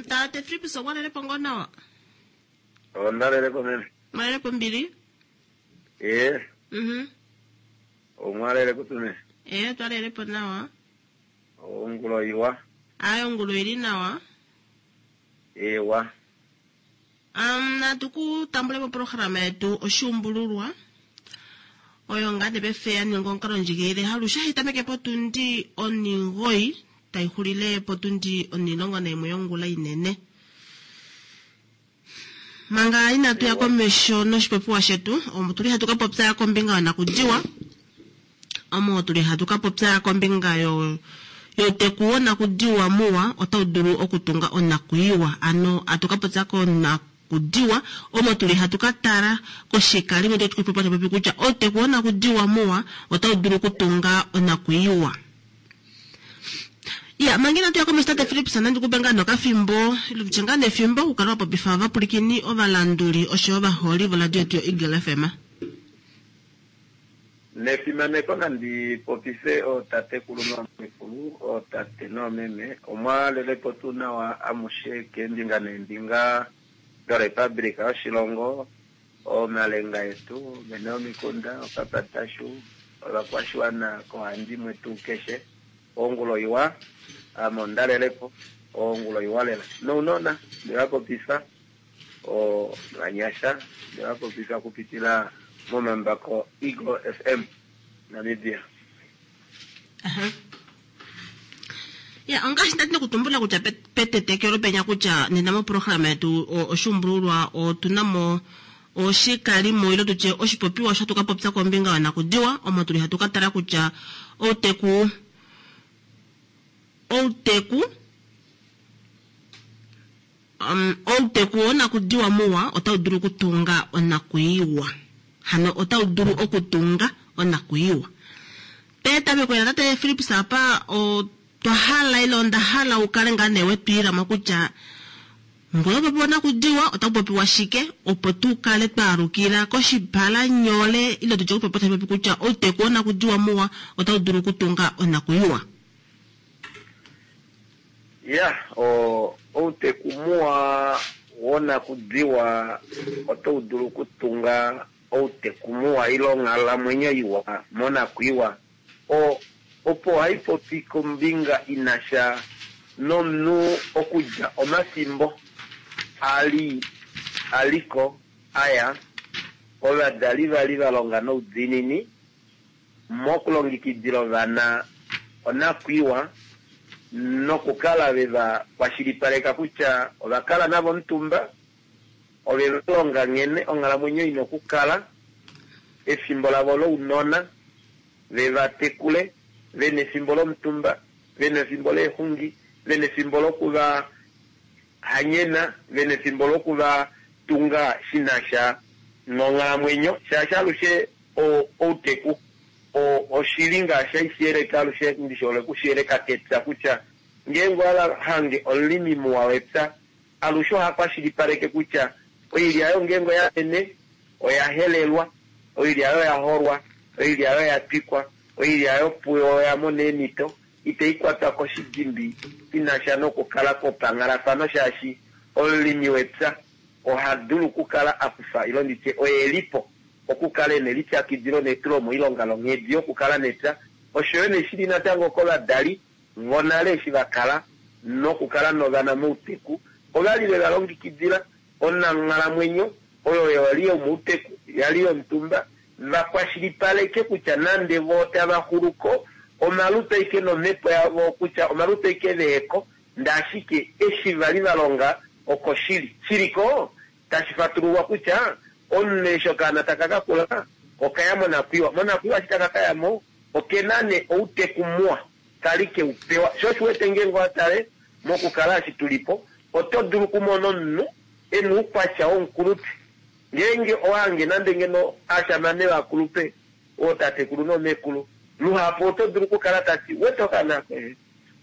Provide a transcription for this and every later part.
Tate Philips okwa lele po ngoo nawa? Onda lele po meme. Mwa lele po mbili? Ee. Omwa lele kutume? Ee, twa lele po nawa. Ongulo iwa. Aye, ongulo ili nawa. Ewa. Natu ku tambule moprograma yetu oshuumbululwa oyo ngaa ne paife ya ninga omukalo ndjigilile halushe hayi tameke potundi 9 tayi xulile potundi 11 yongula inene. Manga inatu ya komesho noshipopiwa shetu, omo tuli hatu ka popya kombinga yonakudiwa, omo tuli hatu ka popya kombinga yo youteku wonakudiwa muwa otau dulu okutunga onakuiwa. Ano atu ka popya konakudiwa, omo tuli hatu ka tala koshikalimo tashi popi kutya outeku wonakudiwa muwa otau dulu okutunga onakuiwa. Ya, manga inatu ya komesho tate Philips, nandi kupe ngaa nokafimbo, ile tutye ngaa nefimbo okukala wa popifa ovapulikini, ovalanduli osho yo ovaholi voradio yetu yoEagle FM. Nefimaneko nandi popife ootatekulu noomekulu, ootate noomeme, omwa lelepo tuu nawa amushe keembinga neembinga doRepublika yoshilongo, omalenga etu, vene yomikunda, okapatashu, ovakwashiwana koohandimwe tuu keshe. Ongulo iwa, ame onda lelepo, ongulo iwa lela. Nounona, nde va popifa, ovanyasha, nde va popifa okupitila momambako Eagle FM Namibia. Ya, ongaashi ndati nokutumbula kutya petetekelo penya kutya nena moprograma yetu oshuumbululwa otuna mo oshikalimo ile tutye oshipopiwa osho hatu ka popya kombinga yonakudiwa, omo tuli hatu ka tala kutya outeku outeku outeku wonakudiwa muwa otau dulu okutunga onakuiwa. Hano otau dulu okutunga onakuiwa. Petameko lela tate Philips apa otwa hala ile onda hala u kale ngaa nee wetwiilamo kutya ngee popiwa onakudiwa otaku popiwa shike opo tu kale twa alukila koshipalanyole ile tutye kupopya tashi popi kutya outeku wonakudiwa muwa otau dulu okutunga onakuiwa. Ya, outeku muwa wonakudiwa otau dulu okutunga outeku muwa ile onghalamwenyo iwa monakuiwa. Opo ohai popi kombinga ina sha nomunhu okudja omafimbo ali aliko aya, ovadali vali va longa noudiinini mokulongekidila ovana onakwiiwa nokukala ve va kwashilipaleka kutya ova kala navo omutumba, ove va longa nghene onghalamwenyo ina okukala, efimbo lavo lounona, ve va tekule, ve na efimbo lomutumba, ve na efimbo leexungi, ve na efimbo lokuva hanyena, ve na efimbo lokuva tunga shi na sha nonghalamwenyo, shaashi alushe outeku oshili ngaashi hashi yeleke alushe, ndishole okushiyeleka kepya kutya ngeenge owa hange omulimi muwa wepya, alushe oha kwashilipaleke kutya oilya yo ngeenge oya mene oya helelwa, oilya yo ya holwa, oilya yo ya twikwa, oilya yo puyo oya mona eemhito, itai kwatwa koshidimbi inasha nokukala kwopanghalafano, shaashi omulimi wepya oha dulu okukala a kufa ile nditye oye lipo okukala ena elipyakidilo netulo moilonga longhedi yokukala nepya. Osho yo neshili natango kovadali vonale eshi va kala nokukala novana mouteku, ovali ve va longekidila onanghalamwenyo oyo yali yomouteku, yali yomutumba, va kwashilipaleke kutya nande vo tava xuluko omalutu aike nomhepo yavo kutya omalutu aike veheko, ndee ashike eshi vali va longa oko shili. Shiliko tashi fatululwa kutya omunhu eshi okaana taka ka kula okaya monakwiiwa. Monakwiiwa eshi taka kaya mo okena ne outeku muwa kali ke u pewa. Sho osho wete ngeenge owa tale mokukala eshi tulipo oto dulu okumona omunhu ena oukwatya womukulupe. Ngeenge owa hange nande ngeno ashamane vakulupe ootatekulu noomekulu, luhapu oto dulu okukala tati wete okaana ako ehe.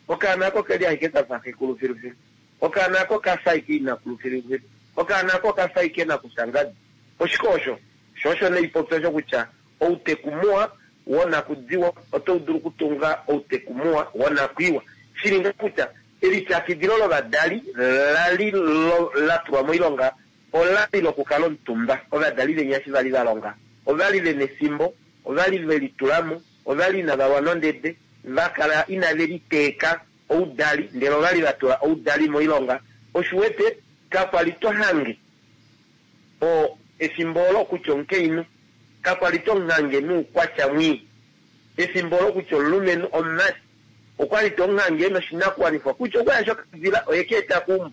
Okaana ako keli ashike kafa xekulu filufilu. Okaana ako kafa ashike inakulu filufilu. Okaana ako okafa ashike nakushangadi. Oshike osho? Sho osho neipopyo osho kutya outeku muwa wonakudiwa otau dulu okutunga outeku muwa wonakwiiwa. Shili ngaa kutya Elipyakidilo lovadali la li la tulwa moilonga olali lokukala omutumba. Ovadali venya eshi vali va longa, ovali vena efimbo, ovali velitulamo, ovali inava lwa nondede, va kala inave liteeka oudali ndele ovali va tula oudali moilonga. Osho u wete, kakwa li to hange o, efimbo olo kutya omukainhu, kakwa li to muhange noukwatya mwii. Efimbo olo kutya omulumenhu, omumati, okwali to muhange ena oshinakuwanifwa kutya okwa yasha okadila oye ka eta keumbo.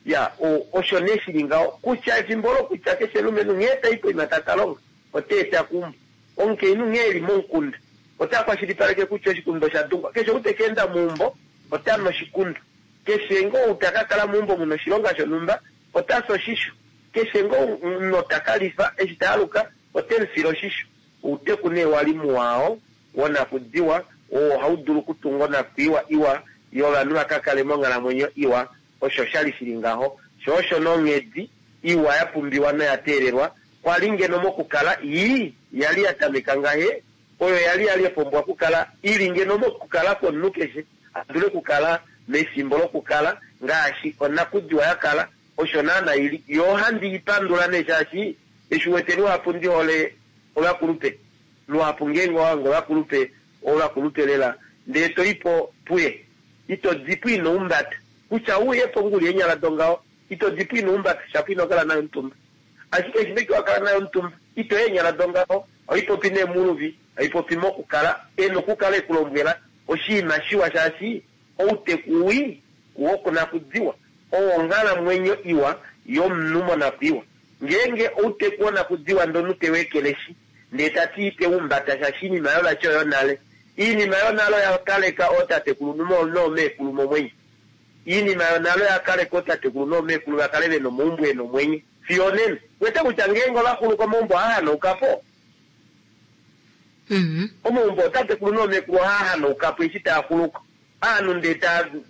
Ya, osho nee shili ngaho kutya efimbo olo kutya keshe omulumenhu nghee tai poima ta ka longa, ota eta keumbo. Omukainhu nghee eli momukunda, ota kwashilipaleke kutya oshikundu osha dungwa. Keshe ou te ka enda meumbo, ota nu oshikundu. Keshe ngoo ou ta ka kala meumbo muna oshilonga shonhumba, ota fi oshisho. Keshe ngoo omunhu ta ka lifa, eshi ta aluka, ote mu file oshisho. Outeku nee wali muwa oo wonakudiwa, oo ohau dulu okutunga onakwiiwa iwa yovanhu va ka kale monghalamwenyo iwa. Osho shali shili ngaho. Sho osho nee onghedi iwa ya pumbiwa noya teelelwa kwali ngeno mokukala ii yali ya tameka ngahe, oyo yali yali ya pumbwa okukala ili ngeno mokukala kwomunhu keshe a dule okukala mefimbo lokukala ngaashi onakudiwa ya kala, osho naana ili. Yo ohandi i pandula nee shaashi eshi wete luhapu ndi hole ovakulupe. Luhapu ngeenge owa hanga ovakulupe, ovakulupe lela, ndee to i po puye, ito dipo ino umbata. Kutya u ye po nguli eenyala dongaho, ito dipo ino umbata, shapo ino kala naye omutumba. Ashike eshi neke wa kala naye omutumba, ito i eenyala dongaho, oipopi nee muluvi, oipopi mokukala, e na okukala e ku lombwela oshinima shiwa shaashi outeku wii wokunakudiwa owo onghalamwenyo iwa yomunhu monakwiiwa. Ngeenge outeku wonakudiwa ndee omunhu te weekeleshi, ndee ta ti ite umbata shaashi oinima oyo vati oyonale. Oinima yonale oya kaleka ootatekulu noomeekulu momwenyo. Oinima yonale oya kaleka ootatekulu noomeekulu va kale vena omaumbo ena omwenyo fiyo onena. Wete kutya ngeenge ovaxuluka omaumbo ohaa hanauka po. Omaumbo ootatekulu noomeekulu ohaa hanauka po eshi taa xuluka. Ovanhu ndee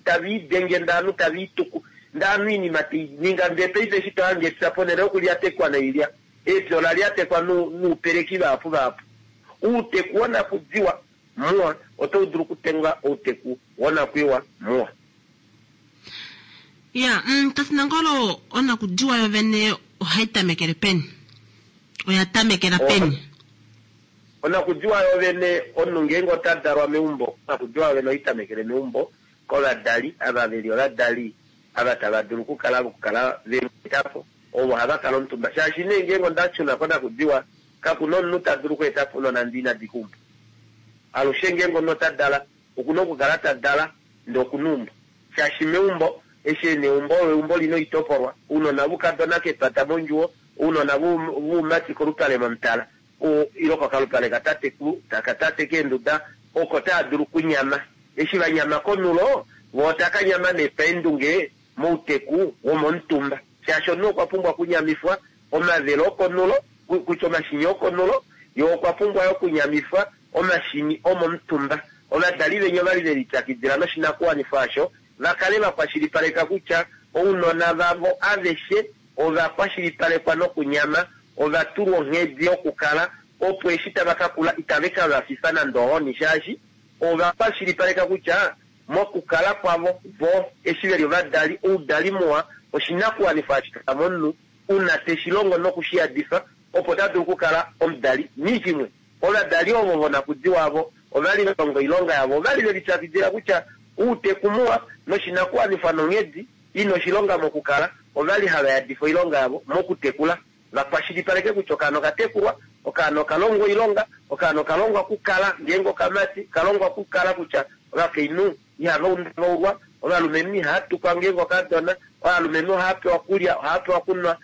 tave idenge ndee ovanhu tave ituku ndee ovanhu oinima tei ninga ndee paife eshi to hange epya ponhele yokulyatekwa noilya, epya ola lyatekwa noupeleki vahapu vahapu. Outeku wonakudiwa muwa otau dulu okutenga outeku wonakwiiwa muwa. Ya, Tate Nangolo, onakudiwa yovene ohai tamekele peni? Oya tamekela peni? Onakudiwa yovene, omunhu ngeenge ota dalwa meumbo, onakudiwa yovene ohai tamekele meumbo kovadali ava veli ovadali ava tava dulu okukala vokukala ve mu eta po, ovo hava kala omutumba. Shaashi nee ngeenge onda shuna konakudiwa, kaku na omunhu ta dulu okweeta po ounona ndee ina dika eumbo. Alushe ngeenge omunhu ota dala, okuna okukala ta dala ndee okuna eumbo. Shaashi meumbo, eshi ena eumbo, olo eumbo lina oitopolwa, ounona voukadona kepata mondjuwo, ounona voumati kolupale momutala, ile kokalupale katatekulu, katate keenduda, oko tava dulu okunyama. Eshi va nyama konulo, vo otaka nyama nee paendunge mouteku womomutumba. Shaashi omunhu okwa pumbwa okunyamifwa omavele okonulo, kutya omashini okonulo, ye okwa pumbwa yo okunyamifwa omashini omomutumba. Ovadali venya ovali ve lipyakidila noshinakuwanifwa osho, va kale va kwashilipaleka kutya ounona vavo aveshe ova kwashilipalekwa nokunyama, ova tulwa onghedi yokukala, opo eshi tava ka kula itave ka va fifa nande ohoni shaashi ova kwashilipaleka kutya mokukala kwavo vo eshi veli ovadali, oudali muwa oshinakuwanifwa hashi kala momunhu una te shi longo noku shi yadifa opo ta dulu okukala omudali. Nghishimwe, ovadali ovo vonakudiwa avo ovali va longa oilonga yavo, ovali ve lipyakidila kutya outeku muwa noshinakuwanifwa nonghedi ina oshilonga mokukala, ovali hava yadifa oilonga yavo mokutekula, va kwashilipaleke kutya okaana okatekulwa, okaana okalongwa oilonga, okaana okalongwa okukala ngeenge okamati, kalongwa okukala kutya ovakainhu ihava undaulwa, ovalumenhu ihava tukwa ngeenge okadona, ovalumenhu ohava pewa okulya, ohava pewa okunwa.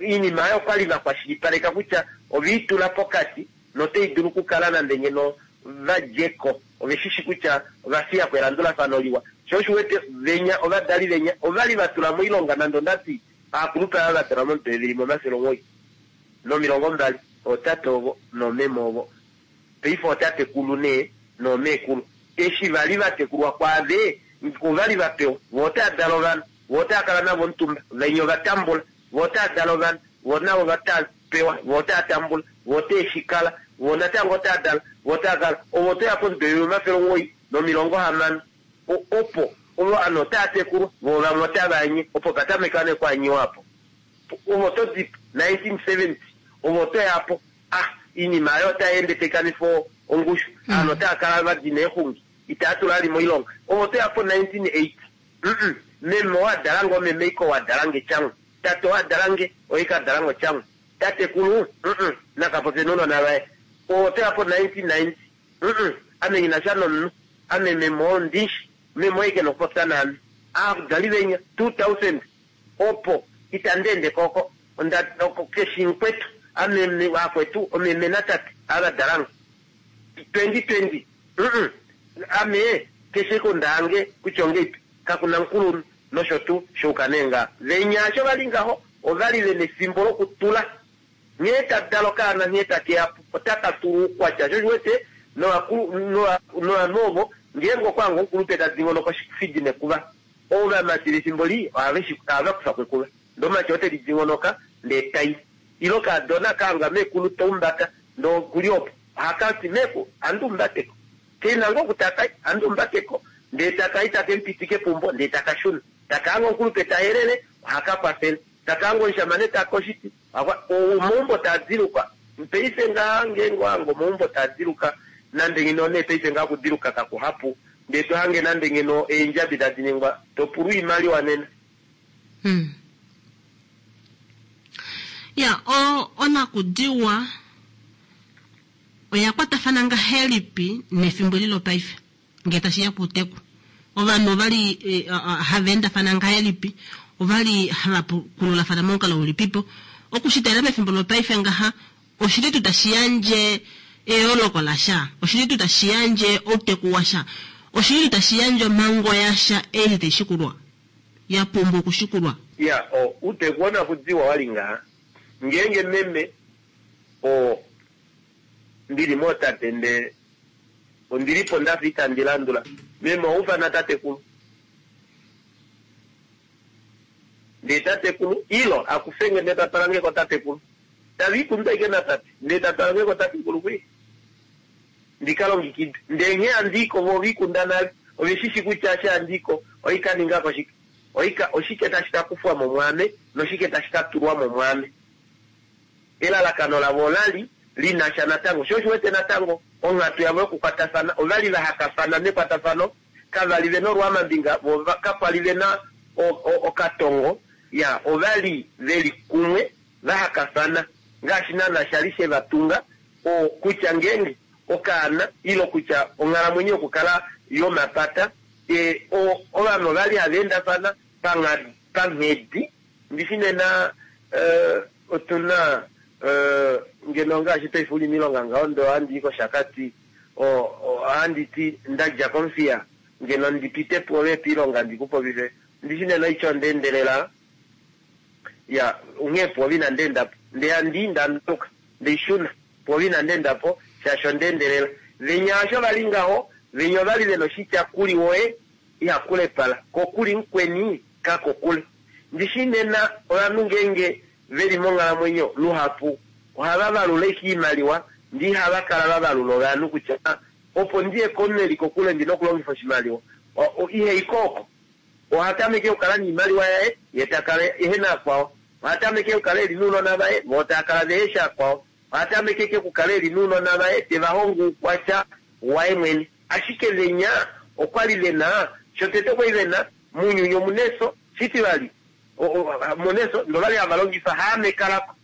Oinima oyo okwali va kwashilipaleka kutya ove i tula pokati notai dulu okukala nande ngeno va dje ko, ove shishi kutya ova fiya ko elandulafano liwa. Sho osho wete venya, ovadali venya ovali va tula moilonga nande ondati aakulupe ava va dalwa momudo evi limwe 920, ootate ovo noomeme ovo, paife ootatekulu nee noomeekulu, eshi vali va tekulwa kwaave, ovali va pewa, vo otava dala ovana, vo otava kala navo omutumba, venya ova tambula, vo otava dala ovana, vo navo vatava pewa, vo otava tambula, vo otave shi kala, vo natango otava dala, vo otava kala, ovo otoya pomudo evi 960, opo. Ovanhu otava tekulwa, voo vamwe otava anye, opo pa tameka nee okwaanyiwa opo. Ove oto dipo, 1970, ove oto ya po, ah, iinima aayo otai ende tai kanifa ongushu, ovanhu otava kala va dina eexungi, itava tula vali moilonga. Ove oto ya po 1980, mm, meme oo a dalange omeme ike ou a dalange tyanghu, tate oo a dalange oye ike a dalange otyanghu, tatekulu, mm, nakapopye nounona vaye. Ove oto ya po 1990, mm, ame nghi na sha nomunhu, ame meme oo ndishi, meme oye ike nokupopya naame. Aadali venya, 2000, opo itandi ende ko oko, onda, oko keshi mukwetu, ame akwetu omeme natate ava dalange. 2020, mm, ame keshe ike onda hange kutya ongeipi, kaku na mukulunhu nosho tuu, shouka nee ngaa. Venya asho vali ngaho, ovali vena efimbo lokutula nghee ta dala okaana nghee take ya po, otaka tula oukwatya. Sho oshiwete novanhu ovo ngeenge okwa hanga omukulupe ta dingonoka oshifidi nekuva, ovamati vefimbo lii ohava kufa ko ekuva. Ndee omumati ote li dingonoka ndee tai. Ile okaadona ka hanga meekulu ta umbata ndee okuli opo, ohaka ti meeku handi umbate ko. Ke na ngoo oku taka i, handi umbate ko. Ndee taka i take mupitike peumbo ndee taka shuna. Taka hanga omukulupe ta helele, ohaka kwafele. Taka hanga omushamane ta koshiti, omaumbo taa diluka. Paife ngaha ngeenge owa hange omaumbo taa diluka, nande ngeno nee paife ngaha okudiluka kakuhapu, ndee to hange nande ngeno eendjabi tadi ningwa, to pulwa oimaliwa nena. Ya, onakudiwa oya kwatafana ngahelipi nefimbo eli lopaife ngee tashi ya pouteku? Ovanhu ovali hava endafana ngahelipi? Ovali hava pukululafana momukalo ulipipo? Okushitalela mefimbo lopaife ngaha, oshili tuu tashi yandje eyooloko lasha? Oshili tuu tashi yandje outeku washa? Oshili tuu tashi yandje omhango yasha ei tai shikulwa, ya pumbwa okushikulwa? Ya, outeku wonakudiwa wali ngaha, ngeenge meme oo ndili mootate ndee ondili po ndafa itandi landula, meme oha ufana tatekulu. Ndee tatekulu, ilo akufenge ndee ta twalange ko tatekulu. Tava ikundu aike natate, ndee ta twalange ko tatekulu kwii. Ndi ka longekide. Ndee nghee handi iko vo ova ikunda nale. Ove shi shi kutya eshi handi iko ohai ka ninga ko shike. Ohai oshike tashi ka kufwa mo mwaame noshike tashi ka tulwa mo mwaame. Elalakano lavo ola li li na sha natango. Sho osho wete natango onghatu yavo yokukwatafana, ova li va hakafana mekwatafano, kava li ve na olwaamambinga, vo kakwa li ve na okatongo, ya, ova li ve li kumwe, va hakafana, ngaashi naanaa sha li she va tunga, o, kutya ngeenge okaana, ile kutya onghalamwenyo yokukala yomapata, e, o, ovanhu ova li hava endafana panghedi. Ndishi nena otu na ngeno ngaashi paife u li miilonga ngaho ndee ohandi i kOshakati, ohandi ti nda dja kOmuthiya ngeno ndi pite pwoove piilonga ndi ku popife. Ndishi nena oitya onda endelela, ya, onghee pwoove inandi enda po. Ndee handi i nda nduka, ndei shuna, pwoove inandi enda po shaashi onda endelela. Venya osho va li ngaho, venya ova li ve na oshitya kuli woye iha kulepala, ko kuli mukweni kakokule. Ndishi nena ovanhu ngeenge ve li monghalamwenyo luhapu ohava valula ashike oimaliwa ndee ihava kala va valula ovanhu kutya opo ndi ye komunhu e li kokule ndi na okulongifa oshimaliwa. Iha i ko oko. Oha tameke okukala noimaliwa yaye ye ta kala ehe na akwao. Oha tameke okukala e li nounona vaye voo tava kala vehe shi akwao. Oha tameke ike okukala e li nounona vaye te va hongo oukwatya waye mwene. Ashike venya okwa li ve na, shotete okwa li ve na, mounyuni omu na efyo, shitivali, mu na efyo, ndele ova li hava longifa haamekalako.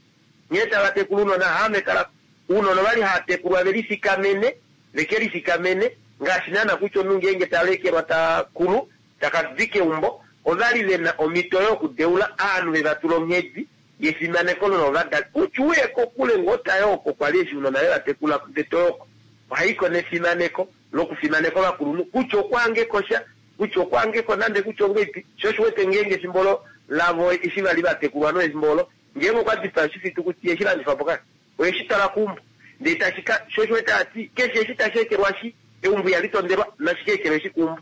Nghee tava tekula ounona, haamekalako. Ounona ova li hava tekulwa ve lifikamene, ve ke lifikamene, ngaashi naana kutya omunhu ngeenge ta lekelwa ta kulu, ta ka dika eumbo, ova li ve na omhito yokudeula ovanhu ve va tula onghedi yefimaneko lovadali. Kutya u ye kokule ngoo ta yooko kwa li eshi ounona ve va tekula ndee to yooko. Ohaiko nefimaneko lokufimaneka ovakulunhu, kutya okuhangeko sha, kutya okuhangeko nande kutya ongeipi. Sho osho wete ngeenge efimbo olo lavo eshi va li va tekulwa no efimbo olo, ngeenge okwa dipaa oshifitukuti iheshi landifa po kaya. Oheshi twala keumbo ndee tashi ka, sho osho wete hati keshe eshi tashi ekelwashi, eumbo ihali tondelwa, nashi ka ekelweshi keumbo.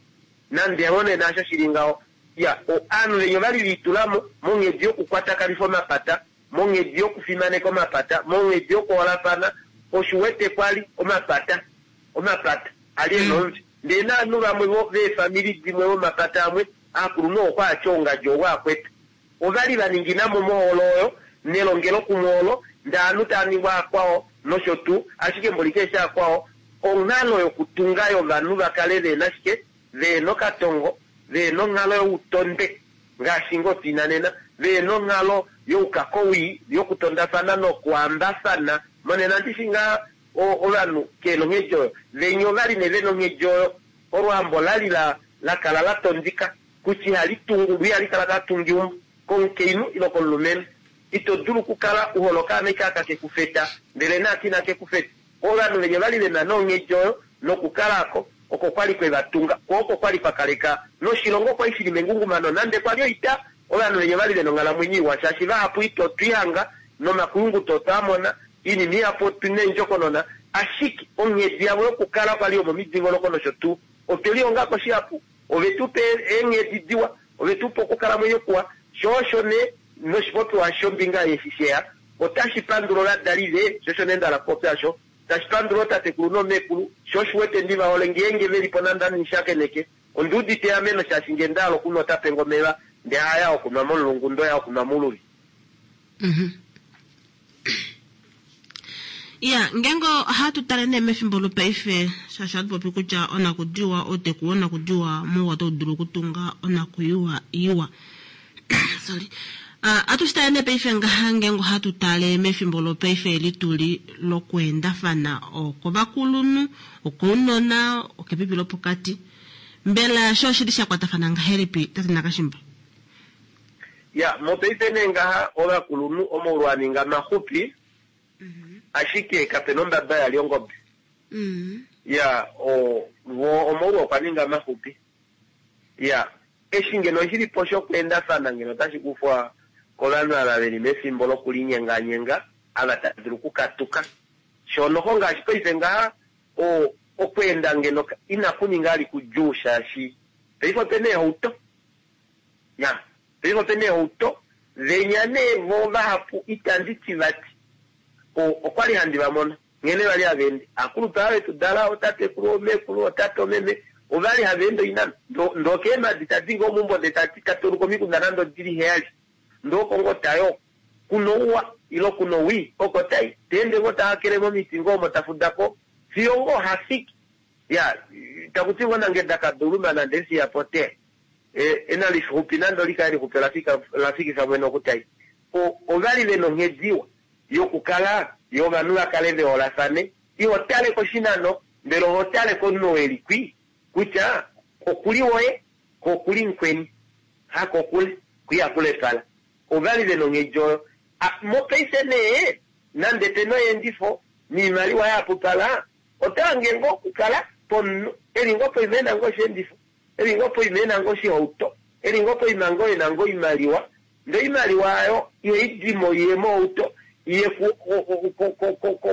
Nande ngoo nee naasho shi li ngaho, ya, ovanhu venya ova li ve itula mo monghedi yokukwatakanifa omapata, monghedi yokufimaneka omapata, monghedi yokuholafana, osho u wete kwa li omapata, omapata a li e na omutwe. Ndee naanhu vamwe veefamili dimwe vomapata amwe, aakulunhu okwa atya ongadji ovo akwetu. Ovali va ninginamo mohole oyo, nelongelokumwe olo, ndee aanhu taa ningwa akwao nosho tuu, ashike mboli keeshi akwao, onghalo yokutunga yovanhu va kale veena shike, veena okatongo, veena onghalo youtondwe ngaashi ngoo tuina nena, veena onghalo youkakowii, yokutondafana nokwaambafana. Monena ndishi ngaa ovanhu keena onghedi oyo. Venya ovali nee vena onghedi oyo. Olwaambo olali la kala la tondika kutya ihali tungu, loo ihali kala katungeumbo, komukainhu ile okomulumenhu. Ito dulu okukala u hole okaana ashike aka keku feta, ndele naaka inake ku feta. Ovanhu venya ovali vena nee onghedi oyo, nokukala ako oko kwali kwe va tunga, kwo oko kwali kwa kaleka noshilongo kwali shili mengungumano nande kwali oita. Ovanhu venya ovali vena onghalamwenyo iwa shaashi vahapu ito twihanga nomakuyunguto otwaa mona, oinima ihapu otuna eendjokonona, ashike onghedi yavo yokukala kwali yomomidingonoko nosho tuu. Otwe lihongako shihapu, ove tu pa eenghedi diwa, ove tu pa okukalamwenyo kuwa, sho osho nee noshipopiwa shombinga eshi sheya otashi pandula ovadali ve, sho osho nee nda hala okupopya osho, tashi pandula ootatekulu noomeekulu, sho osho uwete ndi va hole ngeenge velipo nande ame nghishakeneke, ondi udite eameno shaashi ngee nda hala okunwa ota penge omeva ndee haya okunwa momulungu ndee oya okunwa mouluvi. Iya, ngeenge ohatu tale nee mefimbo lopaife, shaashi ohatu popi kutya onakudiwa, outeku wonakudiwa muwa otau dulu okutunga onakuyiwa iwa. Sorry. Atu shi tale nee paife ngaha ngeenge ohatu tale mefimbo lopaife eli tuli lokuendafana okovakulunhu, okounona, okepipi lopokati. Mbela sho oshili sha kwatafana ngahelipi, tate Nakashimba? Ya, mopaife nee ngaha ovakulunhu omaulu a ninga maxupi, ashike kapena ombaba ya li ongobe. Ya, vo omaulu okwa ninga maxupi. Ya, eshi ngeno shili po shokweendafana ngeno otashi kufwa kovanhu ava veli mefimbo lokulinyenganyenga, ava tava dulu okukatuka. Sho noho ngaashi paife ngaha, okweenda ngeno inaku ninga ali kudjuu shaashi paife opena eehauto. Ya, paife opena eehauto, venya nee vo vahapu itandi ti vati. Okwali handi va mono nghene vali hava ende. Aakulupe ava vetu dala, ootatekulu, oomeekulu, ootate, oomeme, ovali hava ende oinano. Ndoo keemadi tadi ngoo meumbo ndee tati ta tauluka omikunda nande odili 7. Ndoo oko ngoo ta yoo. Kuna ouwa ile kuna owii, oko tai. Ta ende ngoo ta hakele momiti ngoo omo ta fuda po fiyo ngoo ha fiki. Ya, taku ti ngoo nange dakaduuluma nande efiya po te. Ena lixupi nande olikae lixupi ola fikifa mwene oku tai. Ovali vena onghedi iwa yokukala yo ovanhu va kale ve holafane. Iho tale koshinano, ndele oho tale komunhu oo eli kwi kutya okuli woye ko okuli mukweni, hakokule, kwi haku lepala. Ovali vena onghedi oyo. Mopaife nee, nande pena oyeendifo noimaliwa ya hapupala, ota hange ngoo okukala pomunhu eli ngoo poima ena ngoo osheendifo, eli ngoo poima ena ngoo oshihauto, eli ngoo poima ngoo ena ngoo oimaliwa, ndee oimaliwa oyo ihai dimo iye mohauto iye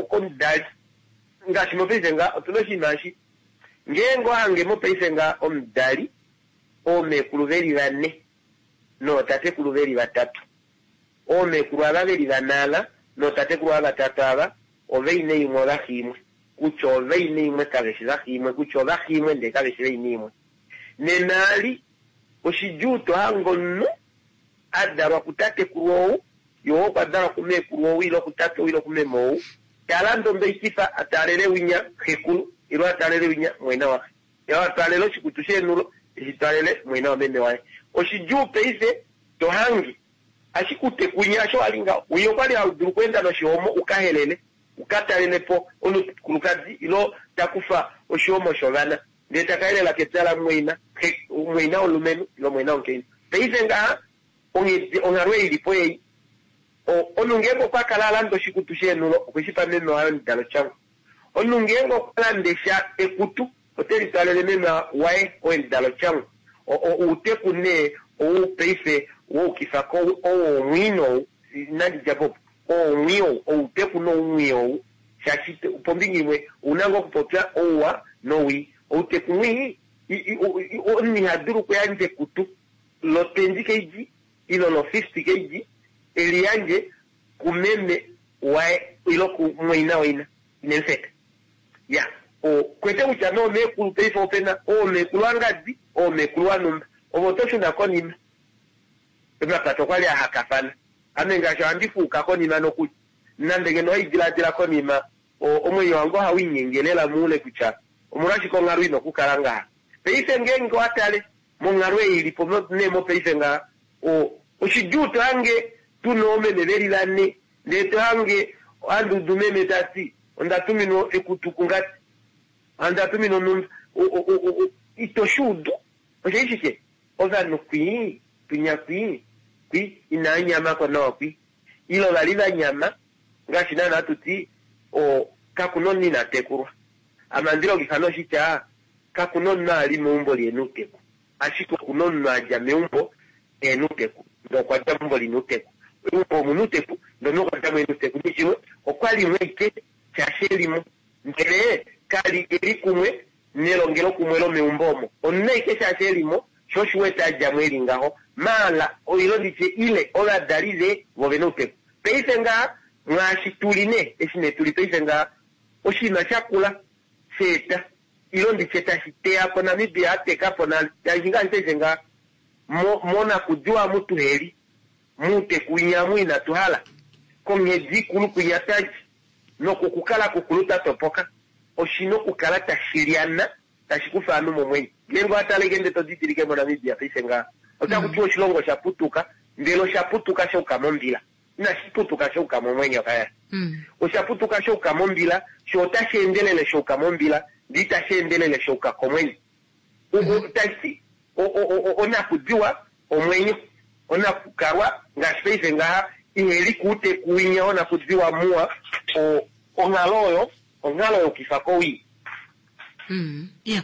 komudali. Ngaashi mopaife ngaha otuna oshinima eshi, ngeenge owa hange mopaife ngaha omudali, oomeekulu veli vane nootatekulu veli vatatu, oomeekulu ava veli vane ava nootatekulu ava vatatu ava ovaina imwe ovaxi imwe, kutya ovaina imwe kaveshi vaxi imwe, kutya ovaxi imwe ndee kaveshi vaina imwe. Nena ali oshidjuu to hange omunhu a dalwa kutatekulu ou, ye ou okwa dalwa kumeekulu ou ile okutate ou ile okumeme ou, ta lande ombeikifa a taalele winya xekulu ile a taalele winya mumwaina waxe. Ye a twaalele oshikutu sheenhulo eshi twaalele mumwaina wameme waye. Oshidjuu paife to hange ashike utekunya osho wali ngaho. Winya okwali hau dulu okweenda noshihomo u ka helele, u ka talele po omukulukadi ile ta kufa oshihomo shovana ndee ta ka helela kepya lamumwaina, xe, mumwaina womulumenhu ile mumwaina womukainhu. Paife ngaha onghedi, onghalo ei ilipo ei, omunhu ngeenge okwa kala a landa oshikutu sheenhulo okwe shi pa meme waye omudalo tyangwa. Omunhu ngeenge okwa lande sha ekutu ote li twalele meme waye oo emudalo tyangwa. Outeku nee ou paife woukifa ko ou omwii nou, inandi dja po opo, oo omwii ou, outeku noumwii ou, shaashi pombinga imwe ouna ngoo okupopya ouwa nowii. Outeku mwii, omunhu iha dulu okuyandja ekutu lo 20 kg ile lo 50 kg e li yandje kumeme waye ile kumumwaina waina, ine mu feta. Ya. Kwete kutya noomekulu paife ope na oomekulu angadi, oomekulu anumba. Ovo oto shuna konima. Omapata okwali a hakafana. Ame ngaashi ohandi fuuka konima nokuli. Nande ngeno haidilaadila konima, omwenyo wange ohau inyenge lela moule kutya omolwashike onghalo ina okukala ngaha. Paife ngeenge owa tale monghalo ei ilipo nee mopaife ngaha, oshidjuu to hange tuna oomeme veli vane, ndee to hange handi udu meme tati onda tuminwa ekutu kungadi, onda tuminwa onhumba, ito shi udu. Osha shike? Ovanhu kwii, kwinya kwii, kwi inaa nyamako nawa kwi. Ile ovali va nyama, ngaashi naana hatu ti, kakuna omunhu ina tekulwa. Ame ohandi longifa noshitya, kakuna omunhu ali meumbo lihena outeku. Ashike okuna omunhu a dja meumbo ehena outeku, ndee okwa dja meumbo lina outeku. Meumbo omuna outeku, ndee omunhu okwa djamo ehena outeku. Nishimwe, okwali mo ashike shaashi elimo. Ndele kali eli kumwe nelongelokumwe lomeumbo omo. Omunhu ashike shaashi elimo, sho osho wete a djamo eli ngaho. Maala, oilo nditye ile ovadali ve vo vena outeku. Paife ngaha, mwaashi tuli nee, eshi nee tuli paife ngaha, oshinima shakula sheeta, ilo nditye tashi teya po Namibia a teka po nale. Shaashi ngaashi paife ngaha, monakudiwa amu tuheli, mouteku winya amu inatu hala, konghedi ikulu kwinya twadja, nokukukala kukulu twa topoka, oshina okukala tashi lyana, tashi kufa ovanhu momwenyo. Ngeenge owa tale ndee to didilike moNamibia paife ngaha, otaku tiwa oshilongo osha putuka, ndele osha putuka shauka mombila. Inashi putuka shauka momwenyo kaya. Osha putuka shauka mombila, sho otashi endelele shauka mombila, ndee itashi endelele shauka komwenyo. Tashi onakudiwa omwenyo, onakukalwa ngaashi paife ngaha iheli kuuteku winya onakudiwa muwa, onghalo oyo, onghalo yokuifa kowii. Yeah.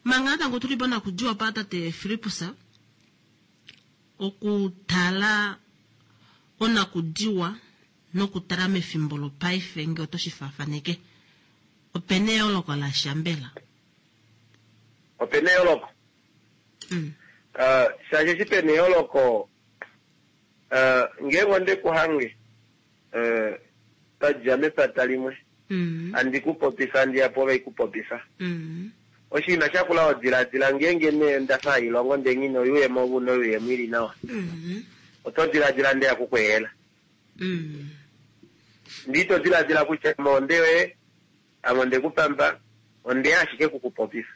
Manga natango tuli ponakudiwa pa tate Fillipus, okutala onakudiwa nokutala mefimbo lopaife nge oto shi faafaneke, opena eyooloko lasha mbela? Opena eyooloko. Shaashi eshi pena eyooloko, ngeenge onde ku hange, twa dja mepata limwe, handi ku popifa, handi ya po ove ku popifa. Oshinima shakula odiladila ngeenge nee nda fa hailongo ndee nghi na oyuuyemo ove una oyuuyemo ili nawa. Oto diladila nde ya kukweehela. Ndee ito diladila kutya ame onde yoye, ame onde ku pamba, ondeya ashike kukupopifa.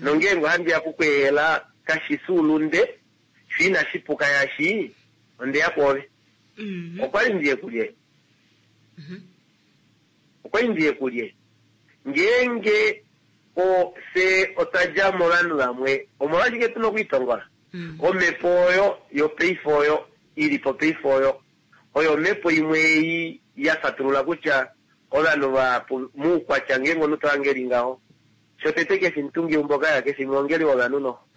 Nongeenge ohandi ya kukweehela kashi fi ulunde, sho inashi puka yashi ondeya kwoove. Okwali ndiye kulye? Okwali ndiye kulye? Ngeenge fye otwa dja movanhu vamwe, omolwashike tuna okwiitongola? Omhepo oyo yopaife oyo ili po paife oyo, oyo omhepo imwe ei ya fatulula kutya ovanhu vahapu moukwatya ngeenge omunhu to hange eli ngaho, shotete kefi mutungi eumbo kaya, kefi mwongeli wovanhu noho.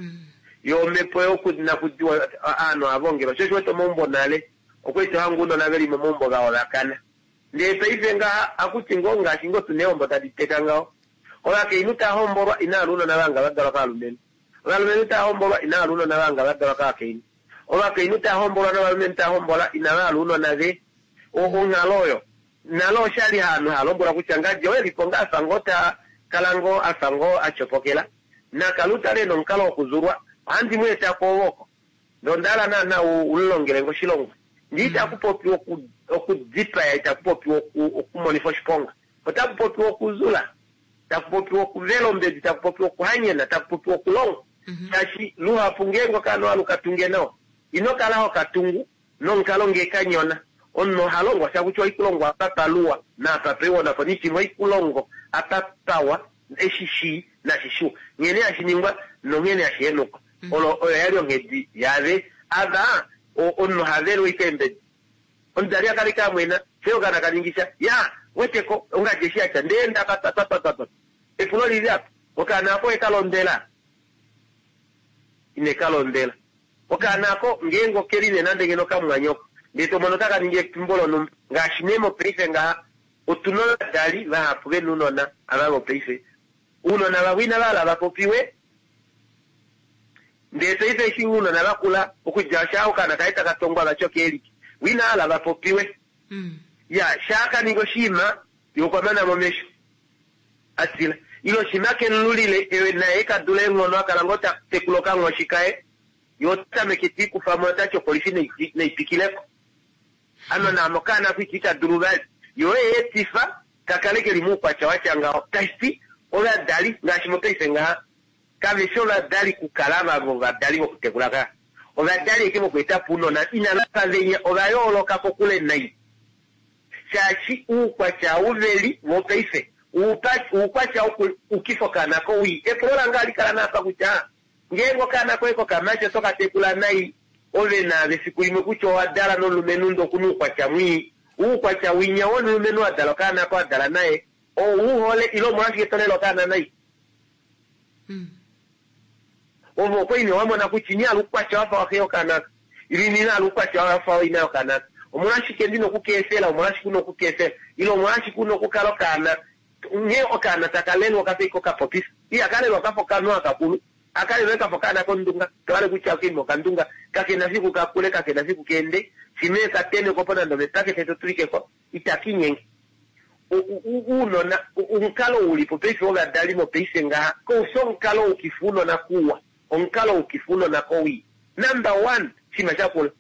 Yo omhepo yokunakudiwa ovanhu ohava ongelwa, sho osho wete omaumbo nale okwali to hange ounona veli momaumbo vaholakana. Ndee paife ngaha akuti ngoo ngaashi ngoo tuna eehombo tadi teka ngaho, ovakainhu tava hombolwa inava hala ounona vanga va dalwa kovalumenhu, ovalumenhu tava hombolwa inava hala ounona vanga va dalwa kovakainhu, ovakainhu tava hombolwa novalumenhu tava hombola inava hala ounona ve onghalo oyo nalo oshali haanhu hava lombwelwa kutya ngadi oye lipo ngaa afa ngoo ta kala ngoo afa ngoo a tyopokela nakale utale nomukalo wokuzulwa ohandi mu eta kwoove oko ndee onda hala naana ulilongele ngo oshilongwa ndee itaku popiwa okudipaya, itaku popiwa okumonifa oshiponga, otaku popiwa okuzula, taku popiwa okuvela ombedi, taku popiwa okuhanyena, taku popiwa okulonga. Shaashi luhapu ngeenge okaana owa luka tunge nawa, ino kala ho ka tungu nomukalo ngee ka nyona. Omunhu oha longwa sha kutya oikulongo apa paluwa naapa paiwa napo nishimwe oikulongo apa pawa eshi shii nashi shiwa, nghene hashi ningwa nonghene hashi henukwa. Olo oyo yali onghedi yave ava omunhu oha velwa ashike eembedi. Omudali a kala ashike a mwena, fye okaana ka ningisha ya weteko ongadi eshi yatya ndee ndaka twa twa twa twa twa. Epulo lili apa, okaana ako eka londwela? Ine ka londwela. Okaana ako ngeenge okeli nee nande ngeno okamumwanyoko ndee to mono taka ningi efimbo lonhumba ngaashi nee mopaife ngaha otuna ovadali vahapu vena ounona ava vopaife. Ounona vavo inava hala va popiwe ndee paife eshi ounona vakula okudja shaa okaana kaye taka tongwa vati okeelike vo inava hala va popiwe. Ya shaa ka ninga oshinima ye okwa mana momesho. A tila. Ile oshima kemululile ewe naye ka dula eenghono a kala ngoo ta tekula okanghoshi kaye. Ye ota tameke te ikufa mo ota ti opolifi nai twikileko. Ano naamo okaana ko ita dulu vali. Yo oye etifa ka kale keli moukwatya watya ngaho. Tashi ti ovadali ngaashi mopaife ngaha kave shi ovadali kukala vava ovadali vokutekula ka. Ovadali eke vokueta po ounona inava fa venya ova yooloka kokule nai. Shaashi uukwatya ou veli vopaife uukwatya woku ukifa okaana kowii. Epulo lange ohali kala naapa kutya ngeenge okaana koye kokamati oto ka tekula nai ove naave efiku limwe kutya owa dala nomulumenhu ndee okuna oukwatya mwii. Oukwatya winya womulumenhu a dala okaana ko a dala naye ou u hole ile omolwashike to lele okaana nai? Ove okwa ine wa mona kutya ini hala oukwatya wafa waxe yokaana aka ile ini hala oukwatya wafa waina yokaana aka. Omolwashike ndina oku ka efela? Omolwashike una oku ka efela? Ile omolwashike una okukala okaana nghee okaana taka lelwa okafa ashike okapopisa. Ihaka lelwa kafa okanhu akakulu, aka lelwa kafa okaana kondunga. Tohale kutya okaima okandunga kakena fiku kakule, kakena fiku keende. Shimwe ka tenekwa po nande omepakete to tulike ko, itaka inyenge. Uunona, omukalo ulipo paife wovadali mopaife ngaha, koufi omukalo wukifa uunona kuwa, omukalo wukifa uunona kowii. Number one, oshinima shakula,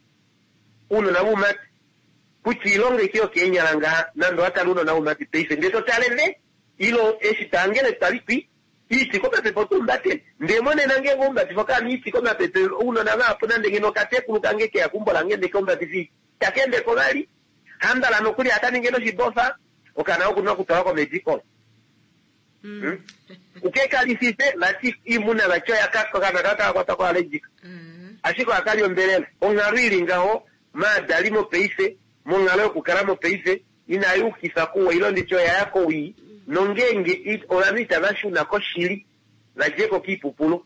uunona voumati, kutya iilonga ike yokeenyala ngaha, nande owa tala uunona voumati paife, ndee to tale ve, ilo eshi twa ngele twali twi iiti komapepe otu umbatele. Ndee monena ngeenge oumbatifa okaana iiti komapepe, ounona vahapu nande ngeno okatekulu kange keya keumbo lange ndee kaumbatifa iiti, taka endeko vali, hambala nokuli aka ninge noshibofa, okaana okuna okutwalwa komedical. Ukekalifife vati iimuna vati oya okaana kaka kwatwa ko allergic. Ashike ohakali ombelela. Onghalo ili ngaho maadali mopaife, monghalo yokukala mopaife, inai ukifa kuwa ile nditye oya ya kowii, nongeenge ovanhu itava shuna koshili, va djeko kiipupulu.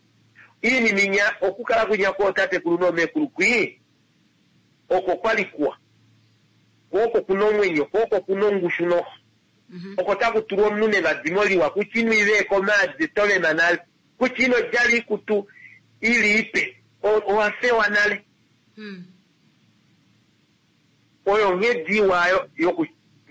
Iinima inya okukala kwinya kwootatekulu noomekulu kwii, oko kwali kuwa. Ko oko kuna omwenyo, ko oko kuna ongushu noho. Oko taku tulwa omunhu nevadimo liwa, kutya ino iveeka omaadi tovema nale, kutya ino djala oikutu ili ipe, owa fewa nale. Oyo onghedi iwa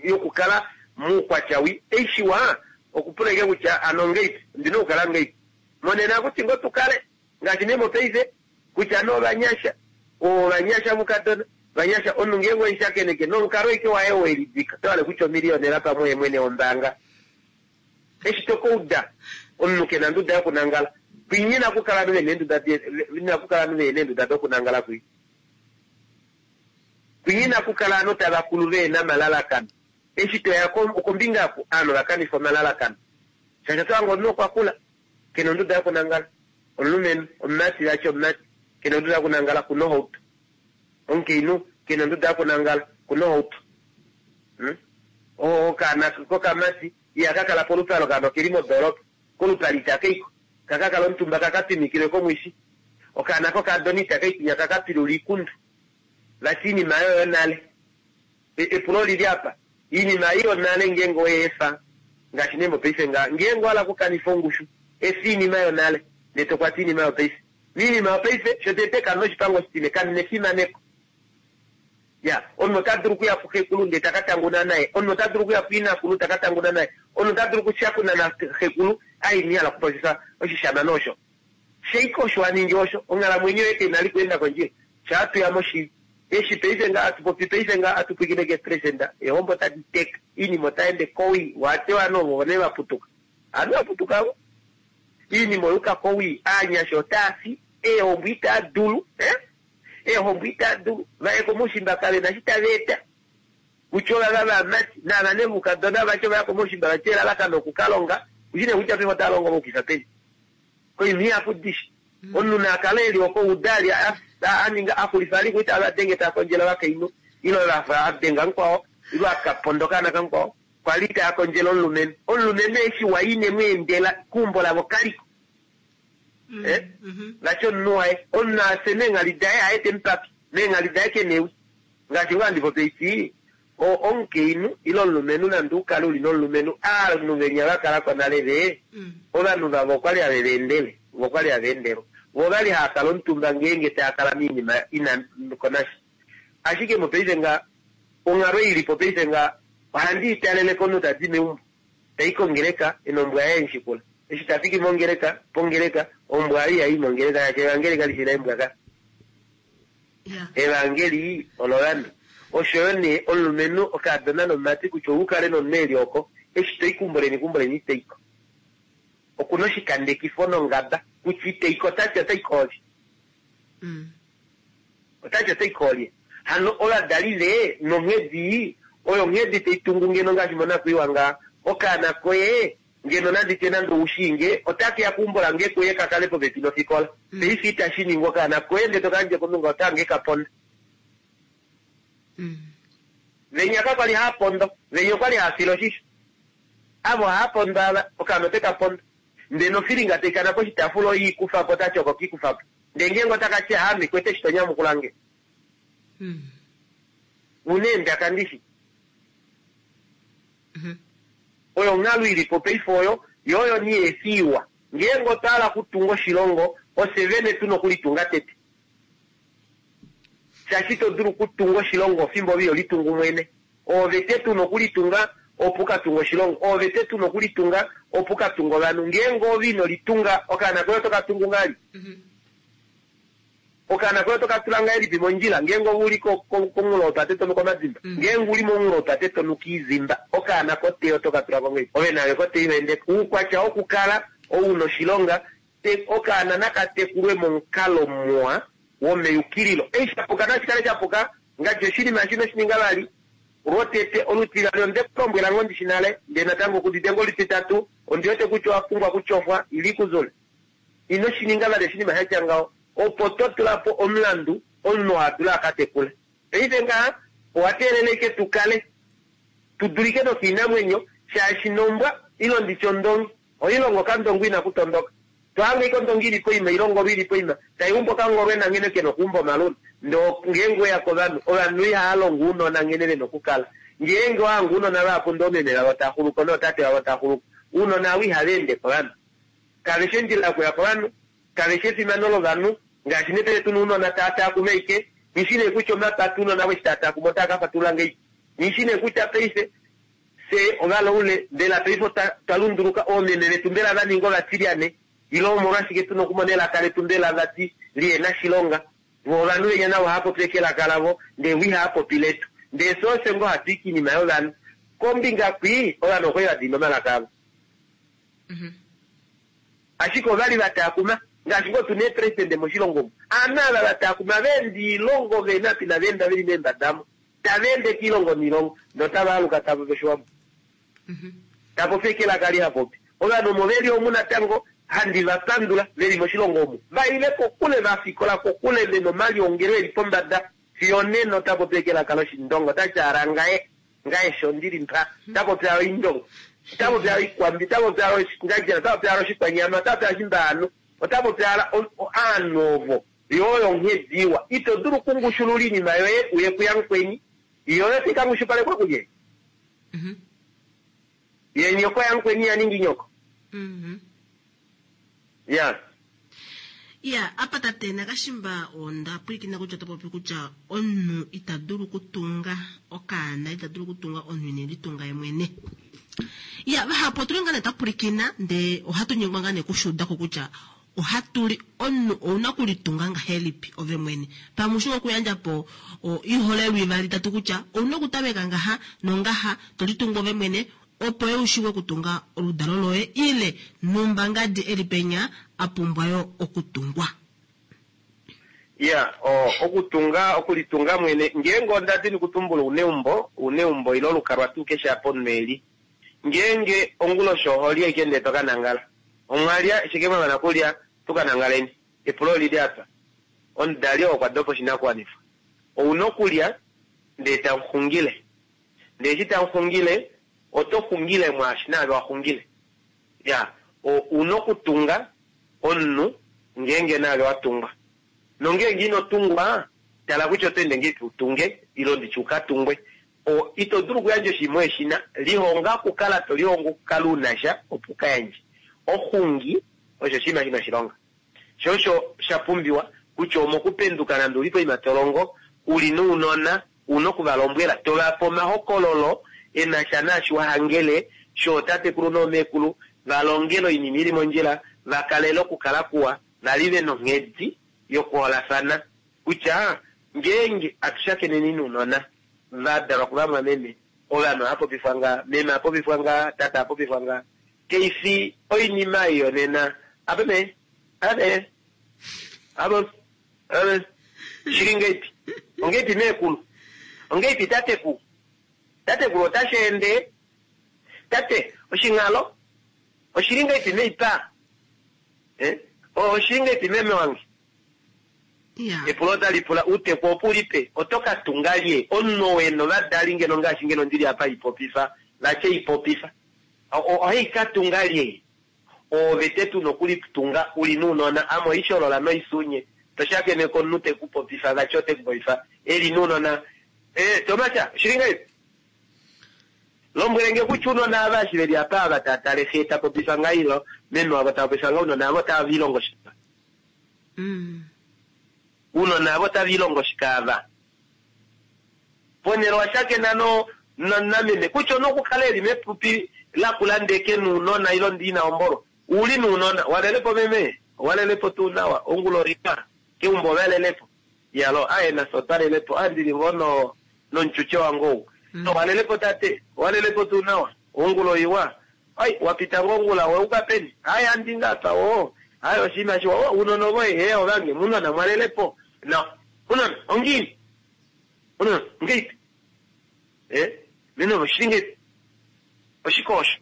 yokukala moukwatya wii. Eishiwa okupula ike kutya ano ngeipi, ondina okukala ngeipi. Monena akuti ngoo tukale ngaashi nee mopaife kutya nee ovanyasha, ovanyasha vukadona, vanyasha omunhu ngeenge omushakeneke nomukalo ike waye welidika, oto hale kutya omiliyonela pamwe oye mwene wombaanga. Eshi to kauda omunhu kena onduda yokunangala, kwinyi inakukala ovanhu vena eenduda inakukala ovanhu vena eenduda dokunangala kwii. Kwinyi inakukala ovanhu tava kulu vehena omalalakano. Eshi toya kombinga oku ovanhu ovakanifa omalalakano. Shaashi oto hange omunhu okwa kula kena onduda yokunangala, omulumenhu, omumati vati omumati kena onduda yokunangala kuna ohauto. Omukainhu kena onduda yokunangala kuna ohauto. Okaana kokamati ihaka kala polupale, okaana okeli modoolopa, kolupale itaka iko, kaka kala omutumba kaka twimikilwe komwishi. Okaana kokadona itaka ikwinya kaka pilula iikundu. Vati iinima yoyo nale. Epulo olili apa, iinima ei yonale ngeenge oye efa, ngaashi nee mopaife ngaha, ngeenge owa hala okukanifa ongushu, efa iinima yonale, ndee to kwata iinima yopaife. Miinima yopaife, shotete kamu na oshipango oshitine, kamu na efimaneko. Ya, omunhu ota dulu okuya puxekulu ndee taka tanguna naye, omunhu ota dulu okuya puinakulu taka tanguna naye, omunhu ota dulu okushakuna naxekulu, ai ina hala okupopya oshishamane osho. Sheike osho wa ningi osho, onghalamwenyo yoye kai na li kuenda kondjila. Shaa tuya moshili. Eshi paife ngaha hatu popi paife ngaha hatu pwilikine keepresenda, eehombo tadi teka, iinima otai ende kowii, waate ovanhu ovo nee va putuka. Ovanhu va putuka vo. Iinima oya uka kowii, aanyasha otaa fi, eehombo itaa dulu, eh? Eehombo itaa dulu, vaye komoushimba kave na eshi tava eta. Kutya ovava vamati, naava nee voukadona vati ovaya komoushimba vati elalakano okukalonga, ushi nee kutya paife otava longo vaukifa peni. Koinima ihapu dishi. Omunhu na kale eli oko uda ali a ninga a xulifa ali kuita ava denge ta kondjele ovakainhu ile vafa a denga mukwao ile a ka ponda okaana kamukwao kwali taa kondjele omulumenhu. Omulumenhu eshi wa ine mu endela keumbo lavo kaliko. Eh? Vati omunhu waye omunhu afye meenghali daye haye te mu pake meenghali daye kena ewi. Ngaashi ngoo handi popi eshi omukainhu ile omulumenhu nande u kale uli nomulumenhu ovanhu venya va kalako nale ve ovanhu vavo okwali have va endele vo okwali hava endelwa vo ovali hava kala omutumba ngeenge tava kala moinima ina konasha. Ashike mopaife nga onghalo ilipo paife nga ohandi italele komunhu tadi meumbo. Ta i kongeleka, e nombwa yaye emushikula. Eshi ta fiki mongeleka, pongeleka, ombwa oyo ihai i mongeleka shaashi evangeli kali shi leembwa ka. Evangeli olovanhu. Osho yo nee omulumenhu, okaadona nomumati kutya ou kale nomunhu e li oko, eshi to i keumbo leni keumbo leni ito i ko. Oku na oshikandekifo nongaba kutya ite i ko ota ti ota i koolye. Ota ti ota i koolye. Hano ovadali ve nonghedi ii, oyo onghedi tai tungu ngeno ngaashi monakwiiwa ngaa. Okaana koye ngeno nandi tye nande ou shii nge, otake ya keumbo lange kuye ka kale popepi nofikola. Paife itashi ningwa okaana koye ndele to ka yandje komunhu ngaho ota hange ka ponda. Venya kakwali haa pondo, venya okwali haa file oshisho. Ava ohaa pondo ava, okaana ote ka pondo. Ndele nofilinga tai kana poshitaafula oye i kufa po, ota ti oko ke i kufa po. Ndele ngeenge otaka ti, Aame, kwete eshi to nyamukula nge. U na eendaka ndishi. Oyo onghalo i li po paife oyo, yo oyo nee efi iwa. Ngeenge otwa hala okutunga oshilongo, ofye vene tu na okulitunga tete. Shaashi ito dulu okutunga oshilongo ofimbo ove iho litungu mwene. Oove tete u na okulitunga opo u ka tunge oshilongo. Oove tete u na okulitunga opo u ka tunge ovanhu. Ngeenge ove ino litunga, okaana koye oto ka tungu ngahelipi? Okaana koye oto ka tula ngahelipi mondjila ngeenge ove u li komunghulo wopate to nuka omadimba? Ngeenge u li momunghulo wopate to nuka iizimba, okaana kotee oto ka tula ko ngahelipi? Ove naave kotee iho ende ko. Uukwatya wokukala ou na oshilonga Okaana naka tekulwe momukalo muwa womeyukililo. Eshi sha puka nashi kale sha puka, ngaashi oshinima eshi ino shi ninga vali lwotete. Olutivali onde ku lombwela ngoo ndishi nale, ndee natango ku udite ngoo olutitatu, ondi wete kutya owa pumbwa okutyofwa ile ikuzule. Ino shi ninga vali oshinima sha tya ngaho. Opo to tula po omulandu omunhu oo a dule a ka tekule. Paife ngaha owa teelela ashike tu kale tu dulike nokiinamwenyo shaashi nombwa ile nditye ondongi Oilonga okandongo inaku tondoka. To hange ashike ondongi ili poima ile ongolwe ili poima tai umbu okangolwena nghene kena okuumba omaluna. Ndee ngeenge oweya kovanhu, ovanhu ihava longo ounona nghene vena okukala. Ngeenge owa hange ounona vahapu ndee oomeme vavo tava xuluko nootate vavo tava xuluko, ounona avo ihava ende kovanhu. Kave shi ondjila yokuya kovanhu, kave shi efimano lovanhu. Ngaashi nee paife tuna ounona tava taakuma ashike, nghi shi nee kutya omapata ounona avo eshi tava taakuma otava ka fatulula ngahelipi. Nghi shi nee kutya paife Fye ovalaule, mbela paife otwa lunduluka? Oomeme vetu mbela va ninga ovatilyane? Ile omolwashike tu na okumona elaka letu mbela vati lihe na shilonga? Vo ovanhu venya navo ohava popi ashike elaka lavo, ndee vo ihava popi letu. Ndee fye ofye ngoo hatu i kiinima yovanhu. Kombinga kwii, ovanhu okwali va dina omalaka avo. Ashike ovali va taakuma, ngaashi ngoo tu na eepresidente moshilongo omu. Aanhu ava va taakuma va enda oilongo ve na apa inava enda ve li meembada omo. Tava ende kiilongo niilongo notava aluka tava popi Oshiwambo. Ta popi ashike elaka li ha popi. Ovanhu omo ve li omu natango handi va pandula ve li moshilongo omu. Va ile kokule, va fikola kokule, ve na omaliongelo e li pombada. Fiyo onena ota popi ashike elaka lOshindonga. Ota ti ala ngaye, ngaye sho ndi li mpa. Ota popi ala Oindonga. Ota popi ala Oikwambi. Ota popi ala Oshingandjela. Ota popi ala Oshikwanyama. Ota popi ala Oshimbaanu. Ota popi ala aanhu ovo. Yo oyo onghedi iwa. Ito dulu okungushulula oinima yoye uye kuyamukweni. Yo oyo tai ka ngushupalekwa kulye? Ye nyoko yamukweni ya ningi nyoko. Ya. Ya, apa tate Nakashimba onda pwilikina kutya oto popi kutya omunhu ita dulu okutunga okaana, ita dulu okutunga omunhu ine litunga ye mwene. Ya, vahapu otuli ngaa nee twa pwilikina ndee ohatu nyengwa ngaa nee okushuuda ko kutya Ohatu li, omunhu ouna okulitunga ngahelipi ove mwene? Pamwe ushi okuyandja po oiholelwa ivali itatu kutya ouna okutameka ngaha nongaha to litungu ove mwene opo yo u shiive okutunga oludalo loye ile nhumba ngadi eli penya a pumbwa yo okutungwa. Iya, okutunga, okulitunga mwene, ngeenge onda dini okutumbula ouneumbo, ouneumbo ile olukalwa tuu keshe apa omunhu eli. Ngeenge onguloshi oho li ashike ndee to ka nangala. Omwa lya, shike mwa mana kulya, tu ka nangaleni? Epulo oli li apa. Omudali oo okwa dopa oshinakuwanifwa. Ou na okulya, ndee tamu xungile. Ndee eshi tamu xungile, oto xungile mwaashi naave wa xungile. Ya, ou na okutunga omunhu ngeenge naave wa tungwa. Nongeenge ino tungwa, tala kutya oto ende ngahelipi u tunge, ile nditye u ka tungwe. O, ito dulu okuyandja oshinima uhe shi na. Lihonga okukala to lihongo okukala u na sha, opo u ka yandje. Oxungi osho oshinima shi na oshilonga. Sho osho sha pumbiwa kutya omokupenduka nande u li poima to longo, u li nounona, u na oku va lombwela, to va pe omahokololo e na sha naashi wa hangele. shootatekulu noomekulu, va longele oinima ili mondjila, va kalele okukala kuwa, vali ve nonghedi yokuholafana kutya ngeenge atu shakeneni nounona va dalwa kuvamwameme, ovanhu ohava popifwa ngaha, meme a popifwa ngaha, tate a popifwa ngaha. Kaifi oinima ei yonena. Apa mee, ave, avo, ave, shili ngeipi? Ongeipi meekulu? Ongeipi tateku? Tatekulu otashi ende? Tate, oshinghalo? Oshili ngeipi meipa? Eh? Oshili ngeipi meme wange? Epulo otali pula uuteku opo u li pe, oto ka tunga lye? Omunhu ou e na ovadali ngeno ngaashi ngeno ndi li apa ipopifa, vatye ipopifa. Ohai ka tunga lye? Oove tete u na okulitunga u li nounona. Ame oisholola noisunye. To shakeneke omunhu te ku popifa, vati ote ku popifa e li nounona. Eh, Tomasha, oshili ngahelipi? Lombwele nge kutya ounona ava eshi ve li apa ava tava tale xe ta popifa ngaha ile meme wavo ta popifa ngaha, ounona ava otava lihongo shike? Uunona avo otava ilongo shike ava? Ponhele owa shakena no, no, nameme, kutya ouna okukala eli mepupi lakula ndee ke na uunona ile ndee ina hombolwa. Ouli nuunona. Walelepo meme? Owalelepo tuu nawa? Ongula oiwa? Keumbo ovalelepo? Iyaloo, aye nafye otwalelepo. A, ndili ngoo no, nomutyutye wange ou. Owalelepo tate? Owalelepo tuu nawa? Ongula oiwa? Ai, wa pita ngoo ongula, wa yuka peni? Ai, handi nga apa, oo. Ai, oshinima shiwa. Oh, uunona ovoye, hee, ovange, munona, mwalele po. No. Unona, ongiini? Unona, ongeipi? Eh? Nena oshili ngeipi? Oshike osho?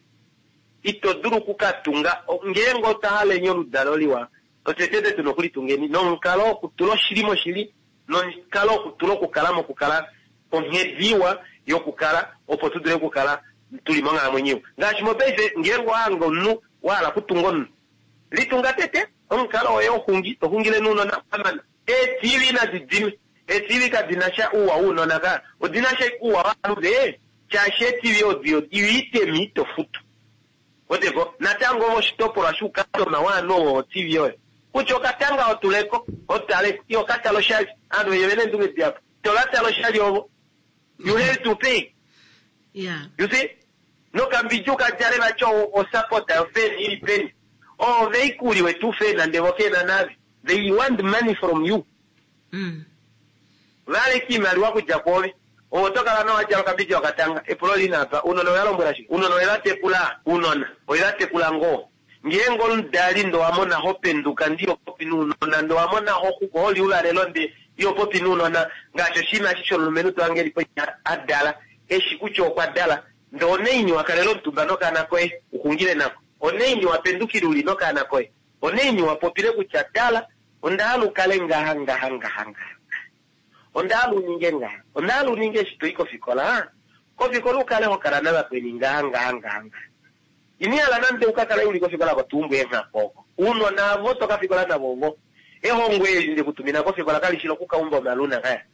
Ito dulu oku ka tunga, ngeenge otwa hala enya oludalo liwa, otwe tete tu na okulitungeni nomukalo wokutula oshili moshili, nomukalo wokutula okukala mokukala onghedi iwa yokukala opo tu dule okukala tu li monghalamwenyo iwa. Ngaashi mopaife, ngeenge owa hanga omunhu wa hala okutunga omunhu, litunga tete omukalo woye woxungi, to xungile nounona wa mana. Ee-TV nadi dime. Ee-TV kadi na sha ouwa wounona ka, odi na sha ouwa wovanhu ve, shaashi ee-TV odo iitemi ito futu. Weteko? Natango ove oshitopolwa shuukastoma waanhu ovo voTV oyo. Kutya okatanga otuleko, otaleko, iho ka tala oshali. Aanhu venye ovena eendunge dihapu. Ito va tala oshali ovo. You have to pay. Yeah. You see? Nokambidja uka djale vati osapota yofan ili peni. Oove ike uli wetu fan nande vo kena nave. They want money from you. Va leka iimaliwa okudja kwoove. Ove oto kala nawa wa djala okambidja okatanga. Epulo li na apa, Uunona owe va lombwela shike? Uunona owe va tekula? Uunona owe va tekula ngoo? Ngeenge omudali ndee owa mona ho penduka ndee iho popi nounona, ndee owa mona ho ho li ouvalelo ndee iho popi nounona, ngaashi oshinima eshi shomulumenhu to hange e li poima a dala, e shi kutya okwa dala, ndee onaini wa kalela omutumba nokaana koye u xungile nako? Onaini wa pendukile u li nokaana koye? Onaini wa popile kutya, Tala, onda hala u kale ngaha, ngaha, ngaha, ngaha, ngaha. Onda hala u ninge ngaha. Onda hala u ninge eshi to i kofikola, kofikola u kale ho kala navakweni ngaha, ngaha, ngaha, ngaha. Ino hala nande u ka kale u li kofikola kotuumbu eenghaku oko. Uunona avo to ka fikola navo ovo. Ehongo eli nde ku tumina kofikola kali shi loku ka umba omaluna kaya.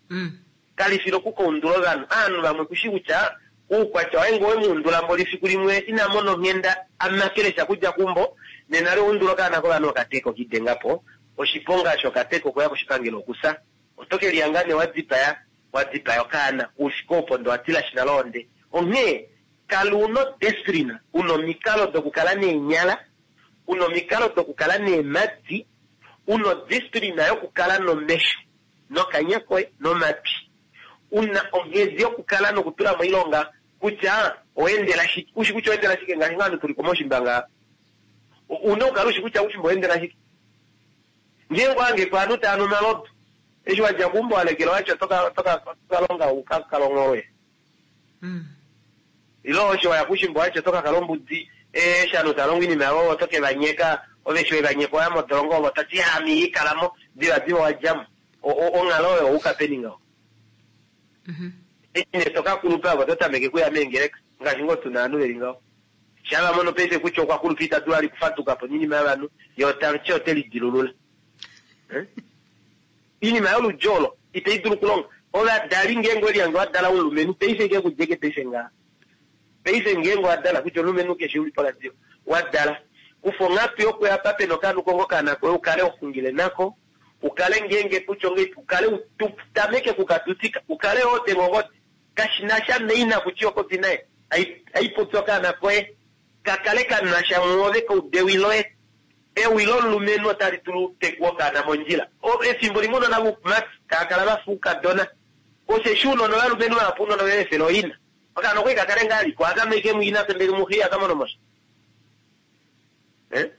Kali fi loku ka undula ovanhu. Aanhu vamwe ku shi kutya uukwatya waye ngee owe mu undula mboli fiku limwe ina mona onghenda a makele sha kudja keumbo, nena li owa undula okaana kovanhu okateka okidenga po. Oshiponga shokateka okuya koshipangelo okusa. Oto ke lihanga nee wa dipaya wa dipaya okaana oufike opo ndee owa tilashi nale ohonde. Onghee kala u na odisciplina, u na omikalo dokukala neenyala, u na omikalo dokukala neemhadi, u na odisciplina yokukala nomesho, nokanya koye, nomatwi. U na onghedi yokukala nokutula moilonga kutya owa endela shike. U shi kutya owa endela shike ngaashi ngoo ovanhu tu li komaushimba ngaha. U na okukala u shi kutya oushimba owa endela shike. Ngeenge owa hange ko ovanhu tava nu omalodu, eshi wa dja keumbo wa lekela wa tya oto ka longa u ka kale ongholwe. Ile osho wa ya koushimba wa tya oto ka kala ombudi, eshi ovanhu tava longo oinima yavo ove oto ke va nyeka, ove eshi we va nyeka owa ya modolongo ove oto ti ame ihandi kala mo, divadiva owa dja mo. Onghalo oyo owa yuka peni ngaho? Eshi nee to ka kulupa ove oto tameke okuya meengeleka, ngaashi ngoo tu na ovanhu ve li ngaho. Shaa va mono paife kutya okwa kulupa ita dulu vali okufaduka po noinima yovanhu, ye ota ti ote lidilulula. Oinima yoludji olo itai dulu okulonga. Ovadali ngeenge ove lihange wa dala omulumenhu paife ke ku djeke paife ngaha. Paife ngeenge owa dala kutya omulumenhu keshe uli poradio wa dala, kufa onghatu yokuya apa pena okaana u konge okaana koye u kale ho xungile nako, u kale ngeenge kutya ongeipi u kale u tameke oku ka tutika, u kale ho denge ongodi. Kashi na sha naina kutya iho popi naye, ai popi okaana koye. Ka kale ka nasha mwoove koudewi loye. Ewi lomulumenhu otali dulu okutekua okaana mondjila. Efimbo limwe ounona voumati tava kala va fa oukadona. Osheshi ounona ovalumenhu vahapu ounona ove efela ooina. Okaana okwali ka kale ngaa liko akame ike muina ndele muxe ihaka mono mosha. Eh?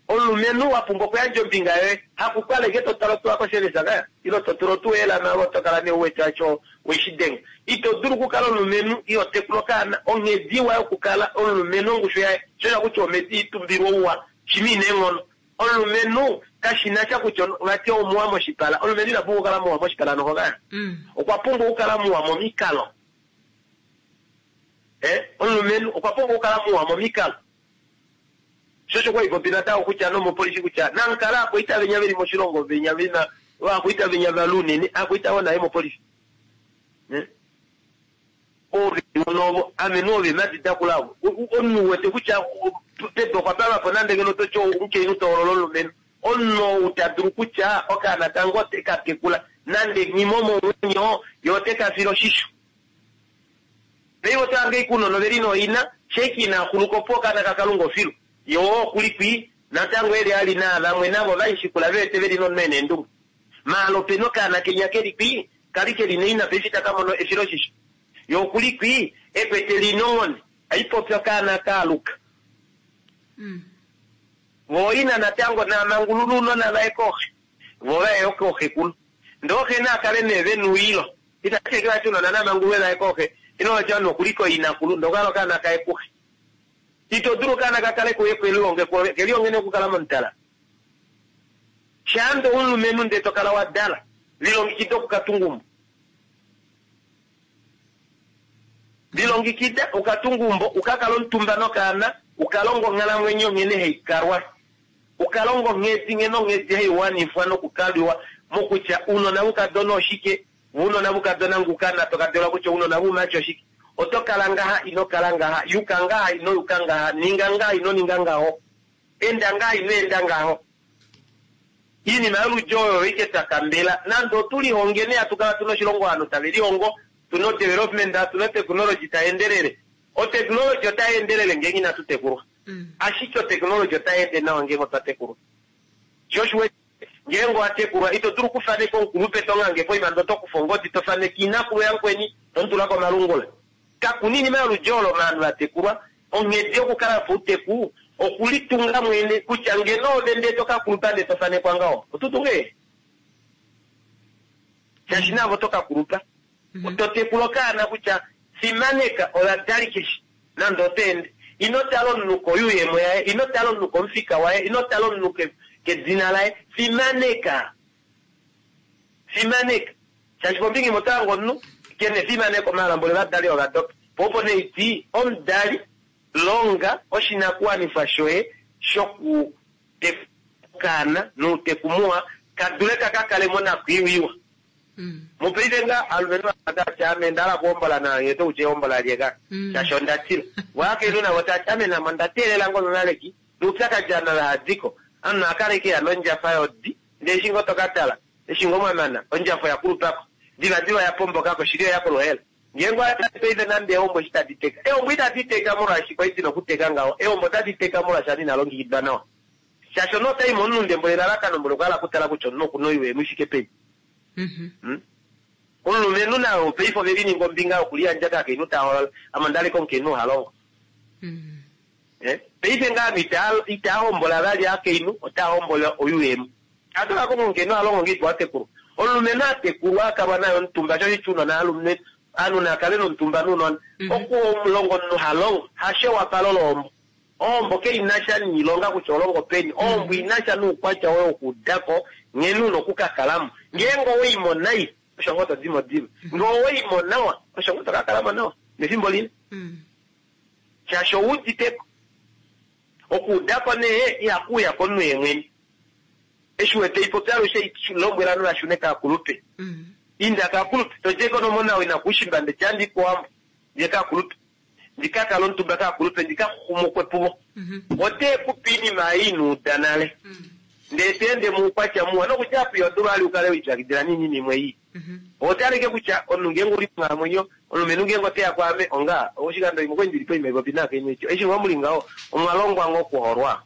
Omulumenhu wa pumbwa okuyandja ombinga yoye. Hakukala ike to tala otuwa kosevesa kaya ile to tula otuwa eelama ove oto kala nee u wete acho weshi denga. Ito dulu okukala omulumenhu iho tekula okaana. Onghedi iwa yokukala omulumenhu ongushu yaye sho osho kutya omhedi itumbilwa ouwa shima ina eenghono. Omulumenhu kashi na sha kutya vati omuwa moshipala. Omulumenhu ina pumbwa okukala muwa moshipala noho kaya. Okwa pumbwa okukala muwa momikalo. Eh, omulumenhu okwa pumbwa okukala muwa momikalo. Sho osho kwa popi natango kutya nomopolisi kutya namukala akwaita venya veli moshilongo venya vena akwaita venya valunene akwaita wo naye mopolisi. Ove novo ame nove madida kulavo. Omunhu wete kutya pedo okwa pama po nande ngeno toti omukainhu toholola omulumenhu. Omunhu ou ta dulu kutya okaana kange ote ka tekula nande nghimo momwenyo ye ote ka file oshisho. Paife oto hange ike ounona oveli nooina, sheiki ina xuluka opo okaana kaKalunga ofilu. Ye oo okuli kwi, natango eli ali naa vamwe navo vaishikula ve wete veli nomunhu ena eendunge. Maala opena okaana kenya keli kwi, kali keli naina paife itaka mono efiloshisho. Ye okuli kwi, ekwete li nonghone, aipopi okaana kaaluka. Vo ina natango naamangulula ounona vaye kooxe, vo vaye yo kooxekulu. Ndee ooxe naa kale nee vena ouyilo. Itashi eke vati ounona naamangululwe vaye kooxe, ile vati ovanhu okuliko inakulu, ndee okukala okaana kaye kuxe. Ito dulu okaana ka kale kuye kelihonge kwoove, kelihonge nee okukala momutala. Shaande omulumenhu ndee to kala wa dala, lilongekida okukatunga umbo. Lilongekida ukatunga umbo, ukakala omutumba nokaana, ukalonga onghalamwenyo nghene haikalwa. Ukalonga onghedi nghene onghedi haiwanifwa nokukaliwa mokutya ounona voukadona oshike, ounona voukadona nguka to ka kutya ounona voumati oshike. Oto kala ngaha ino kala ngaha, yuka ngaha ino yuka ngaha, ninga ngaha ino ninga ngaho, enda ngaha ino enda ngaho. Iinima yoludji oyo ike twa kambela nande otu lihongeni hatu kala tuna oshilongo ovanhu tave lihongo, tuna odevelopment, tuna oteknology tai endelele. Oteknology otai endelele ngeenge inatu tekulwa. Ashike oteknology otai ende nawa ngeenge otwa tekulwa. Sho osho uwete ngeenge owa tekulwa ito dulu okufaneka omukulupe to ngange poima ndee oto kufa ongodi to faneke inakulu yamukweni to mu tula komalungula. Kakuna iinima yoludji olo ovanhu va tekulwa. Onghedi yokukala pouteku okulitunga mwene kutya ngeno ove ndee to kakulupa ndee to fanekwa ngaho oto tunge shaashi navo oto kakulupa. Oto tekula okaana kutya fimaneka ovadali keshe nande oto ende. Ino tala omunhu koyuuyemo yaye, ino tala omunhu komufika waye, ino tala omunhu kedina laye. Fimaneka. Fimaneka. Shaashi kombinga imwe oto hange omunhu kena efimaneko maala mboli ovadali ovadopa. Po opo nee iti omudali longa oshinakuwanifwa shoye shokutekula okaana nouteku muwa ka dule ka ka kale monakwiiwa iwa. Mopaife nga alumenhu tati ame onda hala okuhombola naye oto kutya ehombola lyeka shaashi onda tila. Vo akainhu navo tati ame namo onda teelela ngoo nonaleki noupyakadi ovanhu ava hadiko. Omunhu akala ike eya nondjafa yodi ndee eshi ngoo toka tala eshi ngoo mwamana ondjafa oya kulupako divadiva oya pombokako shili oya koluhaela. Ngeenge owa tale paife nande eehombo eshi tadi teka, eehombo itadi teka molwaashi kwali dina okuteka ngaho, eehombo otadi teka molwaashi ovanhu inava longekidwa nawa. Shaashi omunhu otai momunhu ndembula elalakano mboli okwa hala okutala kutya omunhu okuna oiwemo i fike peni. Omulumenhu naye paife ove lininga ombinga yokuliyandja kaakainhu ta hoolola, ame onda leka omukainhu ha longo. Paife ngaa ovanhu itaa hombola vali aakainhu, otaa hombola oyuuyemo. Atu ka konga omukainhu ha longo ngeipi wa tekulwa. Omulumenhu a tekulwa a kalwa naye omutumba sho shiti ounona alumenhu ovanhu naa kale nomutumba nounona. Okulonga omunhu ha longo hasho ewapalo lohombo. Ohombo kainasha niilonga kutya oholongo peni. Ohombo inasha noukwatya woye wokuudako nghene una okukakalamo. Ngeenge owaimo nai osho ngoo todimo diva. Ngee owaimo nawa osho ngoo tokakalamo nawa nefimbo lile. Shaashi owuuditeko. Okuudako nee ihakuuya komunhu yemwene. Eshi wete ipopi alushe lombwela ovanhu vashune kaakulupe. Inda kaakulupe todjeko nomona wina kuushimba ndeti andi kowambo ndiye kaakulupe. Ndika kala omutumba kaakulupe ndika xumukwe puvo. Ote kupe iinima ei ino uda nale. Ndee to ende muukwatya muwa nokudja apo iho dulu vali ukale wiipyakidila niinima imwe ii. Oho taleke kutya omunhu ngeenge uli monghalamwenyo, omulumenhu ngeenge oteya kwaame onga oshikando imwe okwali ndili poima ipopi naakainhu eti eshi ngoo muli ngaho omwa longwa ngoo okuholwa.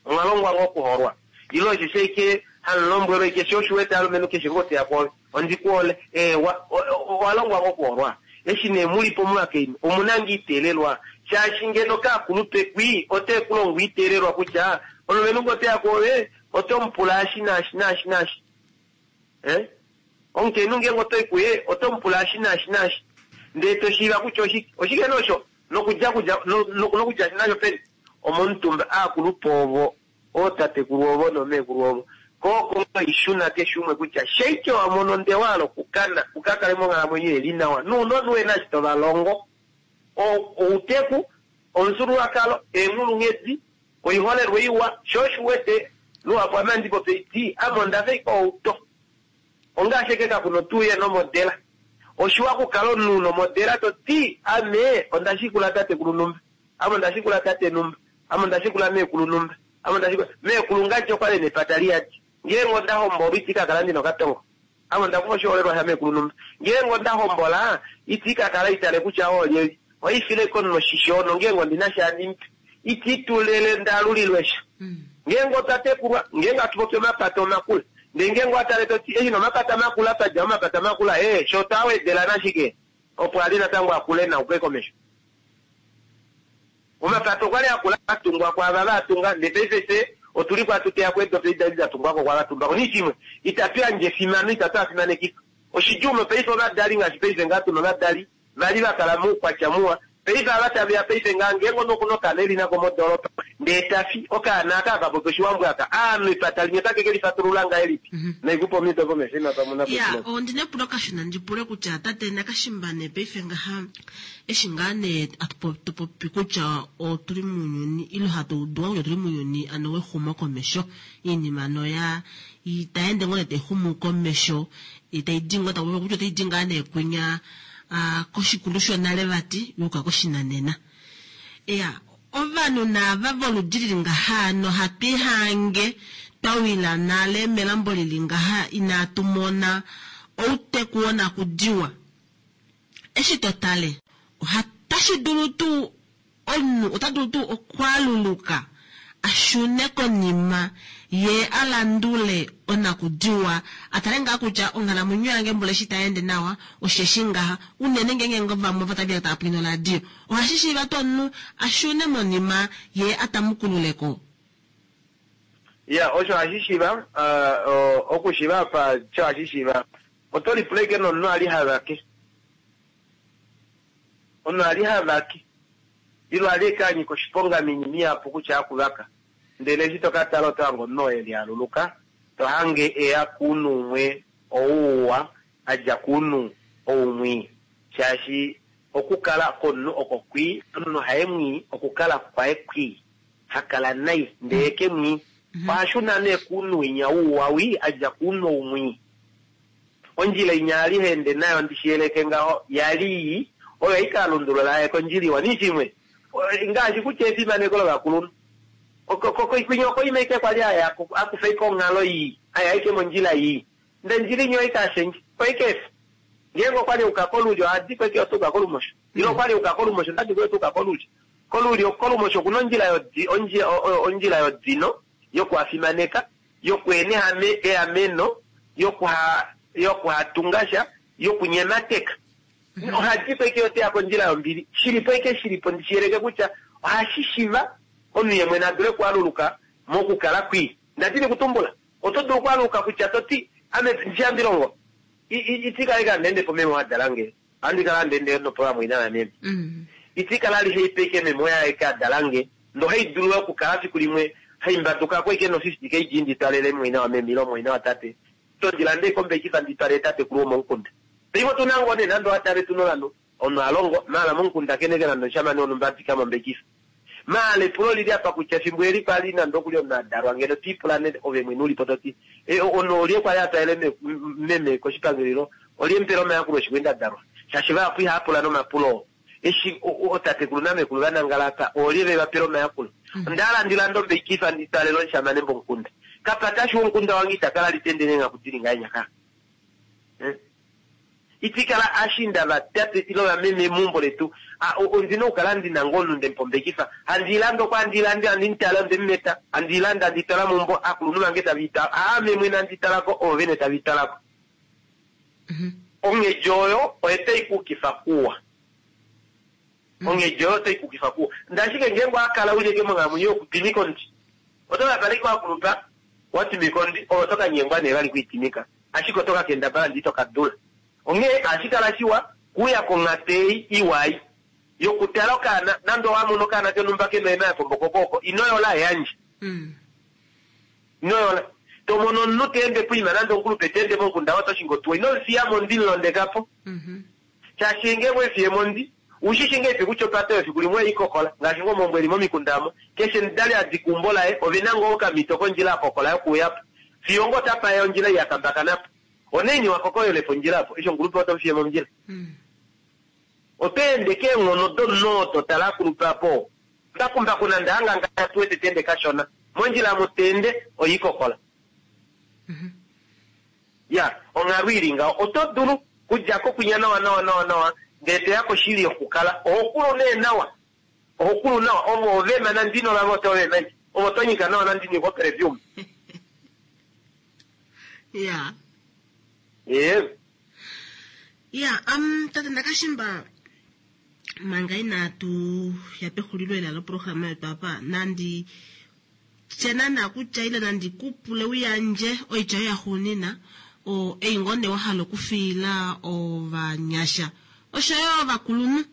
Omwa longwa ngoo okuholwa. Ile osheshi ashike hamu lombwelwa ashike sho osho u wete alumenhu keshe ngoo teya kwoove ondi ku hole eewa owa longwa ngoo okuholwa. Eshi nee muli po muvakainhu omuna ngoo iteelelwa shaashi ngeno kaakulupe kwii ote ku longo iteelelwa kutya omulumenhu ngee oteya kwoove oto mu pula eshi naashi naashi naashi. Eh? Omukainhu ngeenge oto i kuye oto mu pula eshi naashi naashi ndee to shiiva kutya oshike. Oshike nee osho? Nokudja kudja nokudja nasho peni? Omomutumba aakulupe ovo ootatekulu ovo noomeekulu ovo. Ko oko ngoo ishuna keshe umwe kutya sheike wa mono ndee wa hala okukana u ka kale monghalamwenyo ili nawa nounona uhe na eshi to va longo. Outeku, omufyuululwakalo, eenghulunghedi, oiholelwa iwa, sho osho u wete luhapu ame handi popi haiti ame onda fa ashike outo. Ongaashi ashike kaku na otuuye nomodela. Oshiwa okukala omunhu una omodela to ti ame onda shikula tatekulu numba, ame onda shikula tate numba, ame onda shikula meekulu numba, ame onda shikula meekulu ngadji okwali ena epata liyadi. Ngeenge onda hombolwa iti ka kala ndina okatongo. Ame onda kufa oshiholelwa shameekulu numba. Ngeenge onda hombola iti ka kala itale kutya oo olyelye. Ohaifile ashike omunhu oshisho nongeenge ondina sha handi mupe. Iti tulele ndaalulilwe sha. Ngeenge otwa tekulwa, ngeenge hatu popi omapata omakula, ndee ngeenge owa tale to ti, eshi nee omapata makula twa dja momapata makula, ee, sho otwa wedela nashike opo a li natango a kule na uke komesho. Omapata okwa li a kula a tungwa kwaava va tunga, ndee paife fye otu li po hatu teya po eedopi edi da li da tungwa ko kwaava tumba ko. Nishimwe, itatu yandje efimano, itatu a fimanekifa. Oshidjuu mopaife ovadali ngaashi paife ngaa tu na ovadali va li va kala moukwatya muwa. Paife ava tave ya paife ngaha, ngeenge omunhu oku na okaana e li nako modoolopa, ndee ta fi, okaana aka haka popi Oshiwambo aka, aanhu epata limwe otake ke lifatulula ngahelipi? Naikupa omido komesho ina pamwe na Ya, ondi na epulo kashona ndi pule kutya tate Nakashimba nee paife ngaha eshi ngaa nee hatu to popi kutya otuli muunyuni ile hatu udu kutya otuli muunyuni ano wexumo komesho, iinima ano ya tayi ende ngoo nee tayi xumu komesho, tai di ngoo taku popiwa kutya otai di ngaa nee kwinya koshikulu shonale vati yuuka koshinanena. Iya, ovanhu naava voludi lili ngaha nohatu ihange twa wila nale melambo lili ngaha inaatu mona outeku wonakudiwa. Eshi to tale, otashi dulu tuu Omunhu ota dulu tuu okwaaluluka a shune konima ye a landule onakudiwa, a tale ngaa kutya onghalamwenyo yange mboli eshi itai ende nawa, osheshi ngaha, unene ngeenge ngoo vamwe ovo tava tava pwiina oradio. Ohashi shiiva tuu omunhu a shune monima ye a tamukulule ko? Iya, osho ohashi shiiva. Okushiiva apa sho hashi shiiva, oto lipula ashike nomunhu a li ha vake. Omunhu a li ha vake, ile a li ashike a nyika oshiponga moinima ihapu kutya hakuvaka, ndele eshi to ka tala oto hange omunhu oo e lialuluka, to hange e ya kounhu umwe ou uwa, a dja kounhu ou mwii. Shaashi okukala kwomunhu oko kwii, omunhu haye mwii, okukala kwaye kwii, ha kala nai, ndee ye ke mwii. Oha shuna nee kounhu winya wuuwa wii, a dja kounhu ou mwii. Ondjila inya a li ha ende nayo, ndi shi yeleke ngaho, ya li ii, oyo hai ka lundulula aye kondjila iwa. Nii shimwe, ngaashi kutya efimaneko lovakulunhu. Kwinya okoima ashike kwa li a ya ko, a kufa ashike onghalo ii, a ya ashike mondjila ii. Ndele ondjila inya oye ka shendja, oye ka efa. Ngeenge okwa li a yuka kolulyo, oha di ko ashike ota yuka kolumosho. Ile okwa li a yuka kolumosho, ota di ko ota yuka kolulyo. Kolulyo, kolumosho oku na ondjila yodi, ondjila yodino, yokuhafimaneka, yokuhena eameno, yokuhatunga sha, yokunyemateka. Oha di po ashike ote ya kondjila yombili. Shi li po ashike shi li po ndi shi yeleke kutya ohashi shiva omunhu ye mwene a dule okualuluka mokukala kwii. Nda dini okutumbula, oto dulu okualuka kutya to ti, Ame ndishi handi longo, iti kala ashike handi ende po meme oo a dala nge. Ohandi kala handi ende nopovamwaina vameme. Iti kala alishe ipe ashike meme oye aeke a dala nge. Ndee ohai dulu yo okukala fiku limwe hai mbaduka ko ashike no 50 kg ndi twalele mumwaina wameme ile mumwaina watate. Tondi lande ashike ombekifa ndi twalele tatekulu womomukunda. Paife otu na ngoo nee nande owa tale tu na ovanhu, omunhu a longo, maala momukunda kene ke nande omushamane wonhumba a dika mo ombekifa. Maala epulo olili apa kutya efimbo eli kwali nande okuli omunhu a dalwa ngeno to ipula nee ove mwene ulipo toti omunhu olye kwali a twalele meme koshipangelo ilo olye mupele omayakulo eshi kwali nda dalwa shaashi vahapu ihava pula nomapulo oo eshi ootatekulu namekulu va nangala apa oolye ve va pele omayakulo. Onda hala ndi lande ombeikifa ndi twalele omushamane momukunda. Kapatashu womukunda wange ita kala litende neengaku dili ngahenya ka. Iti kala ashinda vatate ile vameme meumbo letu. Ondina okukala ndina ngoo omunhu ndemupombekifa. Handi lande oko handi lande, handi mutale ondemumeta. Handi lande handi twala meumbo, akulunhu vange tave itala. Aame mwene handi talako, ovo vene tave italako. Onghedi oyo oyo tai kukifa kuwa. Onghedi oyo otai kukifa kuwa. Ndashike ngeenge owakala uli eke monghalamwenyo yokutwimika omuti, oto ka kala ike wakulupa watwimika omuti, ove oto ka nyengwa nee vali kwiitimika, ashike oto ka kendabala ndee ito ka dula. Onghee ohashi kala shiwa kuuya konghatu ei iwa ei yokutala okaana, nande owa mono okaana konhumba kena oema ya pomboka oko, ino yola, yandja. Ino yola. To mono omunhu ta ende poima nande omukulupe ta ende momukunda waye ota shingi otuwa, ino mu fiya mondi, mu londeka po. Shaashi ngeenge owe mu fiye mondi, u shi shi ngahelipi kutya opate oyo efiku limwe oye i kokola, ngaashi ngoo omaumbo e li momikunda omo, keshe omudali a dika eumbo laye, ove na ngoo okamhito kondjila a kokola yokuuya po, fiyo ngoo otapa ya ondjila ei ya kambakana po. Onaini wa kokolele po ondjila opo, eshi omukulupe oto mu fiye mondjila? Oto ende keenghono domunhu oo to tala a kulupa po. Mbakumbaku nande a ngangala tu wete ta ende kashona, mondjila omu ta ende oye i kokola. Ya, onghalo i li ngaho. Oto dulu kudja ko kwinya nawa nawa nawa nawa, ndele to ya koshili yokukala. Oho kulu nee nawa. Oho kulu nawa. Ovo ovema nande ino lava oto vema ashike. Ovo to nyika nawa nande ino ikwa perfume. Ya. Ee. Ya, tate Ndakashimba, manga inaatu ya pexulilo ela loprograma yetu apa, nandi tye naana kutya ile nandi ku pule u yandje oitya yoye yaxuunina, o, ei ngoo nee wa hala okufiila ovanyasha osho yo ovakulunhu,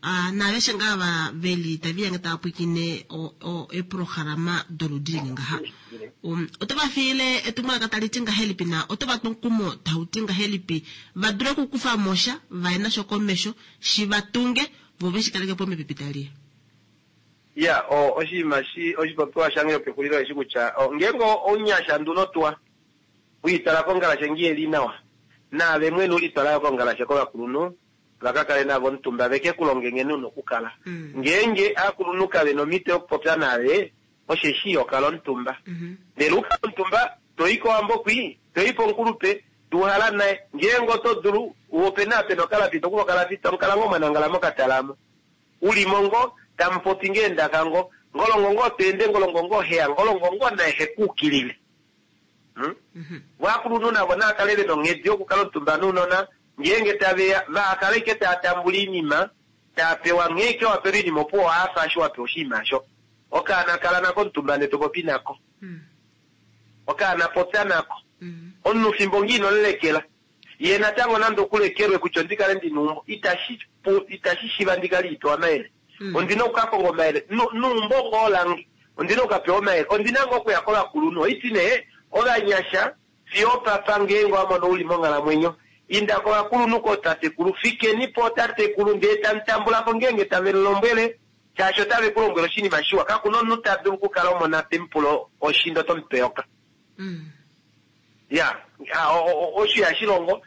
a, naaveshe ngaa va veli tave lihange tava pwilikine o, o, eeprograma doludi lili ngaha. Um, oto va fiile etumwalaka tali ti ngahelipi na oto va tu omukumo tau ti ngahelipi va dule okukufa mo sha va ye nasho komesho shi va tunge vo ve shi kaleke po mepipi tali ya. Ya, o, oshinima shi, oshipopiwa shange shopexulilo eshi kutya, o, ngeenge ounyasha nduno tuwa, wiitwala kongalashe ngi eli nawa, naave mwene ulitwala yo kongalashe kovakulunhu, va ka kale navo omutumba ve ke ku longe nghene una okukala. Ngeenge aakulunhu kave na omhito yokupopya naave, osheshi iho kala omutumba. Ndele u kale omutumba, to i kowambo kwii, to i pomukulupe, to uhala naye. Ngeenge oto dulu, ope na apa pena okalapi, to kufa okalapi, tamu kala ngoo mwa nangala mokatala mo. U li mo ngoo, tamu popi ngoo eendaka ngoo. Ngolongo ngoo to ende, ngolongo ngoo he ya, ngolongo ngoo naye he ku ukilile. Vo aakulunhu navo naa kale ve na onghedi yokukala omutumba nounona, ngeenge tave ya, vaha kale ashike tava tambula oinima, tava pewa nghee ashike wa pelwa oinima opuwo owa hafa eshi wa pewa oshinima osho. Okaana kala nako omutumba ndee to popi nako. Okaana popya nako. Omunhu fimbo ngee ino mu lekela, ye natango nande oku lekelwe kutya ondi kale ndi na eumbo, itashi pu, itashi shiva ndi kale ipewa omayele. Ondi na oku ka konga omayele neumbo ngoo lange. Ondi na oku ka pewa omayele. Ondi na ngoo okuya kovakulunhu. Oiti nee, ovanyasha, fiyo opapa ngeenge owa mono u li monghalamwenyo, inda kovakulunhu kootatekulu, fikeni pootatekulu ndee tamu tambula ko ngeenge tave mu lombwele, shaashi otave ku lombwele oshinima shiwa. Kaku na omunhu ta dulu okukala omona te mu pula oshindo oto mu pe eyoka. Ya, osho ihashi longo.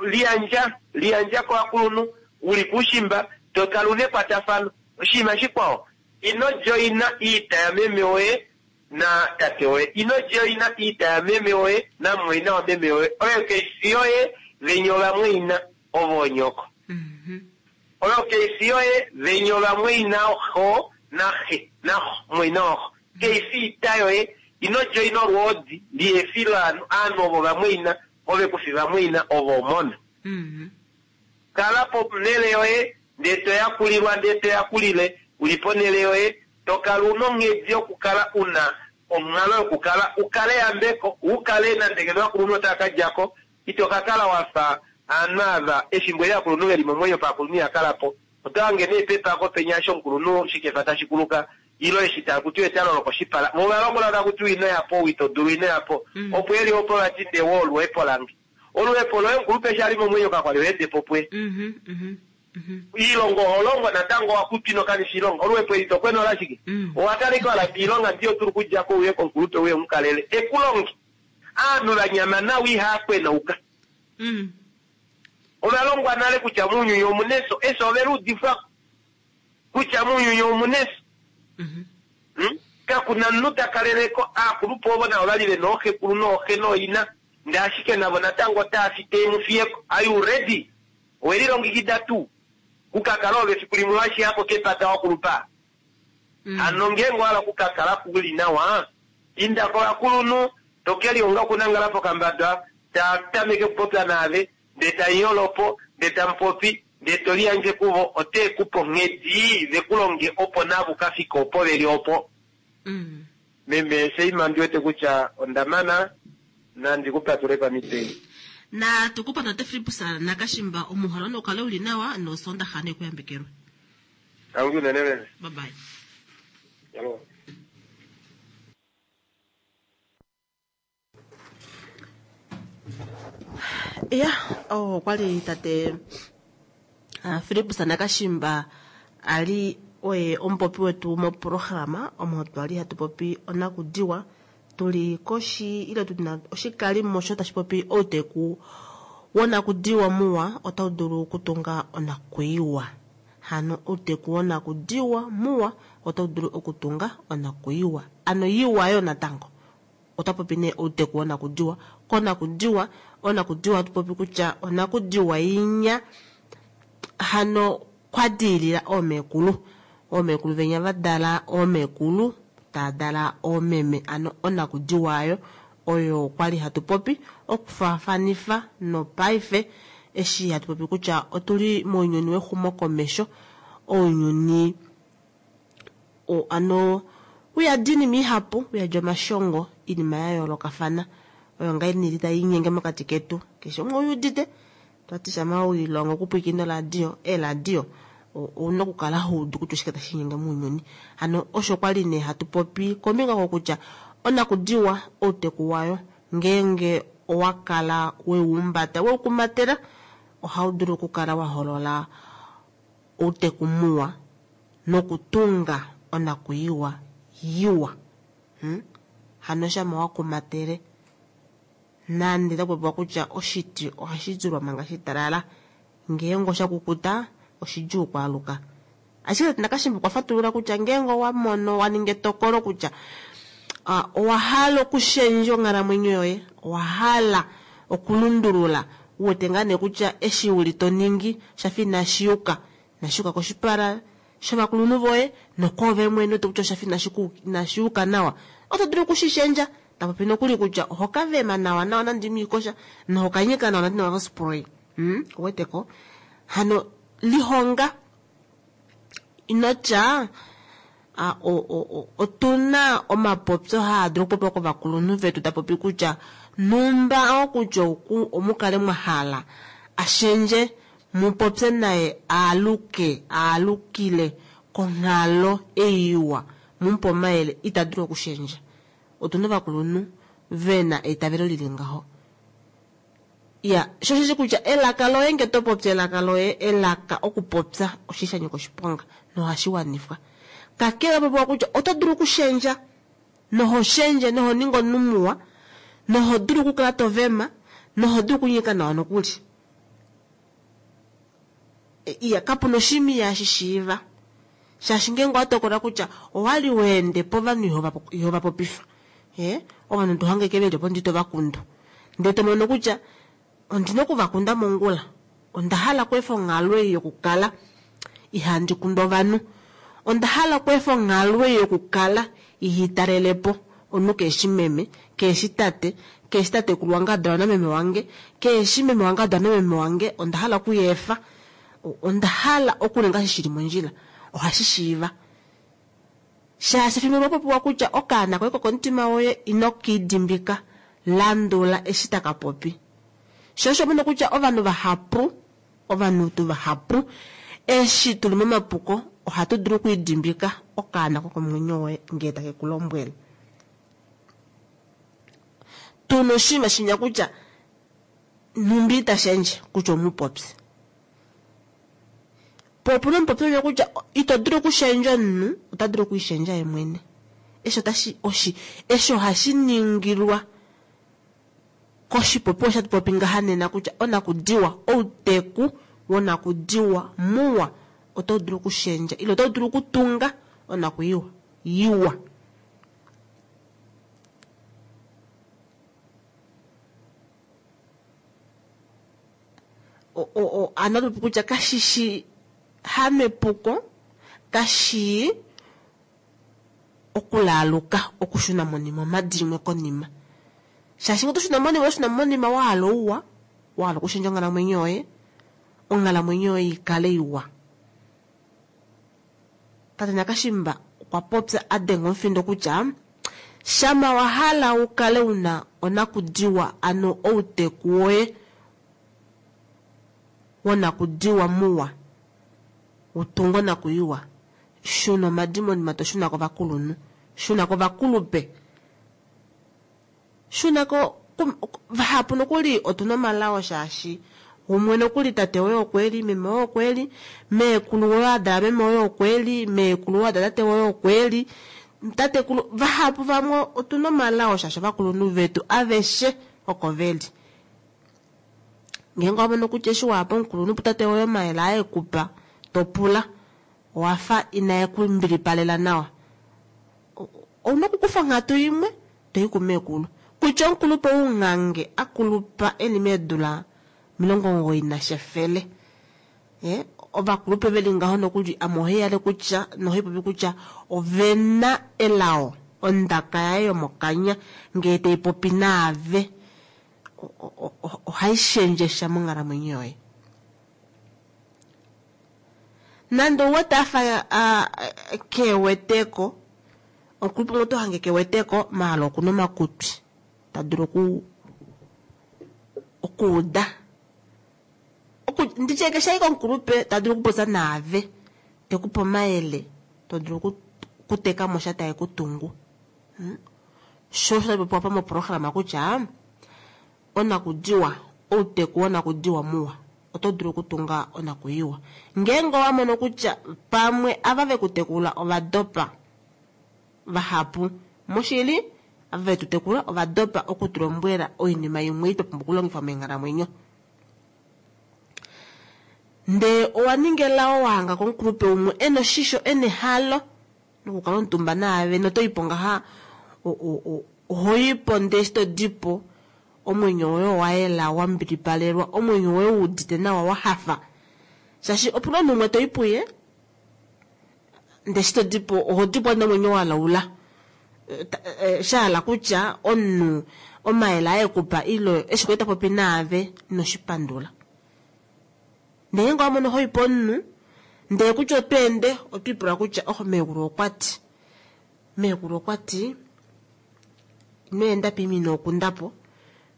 Liyandja, liyandja kovakulunhu, u li kuushimba, to kala u na ekwatafano. Oshinima shikwao, ino joina iita yameme woye na tate woye. Ino joina iita yameme woye namumwaina wameme woye. Oyo kai fi yoye, venya ovamwaina, ovo onyoko. Oyo kai fi yoye, venya ovamwaina xo naxe, naxo, mumwaina waxo. Kai fi iita yoye. Ino joina olwoodi, lihe fi lovanhu, aanhu ovo ovamwaina, ove ku fi vamwaina, ovo omona. Kala ponhele yoye, ndee to yakulilwa, ndee to yakulile, u li ponhele yoye, to kala u na onghedi yokukala u na onghalo yokukala u kale eyambeko, u kale nande ngeno ovakulunhu otava ka dja ko, ito ka kala wa fa aanhu ava efimbo eli ovakulunhu ve li momwenyo paakulunhu iha kala po. Oto hange nee pepako penya eshi omukulunhu shikefa tashi kuluka, ile eshi taku tiwa etalo lokoshipala. Vo ova lombwelwa taku tiwa ino ya po, ou ito dulu ino ya po. Opo e li opo vati nde wo oluhepo lange. Oluhepo loye omukulupe eshi a li momwenyo kakwa li ho ende po puye. Iilonga oho longo natango owa kutwa ino kanifa iilonga. Oluhepo eli to kwena olashike? Owa kala ashike wa lamba iilonga ndi yo dulu okudja ko uye komukulupe uye umukalele e ku longe. Aanhu va nyama nawa ihaa kwenauka. Ova longwa nale kutya mounyuni omu na efyo. Efyo ove li udifwa kutya mounyuni omu na efyo. Kaku na omunhu ta kaleleko, aakulupe ovo navo ovali vena ooxekulu nooxe nooina, ndee ashike navo natango otaa fi tee mu fiyeko. Are you ready? Oweli longikida tuu ku ka kala oove fiku limwe wa shiyako kepata wa kulupa? Hano ngeenge owa hala oku ka kala u li nawa, inda kovakulunhu, to ke lihonga okunangala pokambadwa, taa tameke okupopya naave, ndee tamu yolo po, ndee tamu popi, ndee to liyandje kuvo, otee ku pe onghedi ve ku longe opo naave u ka fike opo veli opo. Meme Shaima ondi wete kutya onda mana, nandi ku patule pamhito ei. Natu ku pandula Tate Fillipus Nakashimba, omuuhalo nau kale uli nawa nosoondaxa ne ku yambekelwe. Tangi unene meme. Bye bye. Hello. Ya, oh, okwali tate Fillipus Nakashimba a li oye omupopi wetu moprograma omo twa li hatu popi onakudiwa tu li koshi ile tu na oshikalimo sho tashi popi outeku wonakudiwa muwa otau dulu okutunga onakwiiwa. Hano outeku wonakudiwa muwa otau dulu okutunga onakwiiwa. Ano iwa yo natango. Ota popi nee outeku wonakudiwa. Konakudiwa, onakudiwa hatu popi kutya onakudiwa inya hano kwa diilila oomekulu. Oomekulu venya va dala oomekulu, taa dala oomeme. Ano onakudiwa ayo oyo kwali hatu popi okufaafanifa nopaife eshi hatu popi kutya otuli mounyuni wexumokomesho, ounyuni ano uyadi oinima ihapu, uyadi omashongo, oinima ya yoolokafana oyo ngaa tai linyenge mokati ketu. Keshe umwe ouudite twati shama wilongo okupwiikina oradio, eeradio ouna okukala houdu kutya oshike tashi linyenge mounyuni. Hano osho kwali nee hatu popi kombinga kokutya onakudiwa outeku wayo ngeenge owa kala weumbata weukumatela ohau dulu okukala wa holola outeku muwa nokutunga onakwiiwa iwa. Hano shama wa kumatele nande taku popiwa kutya oshiti ohashi zulwa manga shitalala, ngeenge osha kukuta oshidjuu okwaaluka. Ashike Nakashimba okwa fatulula kutya ngeenge owa mono wa ninga etokolo kutya owa hala okushendja onghalamwenyo yoye, owa hala okulundulula, u wete ngaa nee kutya eshi uli to ningi shafa inashi yuka, inashi yuka koshipala shovakulunhu voye nokwoove mwene wete kutya oshafa inashi yuka nawa, oto dulu okushishendja. Ta popi nokuli kutya oho ka vema nawa nawa nande ino ikosha noho ka nyika nawa nande ino spray. Oweteko? Hano lihonga inotya otuna omapopyo haa dulu okupopiwa kovakulunhu vetu ta popi kutya numba okutya omukale mwa hala ashendje mupopye naye aaluke aalukile konghalo ei iwa mumupe omayele ita dulu okushendja. Otuna ovakulunhu vena eitavelo lili ngaho. Ya, sho osheshi kutya elaka loye nge to popi elaka loye, elaka okupopya oshi sha nyika oshiponga nohashi wanifwa. Kakele popiwa kutya oto dulu okushendja noho shendje noho ningi omunhu muwa noho dulu okukala to vema noho dulu okunyika nawa nokuli. Iya, kapuna oshinima ihashi shiiva. Shaashi ngeenge owa tokola kutya owali weende povanhu ihova popifa, ovanhu to hange ke veli opo ndi to va kundu. Ndee to mono kutya ondina okuvakunda mongula, onda hala okweefa onghalo ei yokukala ihandi kundu ovanhu, onda hala okweefa onghalo ei yokukala ihitalelepo omunhu keeshi meme, keeshi tate, keeshi tatekulu wange adalwa nameme wange, keeshi meme wange adalwa nameme wange, onda hala okuyeefa, onda hala okuninga eshi shili mondjila, ohashi shiiva. Shaashi efimbo limwe popiwa kutya okaana koye kokomutima woye ino kiidimbika, landula eshi taka popi. Sho osho mono kutya ovanhu vahapu, ovanhu tu vahapu, eshi tuli momapuko ohatu dulu okwiidimbika okaana kokomwenyo woye ngee take ku lombwele. Tuna oshinima shinya kutya nhumbi ita shendje kutya omupopye. Po opuna omupopyo unya kutya ito dulu okushendja omunhu, ota dulu okwiishendja ye mwene. Eshi otashi, oshi, eshi ohashi ningilwa koshipopiwa osho hatu popi ngaha nena kutya onakudiwa, outeku wonakudiwa muwa otau dulu okushendja ile otau dulu okutunga onakwiiwa iwa. Ano atu popi kutya kashishi hamepuko, kashii okulaaluka okushuna monima omhadi imwe konima. Shaashi ngee oto shuna monima, oto shuna monima wahala ouwa, wahala okushendja onghalamwenyo yoye, onghalamwenyo yoye ikale iwa. Tate Nakashimba okwa popya a denga omufindo kutya shama wa hala u kale una onakudiwa, ano outeku woye wonakudiwa muwa, u tunge onakuiwa, shuna omhadi monima to shuna kovakulunhu, shuna kovakulupe, shuna ko vahapu nokuli otuna omalao shaashi umwe nokuli tate woye okweli, meme woye okweli, meekulu woye adala meme woye okweli, meekulu woye adala tate woye okweli, tatekulu vahapu vamwe otuna omalao shaashi ovakulunhu vetu aveshe oko veli. Ngeenge owa mono kutya eshi waya pomukulunhu putate woye omayele aye ekupa to pula owafa inae ku mbilipalela nawa, ouna okukufa onghatu imwe toyi kumeekulu. Kutya omukulupe ounghange akulupa eli meedula 90 nashefele, ovakulupe veli ngaho nokuli ame ohaihale kutya nohaipopi kutya ovena elao, ondaka yaye yomokanya ngee taipopi naave ohaishendjesha monghalamwenyo yoye. Nande ouwete afa keweteko, omukulupe umwe oto hange keweteko maala okuna omakutwi ta dulu okuuda. Nditye keshe ashike omukulupe ta dulu okupopya naave, tekupe omayele, to dulu okuteka mo sha tae kutungu. Sho osho tashi popiwa moprograma kutya onakudiwa, outeku wonakudiwa muwa oto dulu okutunga onakuiwa. Ngeenge owa mono kutya pamwe ava vekutekula ovadopa vahapu, moshili ava vetutekula ovadopa okutulombwela oinima imwe twa pumbwa okulongifa meenghalamwenyo. Ndee owa ninga elao wa hanga komukulupe umwe ena oshisho, ena ehalo lokukala omutumba naave notoipo ngaha ohoipo ndee eshi todipo omwenyo woye owayela, wa mbilipalelwa, omwenyo woye wuudite nawa, wa hafa. Shaashi opuna omunhu umwe toi puye ndee eshi todipo ohodipo nomwenyo walaula. Shahala kutya omunhu omayele aye ekupa ile eshi kwali tapopi naave inoshipandula. Ndee ngeenge owa mono hoipo omunhu ndee kutya otweende otwiipula kutya oh meekulu okwati, meekulu okwati ino enda poima ino kundapo,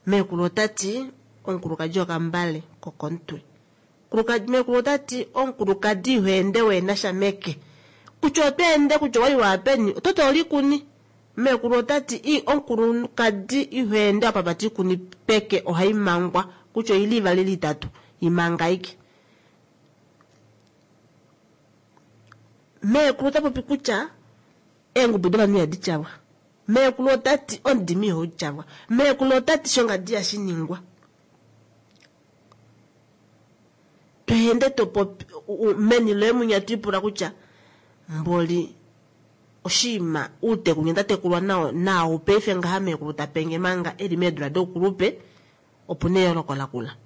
meekulu otati omukulukadi okambale kokomutwe, meekulu otati omukulukadi iho ende wehenasha meke, kutya otweende kutya owali waya peni ototi olikuni, meekulu otati omukulukadi iho ende wapapata oikuni peke ohaimangwa kutya oili ivali ile itatu imanga ashike. Meekulu ota popi kutya eengubu dovanhu ihadi tyalwa, meekulu otati omudimi ihau tyalwa, meekulu otati shongadi ihashi ningwa. Tweende topopi meni loye mwinya twiipula kutya mboli oshiima uuteku nghee ndatekulwa nao naau paife ngaha meekulu tapenge manga eli meedula doukulupe opuna eyooloko lakula.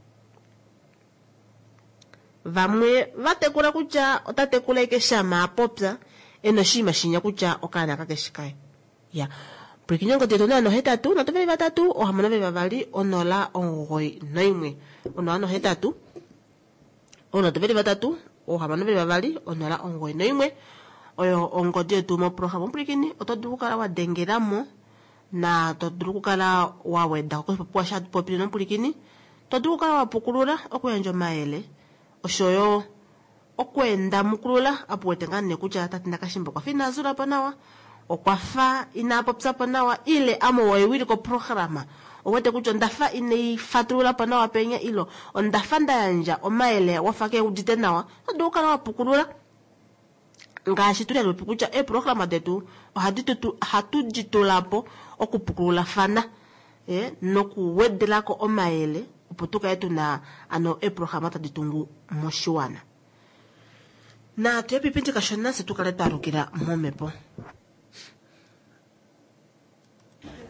Vamwe vatekula kutya ota tekula ashike shama apopya ena oshinima shinya kutya okaana kakeshi kaye. Ya pwilikine ongodi yetu 083 3 622 091 083 3 622 091 oyo ongodi yetu moprograma. Omupwilikini oto dulu okukala wa dengelamo na to dulu okukala wa weda koshipopiwa sha popile nomupwilikini, to dulu okukala wa pukulula, okuyandja omayele oshoyo okweenda mukulula apo wete ngaa nee kutya tate Nakashimba okwafa ina zulapo nawa, okwafa ina popyapo nawa ile ame owewiliko programa owete kutya ondafa inaifatululapo nawa penya ile ondafa nda yandja omayele wafa keudite nawa, oto dulu okukala wa pukulula. Ngaashi tuli hatu popi kutya eeprograma detu ohatu di tulapo okupukululafana nokuwedelako omayele opo tukale tuna ano eeprograma tadi tungu moshiwana. Natu ye kashona fye tukale twalukila momhepo.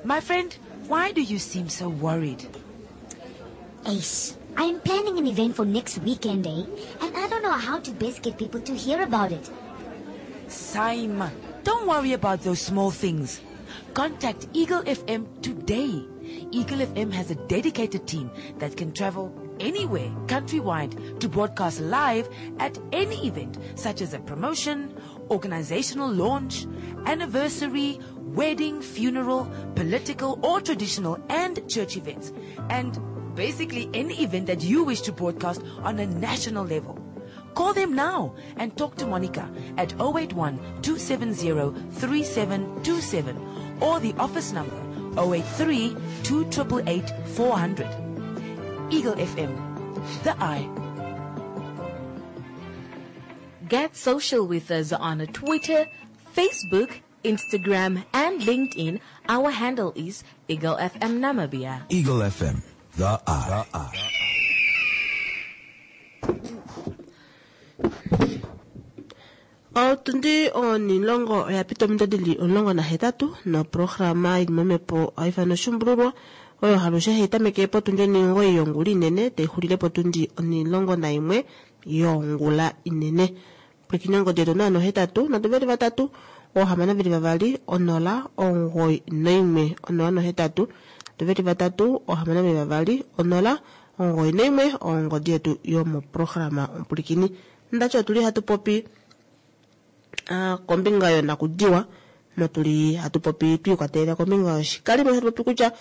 My friend, why do you seem so worried? Ace, I am planning an event for next weekend, eh? And I don't know how to best get people to hear about it. Simon, don't worry about those small things. Contact Eagle FM today. Eagle FM has a dedicated team that can travel anywhere countrywide to broadcast live at any event such as a promotion, organizational launch, anniversary, wedding, funeral, political or traditional and church events. And basically any event that you wish to broadcast on a national level. Call them now and talk to Monica at 081 270 3727 or the office number 083 288 400. Eagle FM, the eye. Get social with us on Twitter, Facebook, Instagram, and LinkedIn. Our handle is Eagle FM Namibia. Eagle FM, the eye. The eye. Otundi onilongo oya pita ominute dili 18 noprograma ili momhepo ohai ifanwa oshumbululwa oyo halushe hai tameke potundi 9 yongula inene tai xulile potundi 11 yongula inene. Pwilikina ongodi yetu 083 3 622 0 91 083 3 622 0 91 ongodi yetu yomoprograma omupulikini. Ndachi otuli hatu popi kombinga yonakudiwa notuli hatu popi twiikwatelela kombinga yoshikalimo hatu popi kutya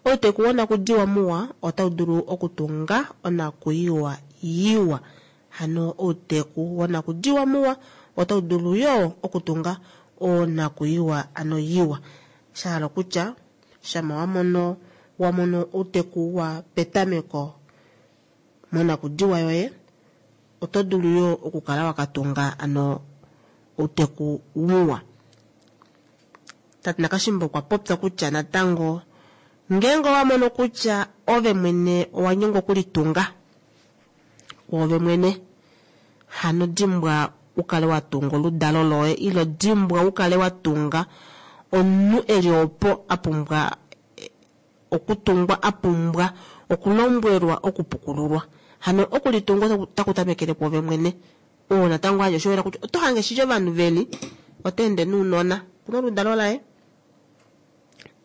outeku wonakudiwa muwa otau dulu okutunga onakuyiwa yiwa. Hano outeku wonakudiwa muwa otau dulu yo okutunga onakuyiwa ano yiwa. Shahala kutya shama wamono outeku wa petameko monakudiwa yoye oto dulu yo okukala wakatunga ano outeku muwa. Tate Nakashimbo okwa popya kutya natango ngeenge owamono kutya ove mwene owanyengwa okulitunga ove mwene hano dimbwa ukale watunga oludalo loye ilo dimbwa ukale watunga omunhu eli opo apumbwa okutungwa apumbwa okulombwelwa okupukululwa. Hano okulitunga otaku tamekele pwoove mwene. Oo natango aje oshoyela kutya oto hange shili ovanhu veli oteende nounona kuna oludalo laye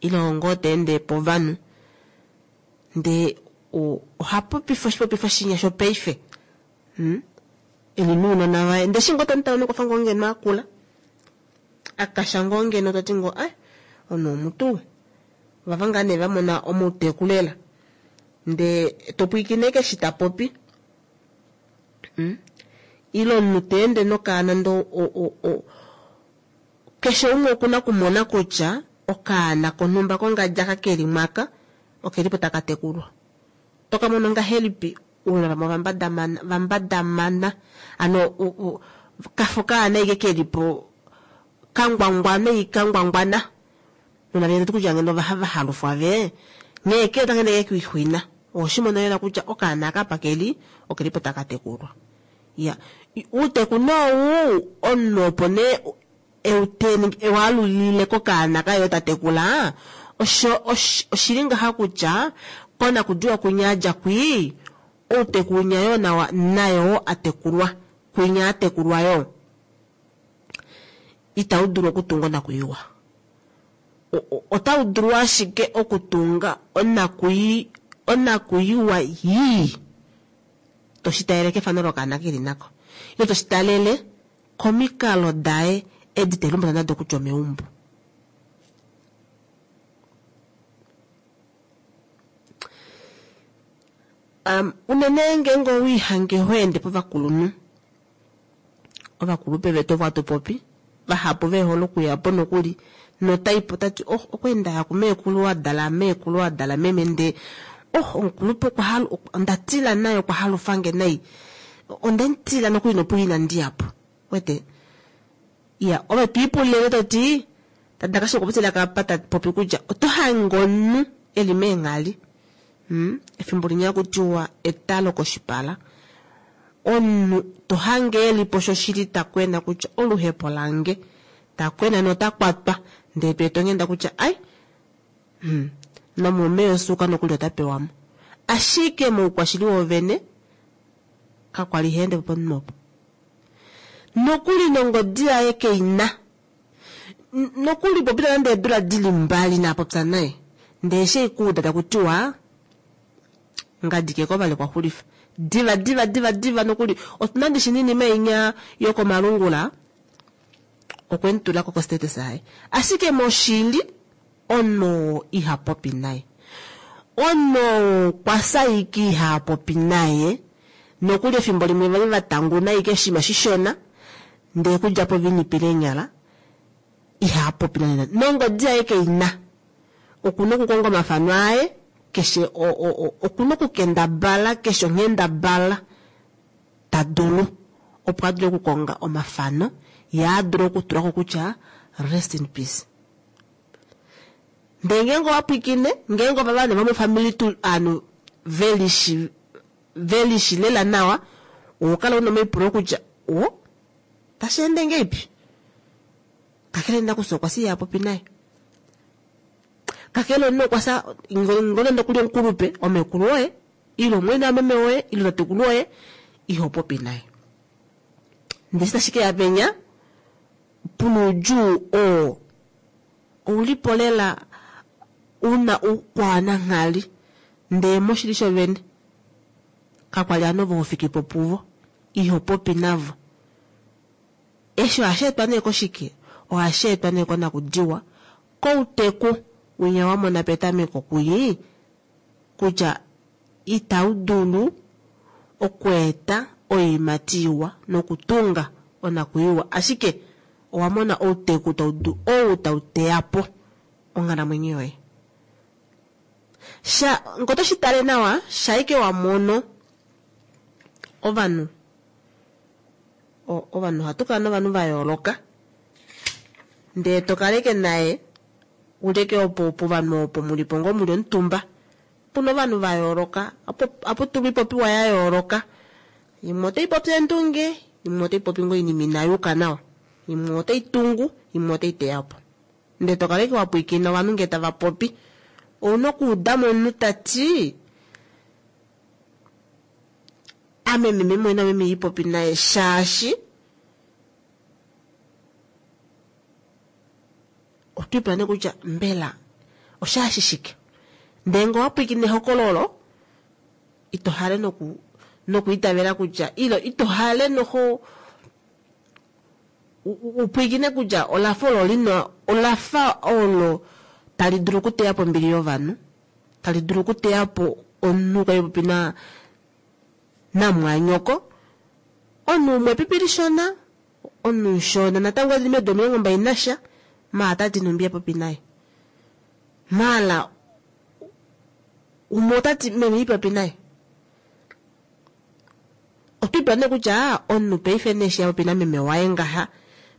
ilo ngoo teende povanhu ndee oha popifa oshipopifa shinya shopaife eli nounona vaye ndee shi ngoo tomutala nokwafa ngoo ngeno akula akasha ngoo ngeno toti ngoo ai ono omutu vava ngaa nee vamona omauteku lela ndee topwiikine keshi tapopi ilo omunhu teende nokaana ndo keshe umwe okuna okumona kutya okaana konhumba kongadja kakeli mwaka okelipo takatekulwa. Tokamono ngahelipi ounona vamwe vambadamana ano kafo kaana ike kelipo kangwangwana ikangwangwana nona vene kutya ngeno vahalufwa ve nghee ke otangende kekuixwina oshimono lela kutya okaana kapa keli okelipo takatekulwa. Ya uuteku nou omunhu opo nee ewalulile kokaana kayo tatekula oshili ngaha kutya konakudiwa kunyadja kwii outeku unyayo nayo atekulwa kwinya atekulwa yo itau dulu okutunga onakuyiwa. Otau dulu ashike okutunga onakuyiwa yii toshitalele kefano lokaana keli nako ilo toshitalele komikalo daye edi telumbula nado kutya omeumbo. Unene ngeenge owiihange hoende povakulunhu ovakulupe vetu ovo hatu popi vahapu vehole okuyapo nokuli notaipo tati oh okweenda yaku meekulu wadala meekulu wadala meme ndee oh omukulupe ondatila naye okwa halufange nai ondemutila nokuli nopu inandiyapo wete iya ove twiipulile toti tadakashe okupitila kapa tapopi kutya oto hange omunhu eli meenghali efimbo linya kutiwa etalo koshipala omunhu to hange elipo shoshili takwena kutya oluhepo lange takwena notakwatwa ndee tweetongenda kutya ai nomume yosuuka nokuli otapewamo. Ashike moukwashili woovene, kakwali ha ende po pomunhu opo. Nokuli nongodi yaye kei na. Nokuli popita nande eedula di li mbali inaa popya naye. Ndee eshi ei kuuda taku tiwa ngadi ke ko vali okwa xulifa. Diva diva diva diva nokuli otuna ndishi ninima inya yokomalungula okwe mu tula ko kostatus yaye. Ashike moshili omunhu oo iha popi naye. Omunhu oo kwa saiki iha popi naye. Nokuli efimbo limwe vali va tanguna ike oshinima shishona ndee kudja po vinipile eenyala iha popi nande nande. Nongodi yaye keina. Okuna okukonga omafano aye keshe okuna okukendabala keshe onghendabala ta dulu opo a dule okukonga omafano ye a dule okutula ko kutya rest in peace. Ndee ngeenge owa pwiikine ngeenge ova vanhu vomofamili tu ovanhu velishi velishi lela nawa oho kala una omaipulo kutya o tashi ende ngeipi kakele nakufya okwa siya popi naye. Kakele omunhu okwa fya nonande okuli omukulupe omekulu woye ile omumwaina wameme woye ile tatekulu woye iho popi naye. Ndee eshi tashi keya penya puna oudjuu oo oulipo lela una oukwaananghali ndee moshili shovene kakwali ovanhu ovo hofikipo puvo iho popi navo. Eshi ohashi etwa nee koshike? Ohashi etwa nee konakudiwa kouteku winya wa mona petameko kwii kutya itau dulu okweeta oiimati iwa nokutunga onakwiiwa, ashike owa mona outeku tau ou tau teya po onghalamwenyo yoye. Sha ngee oto shi tale nawa, shaike wa mono ovanhu ovanhu ohatu kala novanhu va yooloka ndee to kaleke naye uleke opo povanhu opo mulipo ngoo muli omutumba puna ovanhu va yooloka apo tulwa ipopiwa ya yooloka imwe otai popi eendunge imwe otai popi ngoo oinima inayuka nawa imwe otai tungu imwe otai teya po ndee to kaleke wa pwiikina ovanhu ngee tava popi ouna okuudamo omunhu tati ame meme mwene meme ipopi naye shaashi otwiipula nee kutya mbela oshaashi shike ndee ngee owapwiikine ehokololo ito hale noku nokwiitavela kutya ilo ito hale noho upwiikine kutya olafa olo lina olafa olo tali dulu okuteya po ombili yovanhu tali dulu okuteya po omunhu kwali popi na namwanyoko omunhu umwe epipi lishona omunhu mushona natango eli medu 21 nasha maala tati nhumbi ya popi naye maala umwe otati meme ipopi naye otwiipula nee kutya omunhu paife nee eshi apopi nameme waye ngaha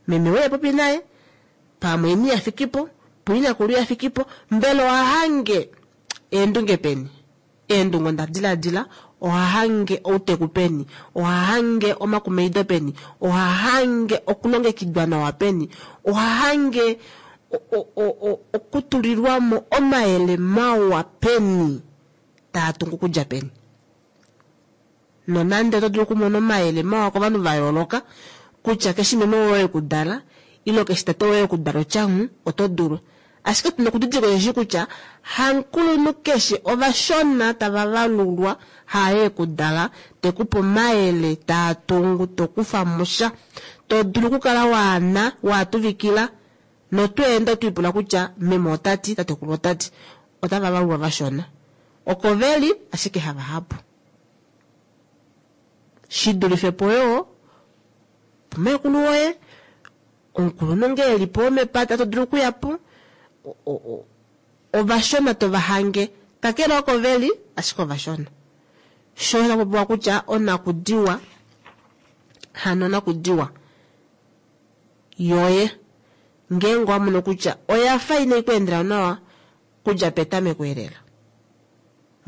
meme woye popi naye pamwe eni yafikipo puinakulu yafikipo mbela ohahange eendunge peni eendunge onda diladila ohahange outeku peni ohahange omakumaido peni ohahange okulongekidwa nawa peni ohahange okutulilwamo omayele mawa peni taa tungu kudja peni. Nonande oto dulu okumona omayele mawa kovanhu va yooloka kutya keshi meme woye ekudala ile keshi tate woye ekudala otyanhu oto dulu. Ashike tuna okudidilika osheshi kutya hamukulunhu keshe ovashona tava valulwa haye ekudala tekupe omayele taa tungu tokufa musha to dulu okukala waana waatuvikila notweenda otwiipula kutya meme otati tatekulu otati otava valulwa vashona oko veli ashike havahapu. Shi dulife po yoo pumekulu woye omukulunhu ngee elipo womepata to dulu okuya po ovashona tova hange kakele oko veli ashike ovashona. Sho osha popiwa kutya onakudiwa hano onakudiwa yoye ngeenge owa mono kutya oyafa inai ku endela nawa kudja petameko elela.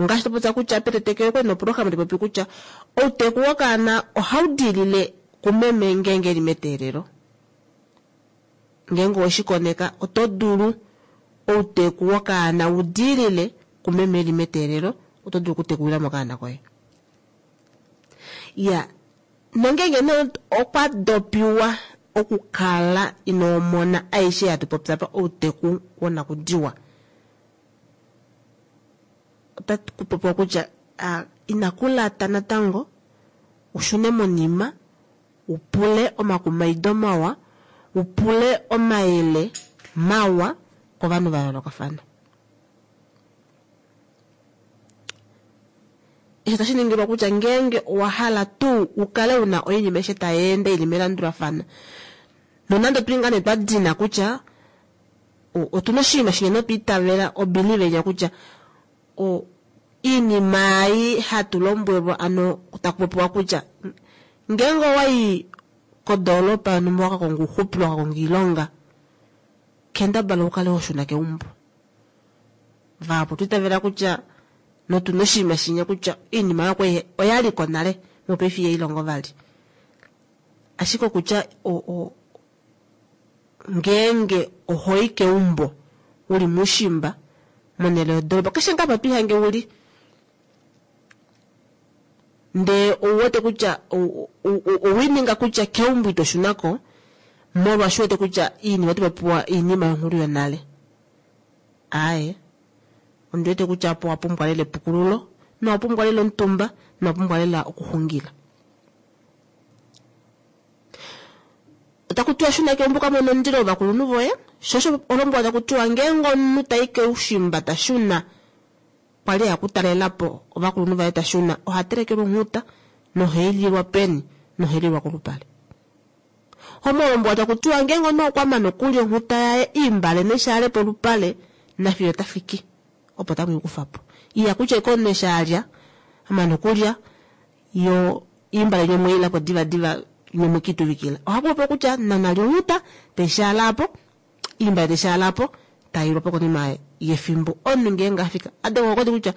Ngaashi topopya kutya petetekelo okwali noprograma tayi popi kutya outeku wokaana ohau diilile kumeme ngeenge eli meteelelo. Ngeenge oweshi koneka oto dulu outeku wokaana u diilile kumeme eli meteelelo. Oto dulu okutekulila mo okaana koye. Ya, nongeenge nee okwa dopiwa okukala inoo mona aishe yatu popya apa outeku wonakudiwa, otaku popiwa kutya inaku lata natango u shune monima u pule omakumaido mawa, u pule omayele mawa kovanhu va yoolokafana. Eshi otashi ningilwa kutya ngeenge owa hala tuu u kale u na oinima aishe tai ende i li melandulafano, nonande otuli ngaa nee twa dina kutya otu na oshinima shinya notwa itavela obelieve inya kutya iinima ei hatu lombwelwa ano taku popiwa kutya ngeenge owa i kodoolopa yonhumba wa ka konga ouxupilo wa ka konga oilonga, kendabala u kale ho shuna keumbo. Vahapu otwa itavela kutya notu na oshinima shinya kutya oinima oyo kwali oya li ko nale mopaife ihai longo vali. Ashike okutya ngeenge oho i keumbo u li moushimba monhele yodoolopa keshe ngaa apa to ihange u li ndee ou wete kutya owe ninga kutya keumbo ito shuna ko molwaashi u wete kutya iinima oto popiwa oinima yonghulu yonale. Aaye, ondi wete kutya opo wa pumbwa lela epukululo nowa pumbwa lela omutumba nowa pumbwa lela okuxungila. Otaku tiwa shuna keumbo ka mone omundilo wovakulunhu voye, sho osho olombwela taku tiwa ngeenge omunhu tai keushimba ta shuna kwali a kutalela po ovakulunhu vaye ta shuna oha telekelwa onghuta nohai lilwa peni nohai lilwa kolupale. Omolombo taku tiwa ngeenge omunhu okwa mana okulya onghuta yaye imbale neshaale polupale nafiyo ta fiki opo tamu i kufa po. Iya kutya eke omunhu eshi a lya a mana okulya yo imbale nywe mwe ilapo divadiva nywe mwe kiituvikila. Ohaku popiwa kutya nana lya onghuta tai shaala apo, imbale tai shaala apo tai ilwa po konima yefimbo omunhu ngeenge a fika a dengwa ongodi kutya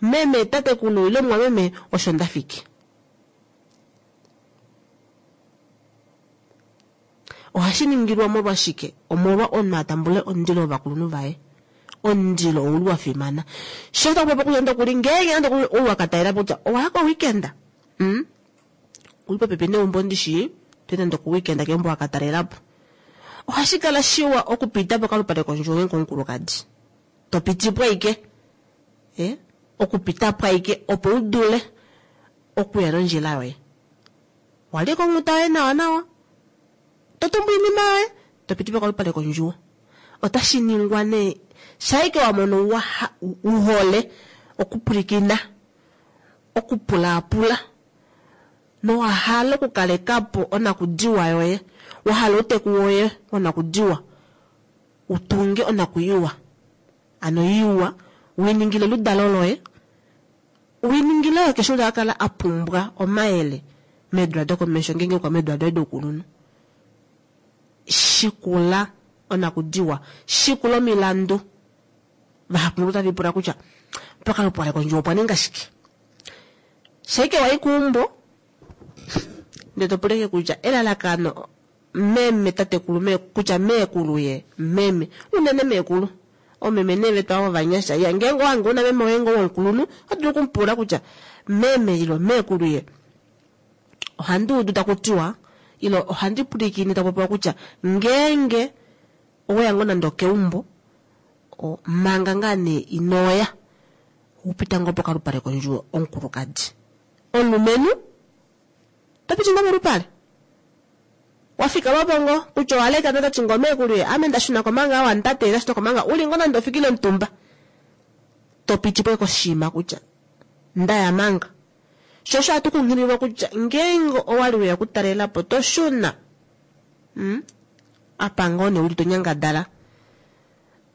meme tatekulu ile mumwameme osho nda fiki. Ohashi ningilwa molwashike? Omolwa omunhu a tambule omundilo wovakulunhu vaye. Omundilo ouli wa fimana. Sho taku popi kutya nande okuli ngeenge nande okuli ou wa ka talela po kutya owa ya koweekend, mm, uli popepi neumbo ndishi, toyi nande okoweekend keumbo wa ka talela po. Ohashi kala shiwa okupita pokalupale kondjuwo ngeenge omukulukadi. To piti po ashike, eh, okupita po ashike opo u dule okuya nondjila yoye. Walye konghuta yoye nawa nawa, to tumbu oinima yoye, to piti pokalupale kondjuwo. Otashi ningwa nee shaike wa mono wa u hole okupwilikina, okupulaapula nowa hala okukaleka po onakudiwa yoye, wa hala outeku woye wonakudiwa u tunge onakuyiwa, ano iwa, u i ningile oludalo loye. Winingila oye keshe ou ta ka kala a pumbwa omayele meedula dokomesho ngeenge okwa meedula doye doukulunhu. Shikula onakudiwa, shikula omilandu. Vahapu otava lipula kutya pokalupale kondjuwo opwa ninga shike. Shaike wa i keumbo ndele to pula kutya elalakano meme tatekulu me kutya meekulu ye meme unene meekulu omeme nee vetu ava ovanyasha ya ngeenge owange una meme woye ngoo womukulunhu oto dulu okumupula kutya meme ilo meekulu ye ohandi udu taku tiwa ilo ohandi pwilikine taku popiwa kutya ngeenge oweya ngoo nande okeumbo manga ngaa nee inoya upita ngoo pokalupale kondjuwo omukulukadi omulumenhu To piti ngoo molupale? Wa fikama po ngoo, kutya owa leka nota ti ngoo meekulu ye, ame nda shuna ko manga awa nda teelela shito ko manga u li ngoo nande ofikile omutumba. To piti po koshiima kutya nda ya manga. Sho osho hatu kunghililwa kutya ngeenge owa li weya okutalela po to shuna. Hmm? Apa ngoo nee u li to nyangadala.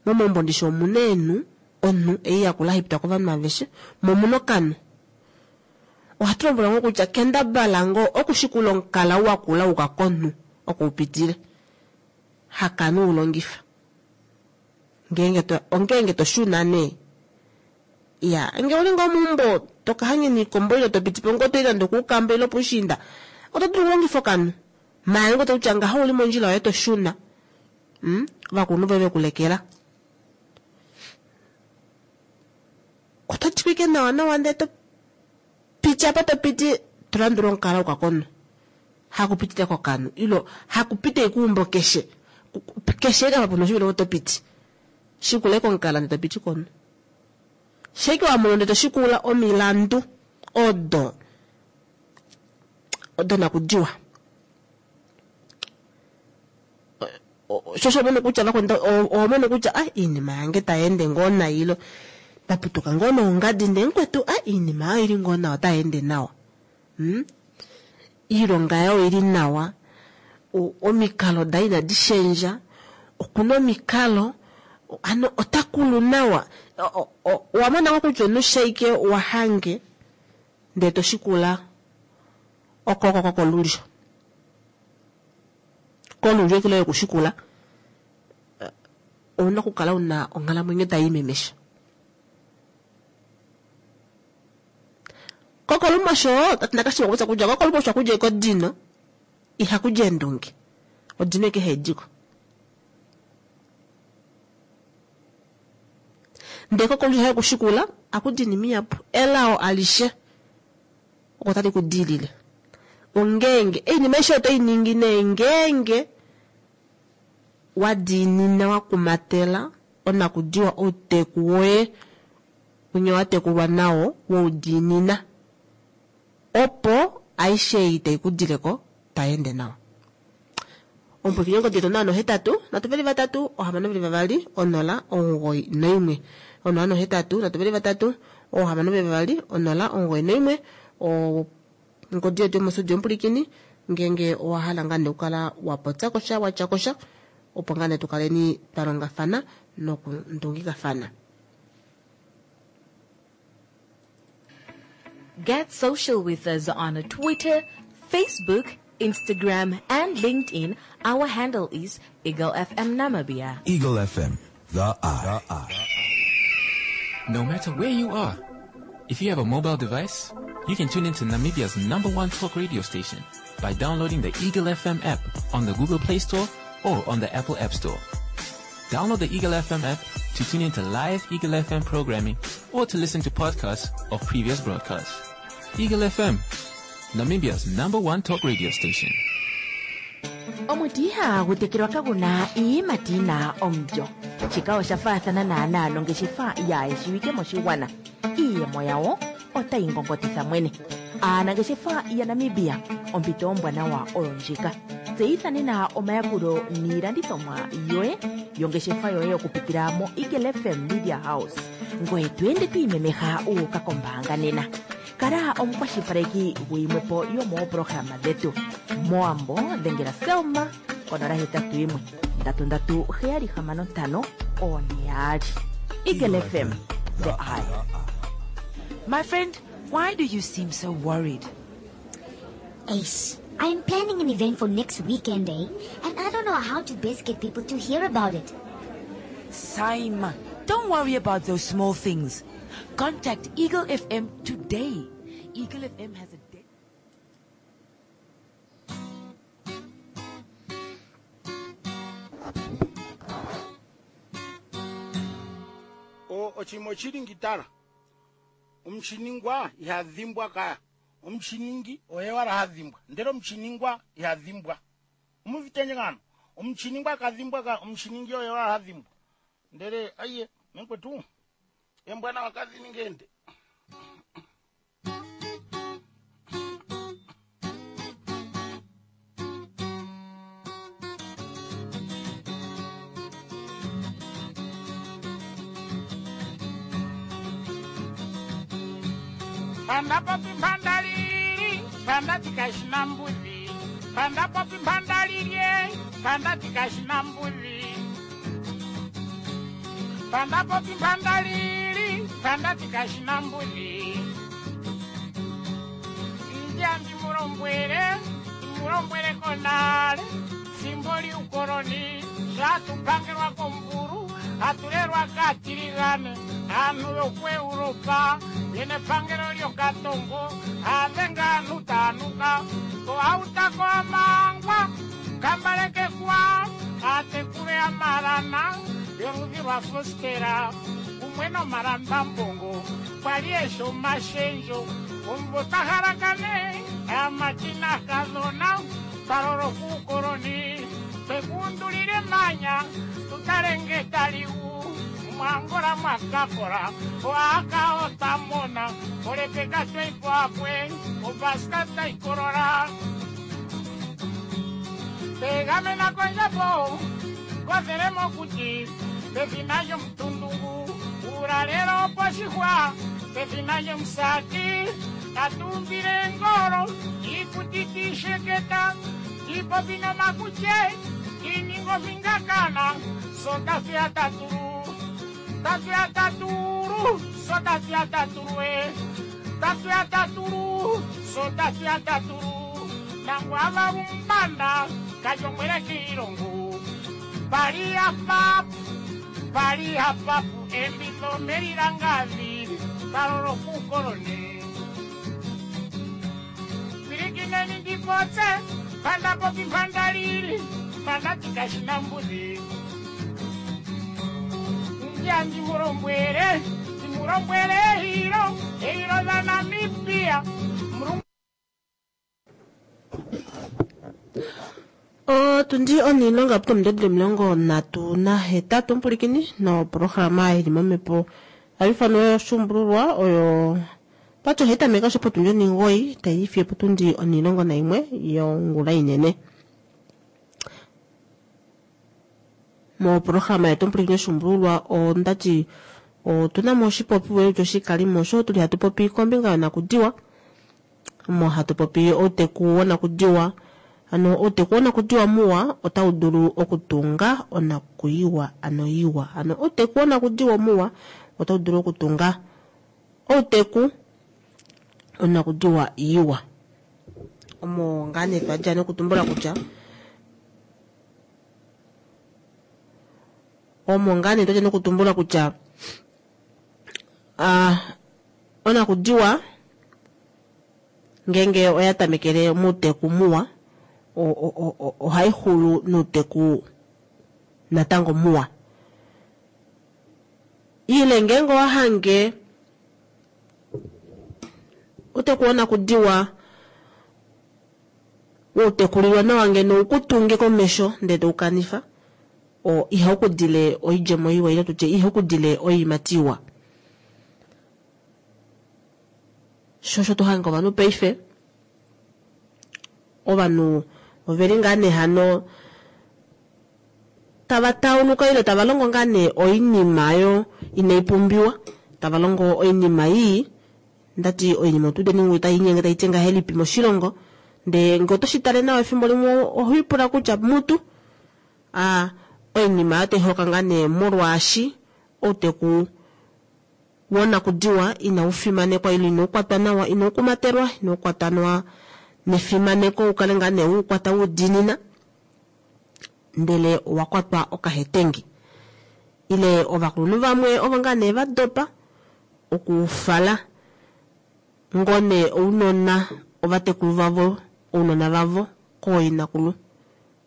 Momaumbo ndishi omu na eenhu, onhu ei yakula hai pitwa kovanhu aveshe, mo omu na okanhu. Ohatu lombwelwa ngoo kutya kendabala ngoo okushikula omukala wa kula uka konhu oko u pitile. Hakanu u longifa. Ngeenge to, ongeenge to shuna nee. Ya, nge uli ngoo meumbo to ka hanyena oikombo ile to piti po ngoo to i nande okuukamba ile opuushiinda, oto dulu okulongifa okanhu. Maala ngoo to kutya ngaho uli mondjila yoye to shuna. Mm, ovakulunhu voye ve ku lekela. Oto twike nawa nawa ndee to piti apa to piti to landula omukala uka konhu. Hakupitile kokanhu ilo hakupite keumbo keshe. Keshe apa puna oshivelo oto piti. Shikula komukala ndee to piti konhu. Sheke wa mono ndee to shikula omilandu odo donakudiwa. Sho mono kutya vakwenda oho mono kutya a iinima yange tayi ende ngoo nayi ilo ndaputuka ngoo noongadi ndee mukwetu a iinima oyo ili ngoo nawa otayi ende nawa. Iilonga yayo oili nawa, omikalo daye inadi shendja, okuna omikalo, hano ota kulu nawa. Owa mona ngoo kutya omunhu shaike wa hange ndee to shikula okoko kolulyo. Kolulyo eke loye okushikula, ouna okukala una onghalamwenyo tai imemesha. Kokolumosho, tati nakashiwa kutya kutya kokolumosho akudja ekodino, ihakudja eendunge. Odino eke haidiko. Ndee kokolulyo haye kushikula, akudja inima ihapu. Elao alishe oko tali ku diilile. Ongeenge oinima aishe oto i ningi nee ngeenge wa diinina wa kumatela onakudiwa outeku woye winya wa tekulwa nawo woudiinina opo aishe ei tai ku dileko tai ende nawa. Omupwikinyi ongodi yetu 0 8 323 622 0 91 0 8 323 622 091 ongodi yetu yomostudio omupulikini ngeenge owa hala ngaa nee okukala wa popya kosha watya kosha opo ngaa nee tukaleni twa longafana nokundungikafana. Get social with us on Twitter, Facebook, Instagram, and LinkedIn. Our handle is Eagle FM Namibia. Eagle FM, the eye. No matter where you are, if you have a mobile device, you can tune into Namibia's number one talk radio station by downloading the Eagle FM app on the Google Play Store or on the Apple App Store. Download the Eagle FM app to tune into live Eagle FM programming or to listen to podcasts of previous broadcasts. Eagle FM, Namibia's number one talk radio station. Omuti ihagu tekelwa kagu na iiyimati yi na omulyo. Shika osha faathana naanaa nongeshefa yaayeshiwike moshigwana. Iiyemo yawo otayi ngongotitha mwene. Aanangeshefa yaNamibia, ompito ombwanawa oyo ndjika. Tseyitha nena omayakulo niilandithomwa yoye yongeshefa yoye okupitila moEagle FM Media House. Ngoye to ende to imemeha wu uka kombaanga nena. Kala omukwashilipaleki guyimwe po yomooprograma dhetu. Mowambo dhengela Selma konola hetatu yimwe ndatu ndatu heyali hamano ntano one yaali. Eagle FM, the eye. My friend, why do you seem so worried? Ace, I'm planning an event for next weekend, eh? And I don't know how to best get people to hear about it. Simon, don't worry about those small things. Contact Eagle FM today. Eagle FM has a de- O ochimo chili ngitala omuchiningwa ihadhimbwa kaya omuchiningi oye wala hadhimbwa ndele omuchiningwa ihadhimbwa omuvitenye ngano omuchiningwa kadhimbwa ka omuchiningi oye wala hadhimbwa ndele aiye menkwetu embwana wakadhini ngende Panda papi panda lili, panda tikashina mbuzi. Panda papi panda lili, panda tikashina mbuzi. Panda papi panda lili, panda tikashina mbuzi. Njambi mulombwele, mulombwele konale, simboli ukoloni, zvatupangirwa komburu, hatulelwa katiligane, anhu yokuEuropa, yene pangelo lyokatongo, avenga anhu tanuka, koautako amangwa, kambaleke kwa, atekule amalana, yoludhi lwa fostera. kumwe nomalambambongo kwali eshi omashendjo omumvo twa halakane aamati naakadhona twa loloka uukoloni twekuundulile emanya tutale nge tali gu mwangola mwakakola oaka otamona olepeka tweipoakwe obaska taikolola tegamena kondjapo kothele mokuti pethina lyomutundungu uulalelo oposhihwa pethina lyomusati tatuumbile engolo iikuti tiisheketa tiipopi nomakutye tiininga ofingakana so tatuya tatulu tatuya tatulu so tatuya tatulu e tatuya tatulu so tatuya tatulu nangwava umbanda kajomwele kiilongo pali apapu pali apapu embitho melilangavi kalolo kukoloni pilikineni ndipotse panda popi panda lili panda tikashina mbudhi ndia ndimulombwele ndimulombwele ehilo ehilo dha namibia Murungu Otundi onilonga putomudedile 38 omupulikini noprograma ili momhepo haifanwa yoshuumbululwa oyo pati ohai tameke osho potundi oningoyi tai fiyo potundi 11 yongula inene. Moprograma yetu omupulikini yoshuumbululwa ondati otuna mo oshipopiwa oshikalimo osho tuli hatu popi kombinga yonakudiwa omo hatu popi outeku wonakudiwa. Ano outeku wonakudiwa muwa otau dulu okutunga onakuiwa ano iwa. Ano outeku wonakudiwa muwa otau dulu okutunga outeku onakudiwa iwa. Omo ngaa nee twadja nokutumbula kutya omo ngaa nee twadja nokutumbula kutya onakudiwa ngenge oya tamekele muuteku muwa ohai xulu nouteku natango muwa. Ile ngenge owahange outeku wonakudiwa woutekulilwa nawa ngeno ukutunge komesho ndele toukanifa ihaukudile oidjemo iwa ile tutye ihaukudile oiimati iwa. Shosho tohange ovanhu paife ovanhu oveli ngaa nee hano tava tauluka ile tava longo ngaa nee oinima yo inai pumbiwa, tava longo oinima ii ndati oinima otu udeni tai inyenge tai ti ngahelipi moshilongo ndee nge oto shi tale nawa efimbo limwe oho ipula kutya mutu oinima oyo tai holoka ngaa nee molwaashi outeku wonakudiwa inau fimanekwa ile inau kwatwa nawa, inau kumatelwa, inau kwatwa nawa nefimaneko ukale ngaa nee ukwata udiinina ndele owa kwatwa okahetengi. Ile ovakulunhu vamwe ovo ngaa nee va dopa okufala ngoo nee ounona ovatekulu vavo ounona vavo kooinakulu.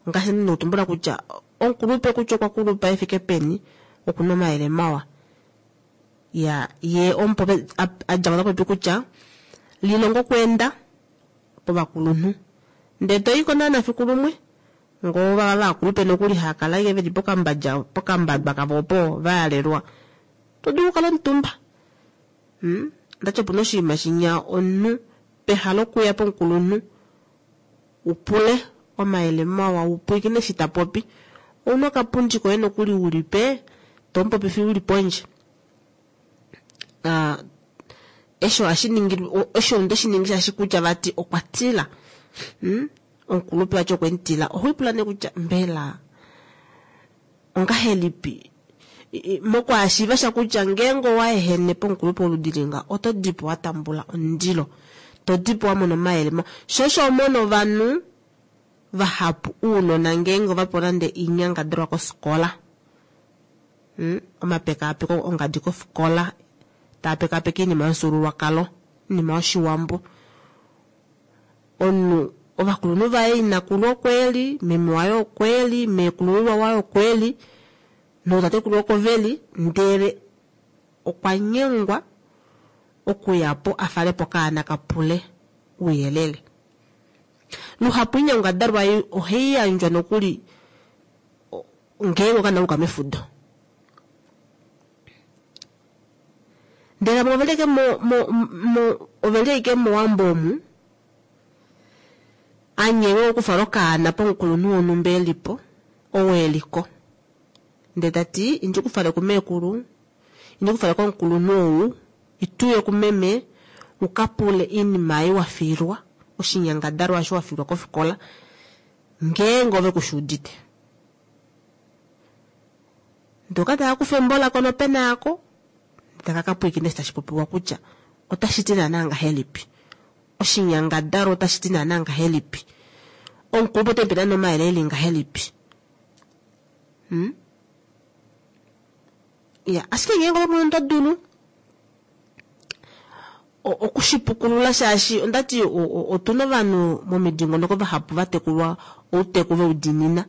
Ngaashi nokutumbula kutya omukulupe kutya okwa kulupa efike peni okuna omayele mawa. Ya ye omupopi adja ta popi kutya lilongo okweenda povakulunhu ndele toyiko naana fiku lumwe ngoo vava vakulupe nokuli haakala ashike veli pokambadja pokambadwa kavo opo vayalelwa to dulu okukala omutumba. Ndati opuna oshinima shinya omunhu peha lokuya pomukulunhu upule omayele mawa upwiikine eshi ta popi ouna okapundi koye nokuli ulipe tomupopifi uli pondje. Esho osho omunhu teshiningi shaashi kutya vati okwa tila. Omukulupe vati okwe mutila. Oho ipula nee kutya mbela ongahelipi mokwaashiiva sha kutya ngeenge owaehene pomukulupe woludi linga oto dipo wa tambula omundilo, to dipo wa mona omayele mawa. Sho osho omona ovanhu vahapu uunona ngeenge ovapewa nande oinyangadalwa kofikola, omapekaapeko ongadi kofikola taa pekaapeka oinima yomufyuululwakalo, oinima yoshiwambo. Omunhu ovakulunhu vaye inakulu okweli, meme waye okweli, meekulululwa waye okweli, nootatekulu oko veli, ndele okwa nyengwa okuya po a fale po okaana ka pule ouyelele. Luhapu oinyangadalwa ei ohai yandjwa nokuli ngeenge okaana ka uka mefudo. Ndele vamwe oveli ashike mo, mo, mo, oveli ashike mOwambo omu, a nyengwa okufala okaana pomukulunhu wonhumba e li po, ou e li ko. Ndele ta ti, indi ku fale kumeekulu, indi ku fale komukulunhu ou, ituye kumeme, u ka pule oinima ei wa fiilwa, oshinyangadalwa osho wa fiilwa kofikola, ngeenge ove ku shi udite. Ndele oka taka kufa embo lako nopena yako, taka ka pwilikina eshi tashi popiwa kutya otashi ti naanaa ngahelipi. Oshinyangadalwa otashi ti naanaa ngahelipi. Omukulupe ote mu pe naanaa omayele e li ngahelipi. Hmm? Ya, ashike ngeenge ove mwene oto dulu okushipukulula shaashi ondati otuna ovanhu momidingonoko vahapu va tekulwa outeku veu diinina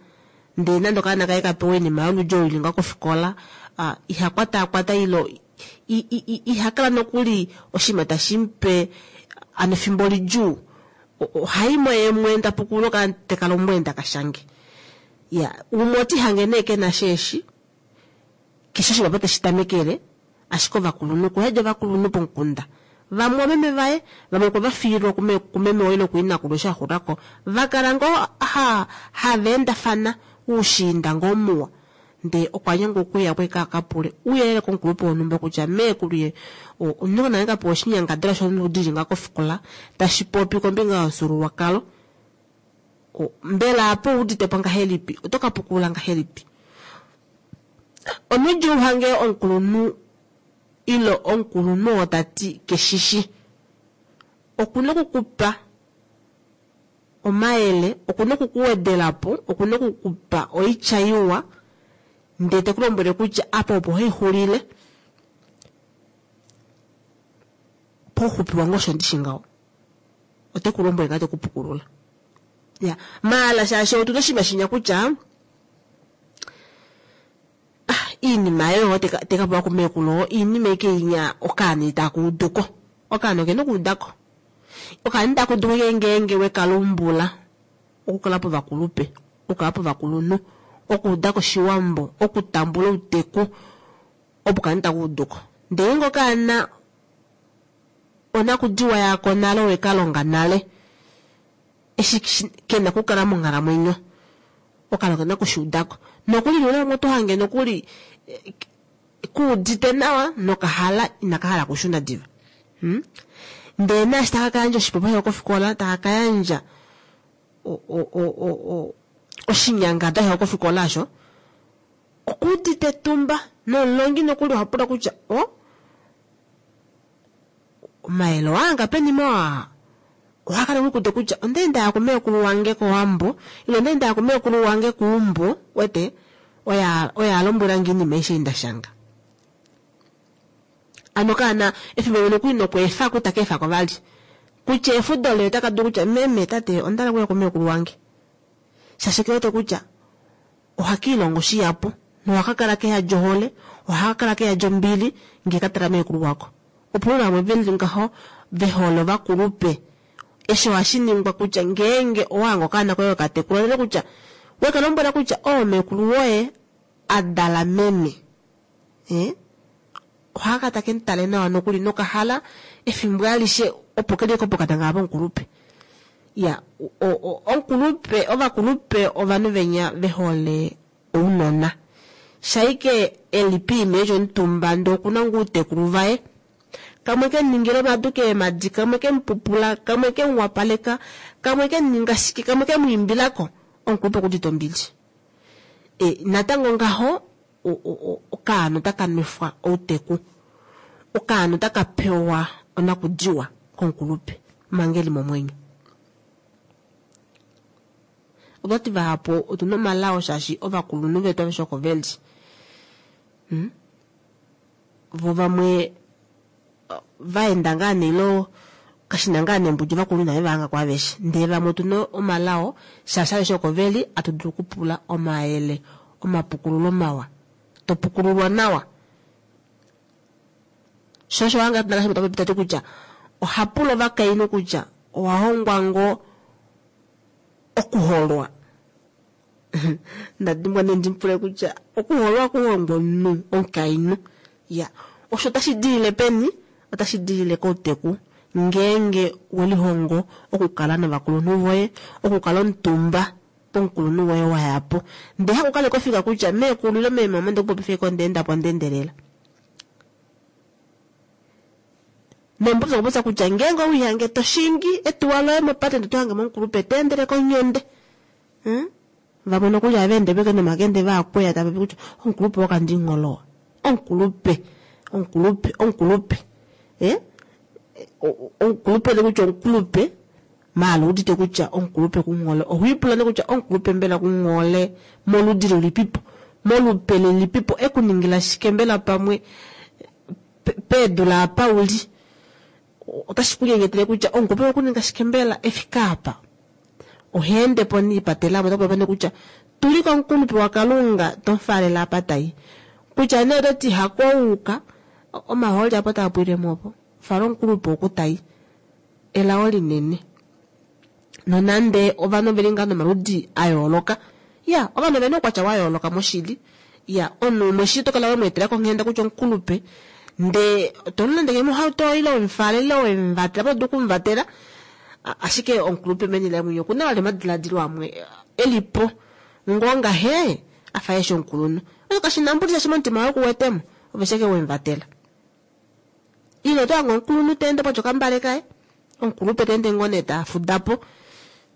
ndele nande okaana kaye ka pewa oinima yoludi olo ili ngaho kofikola iha kwataakwata ilo iha kala nokuli oshinima tashi mu pe ano efimbo lidjuu ohai mo yee mwene ta pukulula okaana teka lombwele taka shange. Ya umwe oti hange nee kena sheeshi keshe oshinima opo teshi tamekele ashike ovakulunhu kuyadi ovakulunhu pomukunda vamwe omeme vaye vamwe okwe va fiilwa kumeme waye nokuinakulu eshi a xulako va kala ngoo ha hava endafana oushiinda ngoo muwa ndee okwa nyengwa okuya po eka ka pule ouyelele komukulupe wonhumba kutya meekulu ye omunhu nale ka pewa oshinyangadalwa sholudi li nga kofikola tashi popi kombinga yomufyuululwakalo mbela apo oudite po ngahelipi oto ka pukulula ngahelipi Omudjuu hange omukulunhu ile omukulunhu oo ta ti keshishi. Oku na oku ku pa omayele, oku na oku ku wedela po, oku na oku ku pa oitya iwa ndee te ku lombwele kutya apa opo haixulile pouxupi wange osho ndishi ngaho. Ote ku lombwele ngaa te ku pukulula. Ya, maala shaashi otuna oshinima shinya kutya ah, iinima yoyo teka teka pewa kumeekulu iinima ike inya okaana itaka uduko. Okaana okena okuudako. Okaana itaka uduko ike ngeenge weka lumbula okukala povakulupe, okukala povakulunhu, okuuda koshiwambo, okutambula outeku, opo okaana itaka uduko. Ndele ngeenge okaana onakudiwa yako nale oweka longa nale, eshi ke na okukala monghalamwenyo okaana okena okushuudako nokuli noule vamwe oto hange nokuli kuudite nawa nokahala inaka hala okushuna diva hmm? Ndee naashi taka ka yandja oshipopiwa shaye kofikola taka ka yandja oshinyangadwa shaye kofikola osho okuudite etumba nomulongi nokuli oha pula kutya o omayele owaanga peni mawa oha kala ekukude kutya onda enda ya kumeekulu wange kOwambo ile onda enda ya kumeekulu wange kuumbo wete oya oya alombwelange iinima aishe ei nda shanga ano kaana efimbo limwe nokuli nokweefako itaka efako vali kutya efudo lee otaka dulu kutya meme tate onda hala okuya kumeekulu wange shaashi ke wete kutya ohaka ilongo shihapu nohaka kala keyadi ohole ohaka kala keyadi ombili ngee ka tala meekulu wako. Opo vamwe ve li ngaho ve hole ovakulupe. Eshi ohashi ningwa kutya ngeenge owa hanga okaana koye okatekula nale kutya we ka lombwela kutya oo meekulu woye a dala meme. Eh? Ohaka take mu tale nawa nokuli nokahala efimbo alishe opo ke li pokatanga pomukulupe. Ya, omukulupe, ovakulupe ovanhu venya ve hole ounona. Shaike e li piima eci omutumba ndee okuna ngoo outekulu vaye. Kamwe ke mu ningila omadu keemadi, kamwe ke mu pupula, kamwe ke mu wapaleka, kamwe ke mu ninga shike, kamwe ke mu imbilako, omukulupe okudite ombili. E, natango ngaho okaana otaka nwefwa outeku. Okaana otaka pewa onakudiwa komukulupe manga eli momwenyo. Otwati vahapu otuna omalao shaashi ovakulunhu vetu aveshe oko veli. Hmm? Vo vamwe vaenda ngaa nee ilo kashina ngaa nee mbudi ovakulunhu inave va hanga ko aveshe. Ndele vamwe otuna omalao shaashi aveshe oko veli atu dulu okupula omayele, omapukululo mawa. To pukululwa nawa. Sho osho wanga ta popi tati kutya oha pula ovakainhu kutya owa hongwa ngoo okuholwa. Ndadimbwa nee ndimupule kutya okuholwa okuhongwa omunhu omukainhu. Ya, osho otashi dilile peni? Otashi dilile kouteku. Ngeenge welihongo okukala novakulunhu voye, okukala omutumba pomukulunhu woye wayapo. Ndee hakukala kofika kutya meekulu ile meemama ndekupopifa iko ndeendapo ndeendelela. Nomupopyo okupopya kutya ngeenge owihange toshingi etuwa loye mopate ndee tohange momukulupe teendele konyonde. Vamwe nokuli ohava ende peke nomakende vaakweya tava popi kutya omukulupe wokandingholowa. Omukulupe, omukulupe, omukulupe. Omukulupe ne kutya omukulupe maala udite kutya omukulupe kunghole. Ohoipula ne kutya omukulupe mbela kunghole moludi lilipipo, molupe lilipipo, ekuningila shike mbela pamwe peedula apa uli. Otashi ku nyenyetele kutya omukulupe okuninga shike mbela efika apa. Oheende po niipatela mo, otaku popi kutya tuli komukulupe waKalunga tomufaalela apa tai. Kutya nee oto ti hakouka, omahooli apo taa pwile mo opo. Fala omukulupe oku tai. Elao linene. Nonande ovanhu oveli ngaa nomaludi a yooloka. Ya, ovanhu ovena oukwatya wa yooloka moshili. Ya, omunhu umwe shi to kala we mu etela konghenda kutya omukulupe, ndee to mu londeke mohauto ile wemufala ile wemuvatela, oto dulu okumuvatela. Ashike omukulupe meni laye mwenye okuna vali omadiladilo amwe elipo ngoo ngahe afa eshi omukulunhu. Osho kashi na mbudi shaashi momutima waye okuwetemo, ove sheke wemuvatela. Ile oto hange omukulunhu ta ende patya okambale kaye, omukulupe ta ende ngoo nee ta fudapo,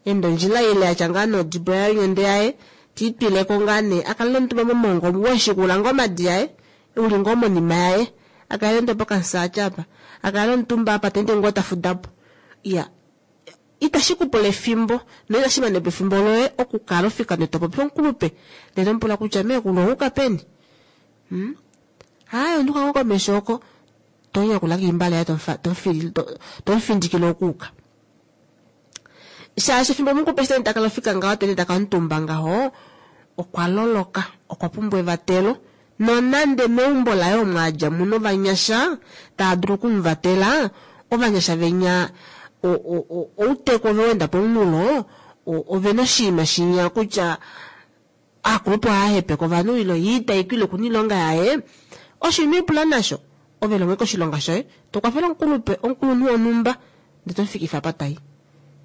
ende ondjila ile atya ngaa nodibo yaye onyonde yaye, tiitwileko ngaa nee, akalele omutumba momongo omu weshikula ngoo omadi aye, uli ngoo monima yaye, akalele omutumba pokamusaacha apa, akalele omutumba apa ta ende ngoo ta fudapo. Ya, itashi kupula efimbo, noitashi mane po efimbo loye okukala ofika ndee topopi omukulupe, ndee tomupula kutya meekulu ouka peni? Hayi, onduka ngoo komesho oko, tonyakula kiimbale yaye tomufindikile okuuka. Shaashi efimbo omukulupe eshi ta kala ofika ngaho, tete taka omutumba ngaho, okwa loloka, okwa pumbwa evatelo. Nonande meumbo laye omo a dja muna ovanyasha tava dulu okumuvatela, ovanyasha venya outeku ove wenda pomunghulo, ovena oshinima shinya kutya aakulupe ohaya hepeke ovanhu ile ye itayi okuna oilonga yaye. Osho ino ipula nasho, ove longe koshilonga shoye, to kwafele omukulupe, omukulunhu wonhumba, ndee tomufikifa apa tai.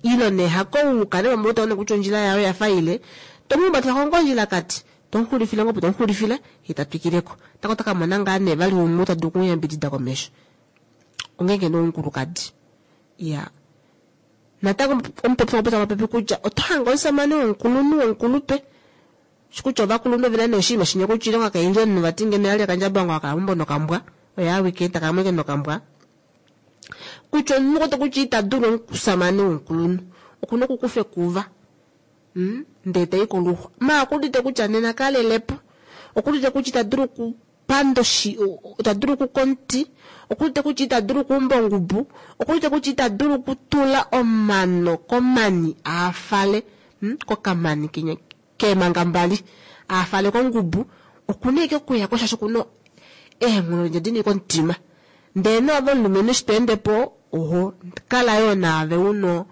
Ile nee hakouka ne pamwe utaona kutya ondjila yayo oyafa ile, tomuhumbatela ko ngoo ondjilakati, tomuxulifile ngoo opo tomuxulifile, ye ta twikileko. Tako taka mona ngaa nee vali umwe ta dulu okumuyambidida komesho. Ongeenge nee omukulukadi. Ya. Natango omupopi okwa popi kutya oto hange omusamane womukulunhu womukulupe. Kutya ovakulunhu ovena nee oshinima shinya kutya oilonga kaili omunhu vati ngeno yali akandjabango akala meumbo nokambwa, oye awike taka mweke nokambwa. Kutya omunhu oto kutya ita dulu omusamane womukulunhu, okuna okukufa ekuva. Ndee tai koluxwa. Ma okudite kutya nena kalelepo, okudite kutya ita dulu okupanda ita dulu okukomuti, okudite kutya ita dulu okuumba ongubu, okudite kutya ita dulu okutula omano komani aafale, kokamani kenya keemanga mbali aafale kongubu, okuna ike okuya ko shaashi okuna eenghono dini komutima. Ndee naave omulumenhu eshi to ende po, oho kala yoo naave uno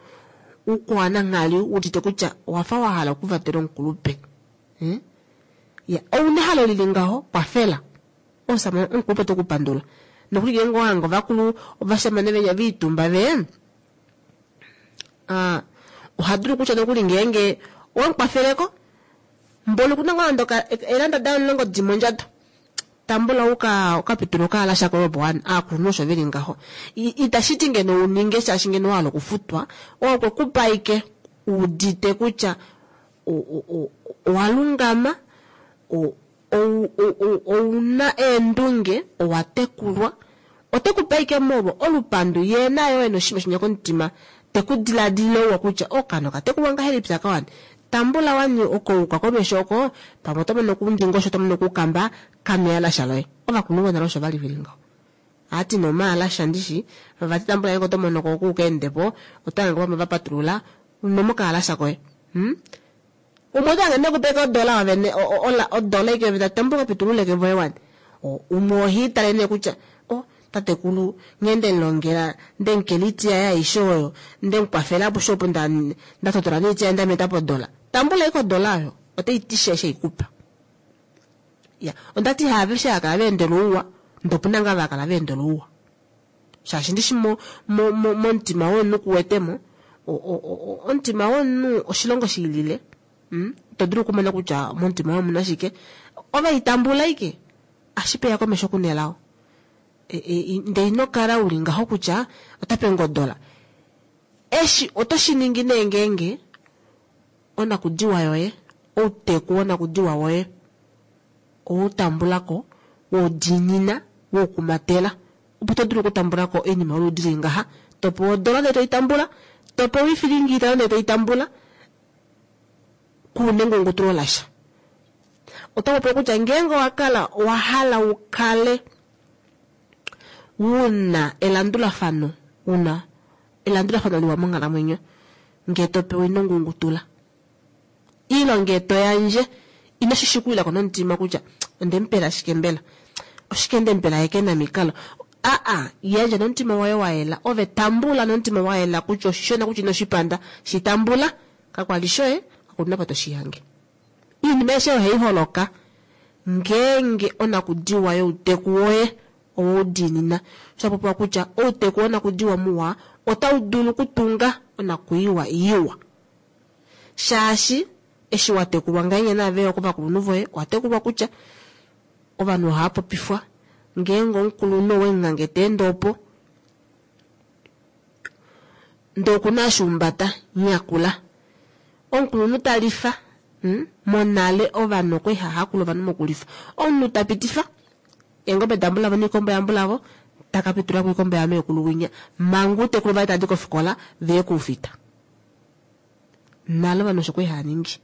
ukwananghali udite kutya owafa wa hala okuvatela omukulupe. Ya, ouna ehalo lili ngaho, kwafela. Omusamane omukulupe ote ku pandula. Nokuli ngeenge owa hanga ovakulu ovashamane venya viitumba ve, oha dulu kutya nokuli ngeenge owamukwafeleko, mboli okuna ngoo nande eelanda daye 10 di mondjato. Tambula ukapitula okaalasha koye opo aakulunhu osho veli ngaho. Itashi ti ngeno uninge shaashi ngeno wa hala okufutwa, okwe kupa ike udite kutya owa lungama, ouna eendunge, owa tekulwa. Ote ku pe ike molwo olupandu ye naye oye noshinima shinya komutima, te ku diladilile ouwa kutya okano katekulwa ngahelipi akawani. Tambula wani okouka komesho oko, pamwe oto mono okundingosho, oto mono okukamba kameyalasha loye. Ovakulunhu vonale osho vali veli ngaho. Ati nomaalasha ndishi, vati tambula yange oto mono ko okuuka endepo, oto hange pamwe va patulula nomokaalasha koye. Umwe oto hange nekupeka odola wavene, odola ike veta tambula kapitululeke voye wani. Umwe ohi tale nee kutya, Tatekulu nghee nde mu longela, nde mu kela oiti yaye aishe oyo, nde mu kwafela aposhe opo nda nda totola noiti yaye nda meta podola. Tambula ashike odola oyo, otai ti sha eshi ei kupa. Ya, onda ti haaveshe hava kala va endela ouwa, ndee opu na ngaa ava hava kala va endela ouwa. Shaashi ndishi mo, mo, mo, momutima womunhu ku wete mo, o, o, o, omutima womunhu oshilongo shi lile. Ito dulu okumona kutya momutima woye omuna shike. Ove i tambula ashike, ashipeya komesho ku nelao. E, e, ndee ino kala uli ngaho kutya ota pe ngodola. Eshi oto shi ningi nee ngeenge onakudiwa yoye, outeku wonakudiwa woye oweu tambula ko, weu diinina, weu kumatela, opo to dulu okutambula ko oinima yoludi li ngaha. To pewa odola ndee toi tambula, to pewa oifilingi itano ndee toi tambula, ku na engungutulo lasha. Oto popi kutya ngeenge owa kala owa hala u kale u na elandulafano, u na elandulafano liwa monghalamwenyo, ngee to pewa ino ngungutula. Ile ngee to yandje, ino shi shikulila ko nomutima kutya onde mu pela shike mbela? Oshike nde mu pela ye ke na mikalo? Aa, yandja nomutima woye wa yela, ove tambula nomutima wa yela kutya oshishona kutya ino shi panda, shi tambula. Kakwa li shoye, kaku na apa to shi hange. Oinima aishe ohai holoka ngeenge onakudiwa youteku woye oweu diinina. Osha popiwa kutya outeku wonakudiwa muwa otau dulu okutunga onakwiiwa iwa. Shaashi eshi wa tekulwa ngahenya naave yo kovakulunhu voye, owa tekulwa kutya ovanhu ohava popifwa ngeenge omukulunhu owe mu hange ta ende opo, ndee oku na eshi umbata, nyakula. Omukulunhu ta lifa, hmm, monale ovanhu okwali hava hakula ovanhu mokulifa. Omunhu ta pitifa eengobe dambulavo noikombo yambulavo, taka pitula ko oikombo yameekulu winya, manga outekulu vaye tava di kofikola veye koufita. Nale ovanhu osho kwali hava ningi.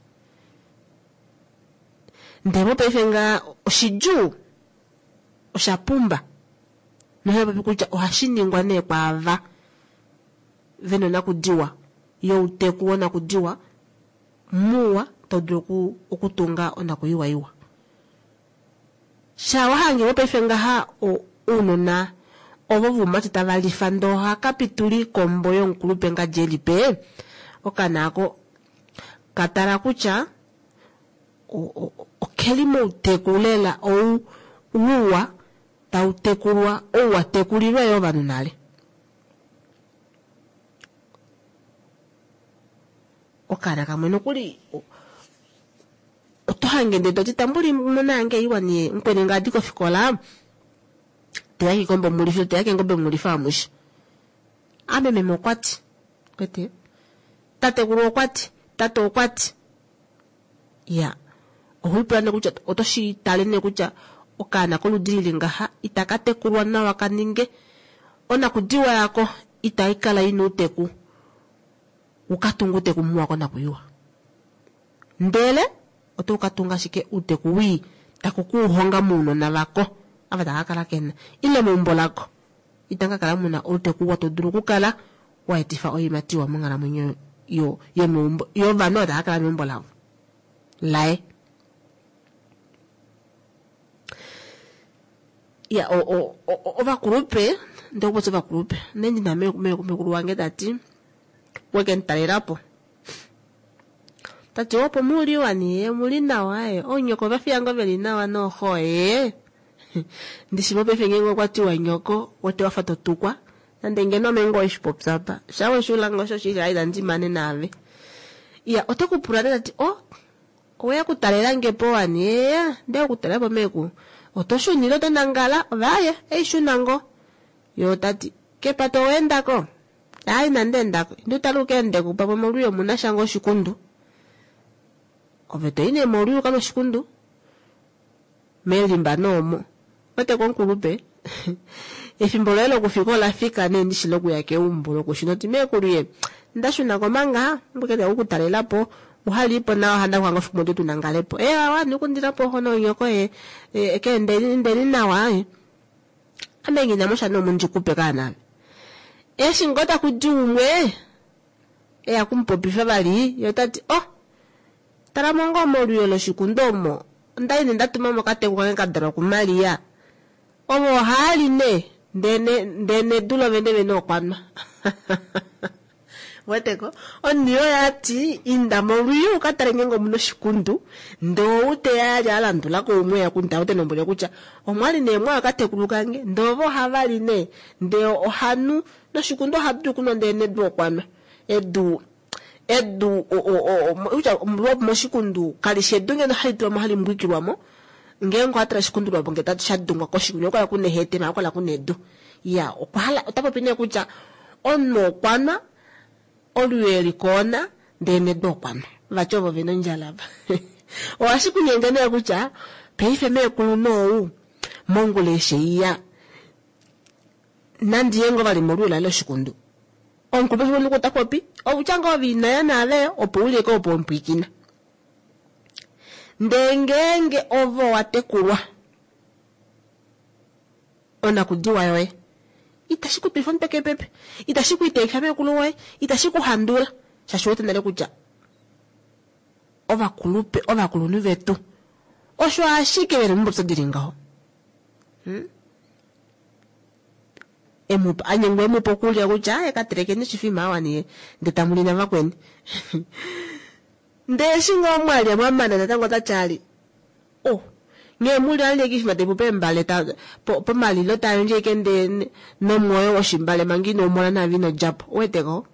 Ndele mopaife ngaa oshidjuu, osha pumba. Nohava popi kutya ohashi ningwa nee kwaava ve na onakudiwa youteku wonakudiwa muwa tau dulu okutunga onakuyiwa iwa. Sha wa hange mopaife ngaha ounona ovo voumati tava lifa ndee ohaka pitula oikombo yomukulupe ngadi e lipe, okaana ako ka tala kutya okeli mouteku lela ou uwa tau tekulwa ou wa tekulilwa yo ovanhu nale. Okaana kamwe nokuli oto hange ndee toti tambuli mona yange iwa nie mukweni nga adi kofikola teya kikombo mulife teya kengobe mulife amushe. Ame meme okwati kwete tatekulu okwati tate okwati Ya. Oho lipula nee kutya oto shi tale nee kutya okaana koludi lili ngaha itaka tekulwa nawa ka ninge onakudiwa yako itai kala ina outeku wu ka tunge outeku muwa konakuyiwa. Ndele oto ka tunga ashike outeku wii taku ku honga mounona vako ava tava ka kala kena ile meumbo lako itamu ka kala muna outeku wa to dulu okukala wa etifa oiimati iwa monghalamwenyo yo yomeumbo yovanhu ava tava kala meumbo lavo laye. Ya o, o, o, ovakulupe ndee okupopya ovakulupe nee ndina mekulu wange ta ti weke mu talela po ta ti opo muli wani ye muli nawa ye oonyoko ova fiya ngoo veli nawa nooxo ye ndishi mopaife ngeenge okwa tiwa nyoko wete wafa to tukwa Nande ngeno ame ngoo weshi popya apa. Sha weshi ula ngoo osho shili inandi mane naave. Iya, ote ku pula nee ta ti, Oh, oweya okutalela nge po wani? Eya, ndeya okutalela po meekulu. Oto shuna ile oto nangala? Ove aaye, ei shuna ngoo. Ye ota ti, Kepata owa enda ko? Aaye, inandi enda ko. Inda utale uka ende ko, pamwe molwiyo omu na sha ngoo oshikundu. Ove to i nee molwiyo uka moshikundu. Melimba nee omo. Wete komukulupe, efimbo loye lokufika ola fika nee ndishi lokuya keumbo lokushuna oti meekulu ye nda shuna ko manga mbweke nde oku talela po uhalipo nawa handa kuhanga ofiku motu tu nangalepo e awa nikundila po hono onyoko ye e, ke ndeni ndeni nawa e. Ame ngina mosha no mundi kupe kaana eshi ngo taku di umwe e ya kumupopifa vali ye ota ti oh Tala mo ngoo molwiyo loshikundu omo, onda li nee nda tuma mo okateku kange ka dalwa kuMaria. Ovo ohaa li nee. Ndee nedu lovene vene okwanwa. Weteko? Omunhu oyo ati inda molwiyo uka tale ngeenge omuna oshikundu, ndee ou teya ali a landula ko umwe eya kunta ote lombwele kutya omwali nee mwa okatekulu kange, ndee ovo ohava li nee, ndee ohanu noshikundu oha dulu okunwa ndee nedu okwanwa. Edu edu kutya moshikundu kalishi edu ngeno hali tulwa mo hali mbwikilwa mo, ngeenge owa tala oshikundu lwapo ngee sha dungwa koshikundu okukala kuna ehete maala okukala kuna edu. Iya, okwa hala ota popi nee kutya omunhu okwanwa olwiyo eli koona ndee nedu okwanwa. Vati ovo vena ondjala ava. Ohashi ku nyenge nee kutya paife meekulu nou mongula eshi iya nandi ye ngoo vali molwiyo laye loshikundu. Omukulupe osho ota popi okutya ngoo ove inoya naave opo u lye opo mpwikina. Ndee ngeenge ovo wa tekulwa onakudiwa yoye itashi ku twifa omutwe kepepe, itashi ku iteekifa meekulu woye, itashi ku handula shaashi wete nale kutya ovakulupe ovakulunhu vetu osho ashike veli momupopyo dili ngaho. Emupa anyengwa emupa okulya kutya aye ka telekeni oshifima awa niye ndee tamu li navakweni. Ndee eshi ngoo mwalya mwamana natango ota tyali oh nghee muli alye kishima tepu peembale ta pomalilo ta yandje ike ndee nomwoyo woshimbale manga ino umona naave ino djapo uweteko.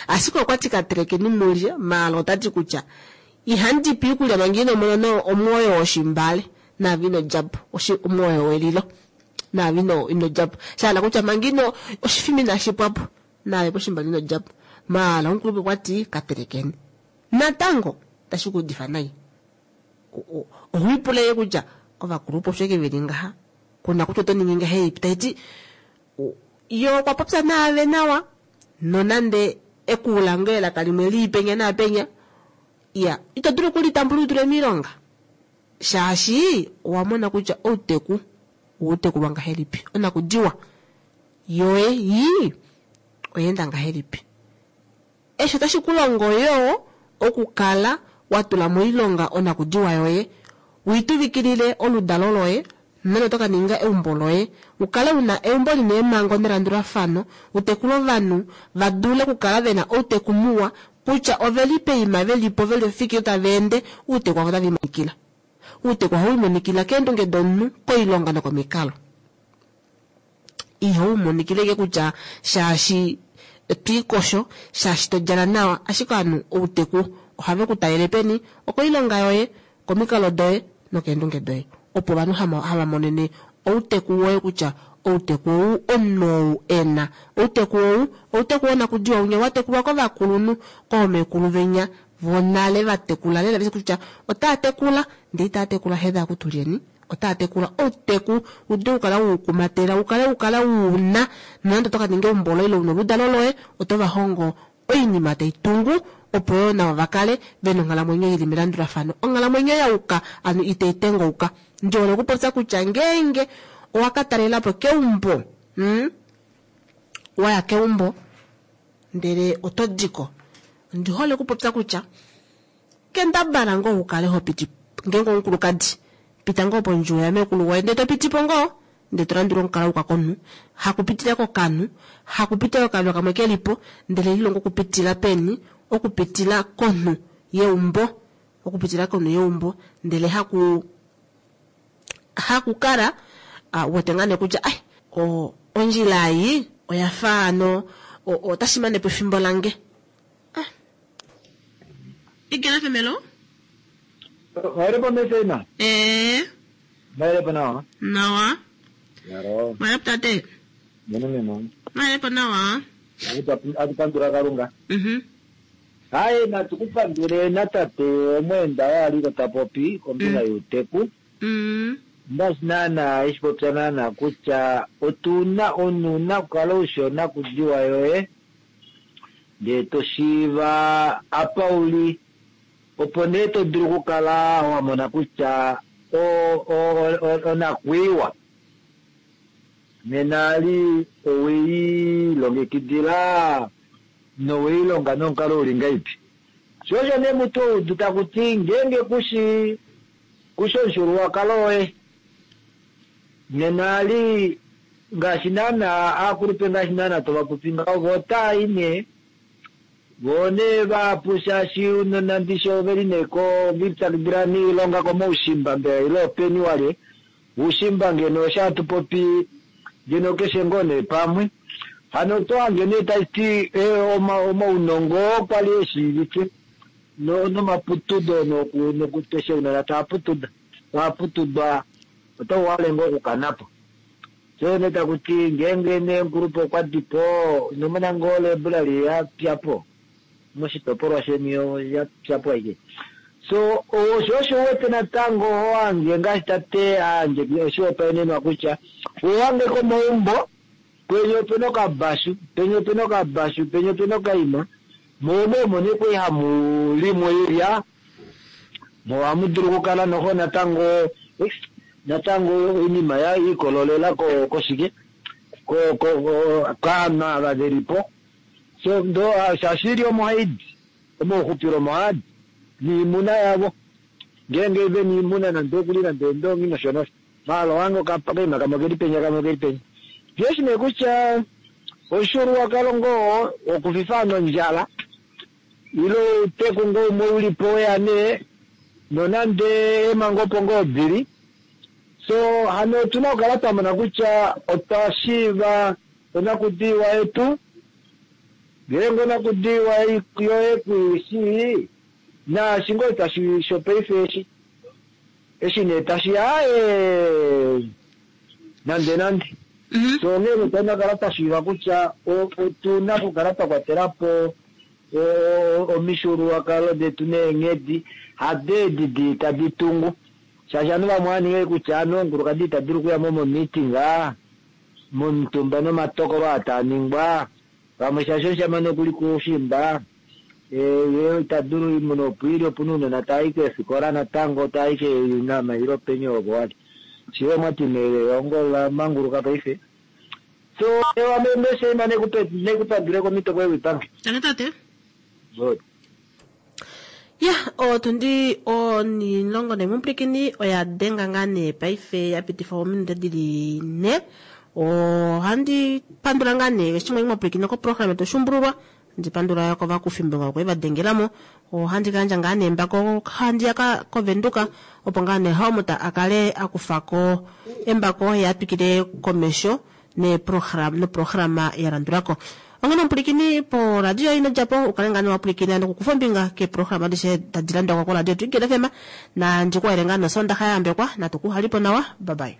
Ashike okwa ti ka telekeni mulye maala ota ti kutya ihandi pi okulya manga ino mona omwoyo woshimbale naave ino djapo omwoyo welilo naave ino djapo shahala kutya manga ino oshifima inashi pwapo naave poshimbale ino djapo maala omukulupe okwa ti ka telekeni natango tashi ku udifa nai. Oho ipula kutya ovakulupe osho ke veli ngaha kuna kutya oto ningi ngahelipi taiti yo okwa popya naave nawa nonande ekuula ngoo elaka limwe lii penya naapenya iya ito dulu okulitambula utule miilonga shaashi owa mona kutya outeku outekulwa ngahelipi onakudiwa yoye yii oyeenda ngahelipi. Eshi otashi ku longo yoo okukala wa tula moilonga onakudiwa yoye, wiituvikilile oludalo loye nonande oto ka ninga eumbo loye, ukale una eumbo lina eemhango nelandulafano, utekule ovanhu va dule okukala vena outeku muwa kutya oveli peima velipo veli ofikilo tava ende outeku wavo otave imonikila. Outeku ohau imonikila keendunge domunhu, koilonga nokomikalo. Ihau imonikile ike kutya shaashi twiikosho shaashi to djala nawa, ashike ovanhu outeku ohave ku talele peni okoilonga yoye, komikalo doye nokeendunge doye. Opo ovanhu hava monene outeku woye kutya outeku ou omunhu ou ena outeku ou outeku wonakudiwa unya wa tekulwa kovakulunhu koomekulu venya vonale va tekula lela kutya otaa tekula ndee itaa tekula hedha kutulyeni otaa tekula outeku ude ukala wukumatela ukale ukala wuna nonande oto ka ninga eumbo loye ile una oludalo loye oto va hongo oinima tai tungu opo yoo navo vakale vena onghalamwenyo ili melandulafano onghalamwenyo yauka anu itai tengauka. Ndi hole okupopya kutya ngeenge owa ka talelapo keumbo waya keumbo ndele oto diko ndi hole okupopya kutya kendabala ngoo ukale ho piti ngeenge omukulukadi pita ngoo pondjuwo yamekulu woye ndee to pitipo ngoo ndee to landula omukalo uka komunhu hakupitila kokanhu hakupitila kokanhu kamwe kelipo ndele lilongo okupitila peni okupitila konhu yeumbo okupitila konhu yeumbo ndele hakukala wete ngaa nee kutya ai ondjila ei oya fa ano otashi mane po efimbo lange. Igena femelo? Maelepo meseima? Maelepo nawa? Nawa. Yaro. Maelepo tate? Meno memo. Maelepo nawa. Atupandula Kalunga. Hayi natukupandule natate omweenda waliko tapopi kombinga youteku. Ngaashi naana eshi popya naana kutya otuna omunhu una okukala ushi onakudiwa yoye ndee to shiiva apa uli opo nee to dulu okukala wa mona kutya onakwiiwa nena ali oweilongekidila noweilonga nomukalo uli ngaipi. Sho osho nee mutu oudu takuti ngeenge kushi omushululwakalo woye nena ali Ngaashi naana aakulupe ngaashi naana tova popi ngaho vo otaa i nee vo nee vahapu shaashi unona ndishi oveli nee ko vipyakidila niilonga komaushimba mbela ile openi walye uushimba ngeno osho hatu popi ngeno keshe ngoo nee pamwe hano oto hange nee tashi ti omaunongo oo kwali eshiivike nomaputudo nokuteshe unona taa putuda taa putudwa otau hale ngoo okukana po. So nee taku ti ngeenge nee omukulupe okwa di po ino mona ngoo library ya pya po moshitopolwa sheni ya pya po aike. So osho osho u wete natango ho hange ngaashi tate a yandje oshihopaenenwa kutya uhange komaumbo kwenye opena okabashu penye opena okabashu penye opena okaima mo omo nee kwali hamu limwa oilya mo ohamu dulu okukala noho natango natango oinima ya ikololela ko koshike ko ko kaanhu ava velipo so ndo shaashi ili omo haidi omauxupilo omo haadi niimuna yavo ngeenge vena iimuna nande okuli nande eendongi nosho nosho maala ohange okaima kamwe okeli penya kamwe okeli penya jeshi nee kutya omushuluwakalo ngoo wokufifa nondjala ile outeku ngoo umwe ulipo weya nee nonande eemhango opo ngoo dili so hano otuna okukala twamona kutya otwa shiiva onakudiwa yetu ngeenge onakudiwa yoye kuishii naashi ngoo tashi shopaife eshi eshi nee tashiya aaye nande nande so onghee nee otuna okukala twashiiva kutya otuna okukala twa kwatelapo omifyuululwakalo detu neenghedi hado edi dii tadi tungu shaashi ovanhu vamwe ovaninga kutya ovanhu omukulukadi ita dulu okuya mo momeeting momutumba nomatokolo aa taa ningwa vamwe shaashi omushamane okuli koushimba ye ita dulu imuna opo ili opuna ounona tava i keefikola natango tava i keenama ile openi opo wali shiwe mwati nee elongo la manguluka paife so ame mesheima nekupandule komito koye wipange. Tangi tate. Good. Ya, otundi onilongo nemupwilikini oya denga ngaa nee paife ya pitifa ominute dili nhe. Ohandi pandula ngaa nee eshi mwa pwilikina koprograma yetu Oshuumbululwa. Handi pandula yo kovakufimbinga okwe va dengelamo. Ohandi ka yandja ngaa nee embako handi ya koVenduka opo ngaa nee Helmut a kale a kufa ko embako ye a twikile komesho noprograma ya landulako. Onghene omupwilikini poradio ino dja po u kale ngaa nee wa pwilikina nokukufa ombinga keeprograma adishe tadi landulako koradio yetu Eagle FM. Nandi ku halele ngaa nee Osoondaxa ya yambekwa. Natu ku halipo nawa. Bye bye.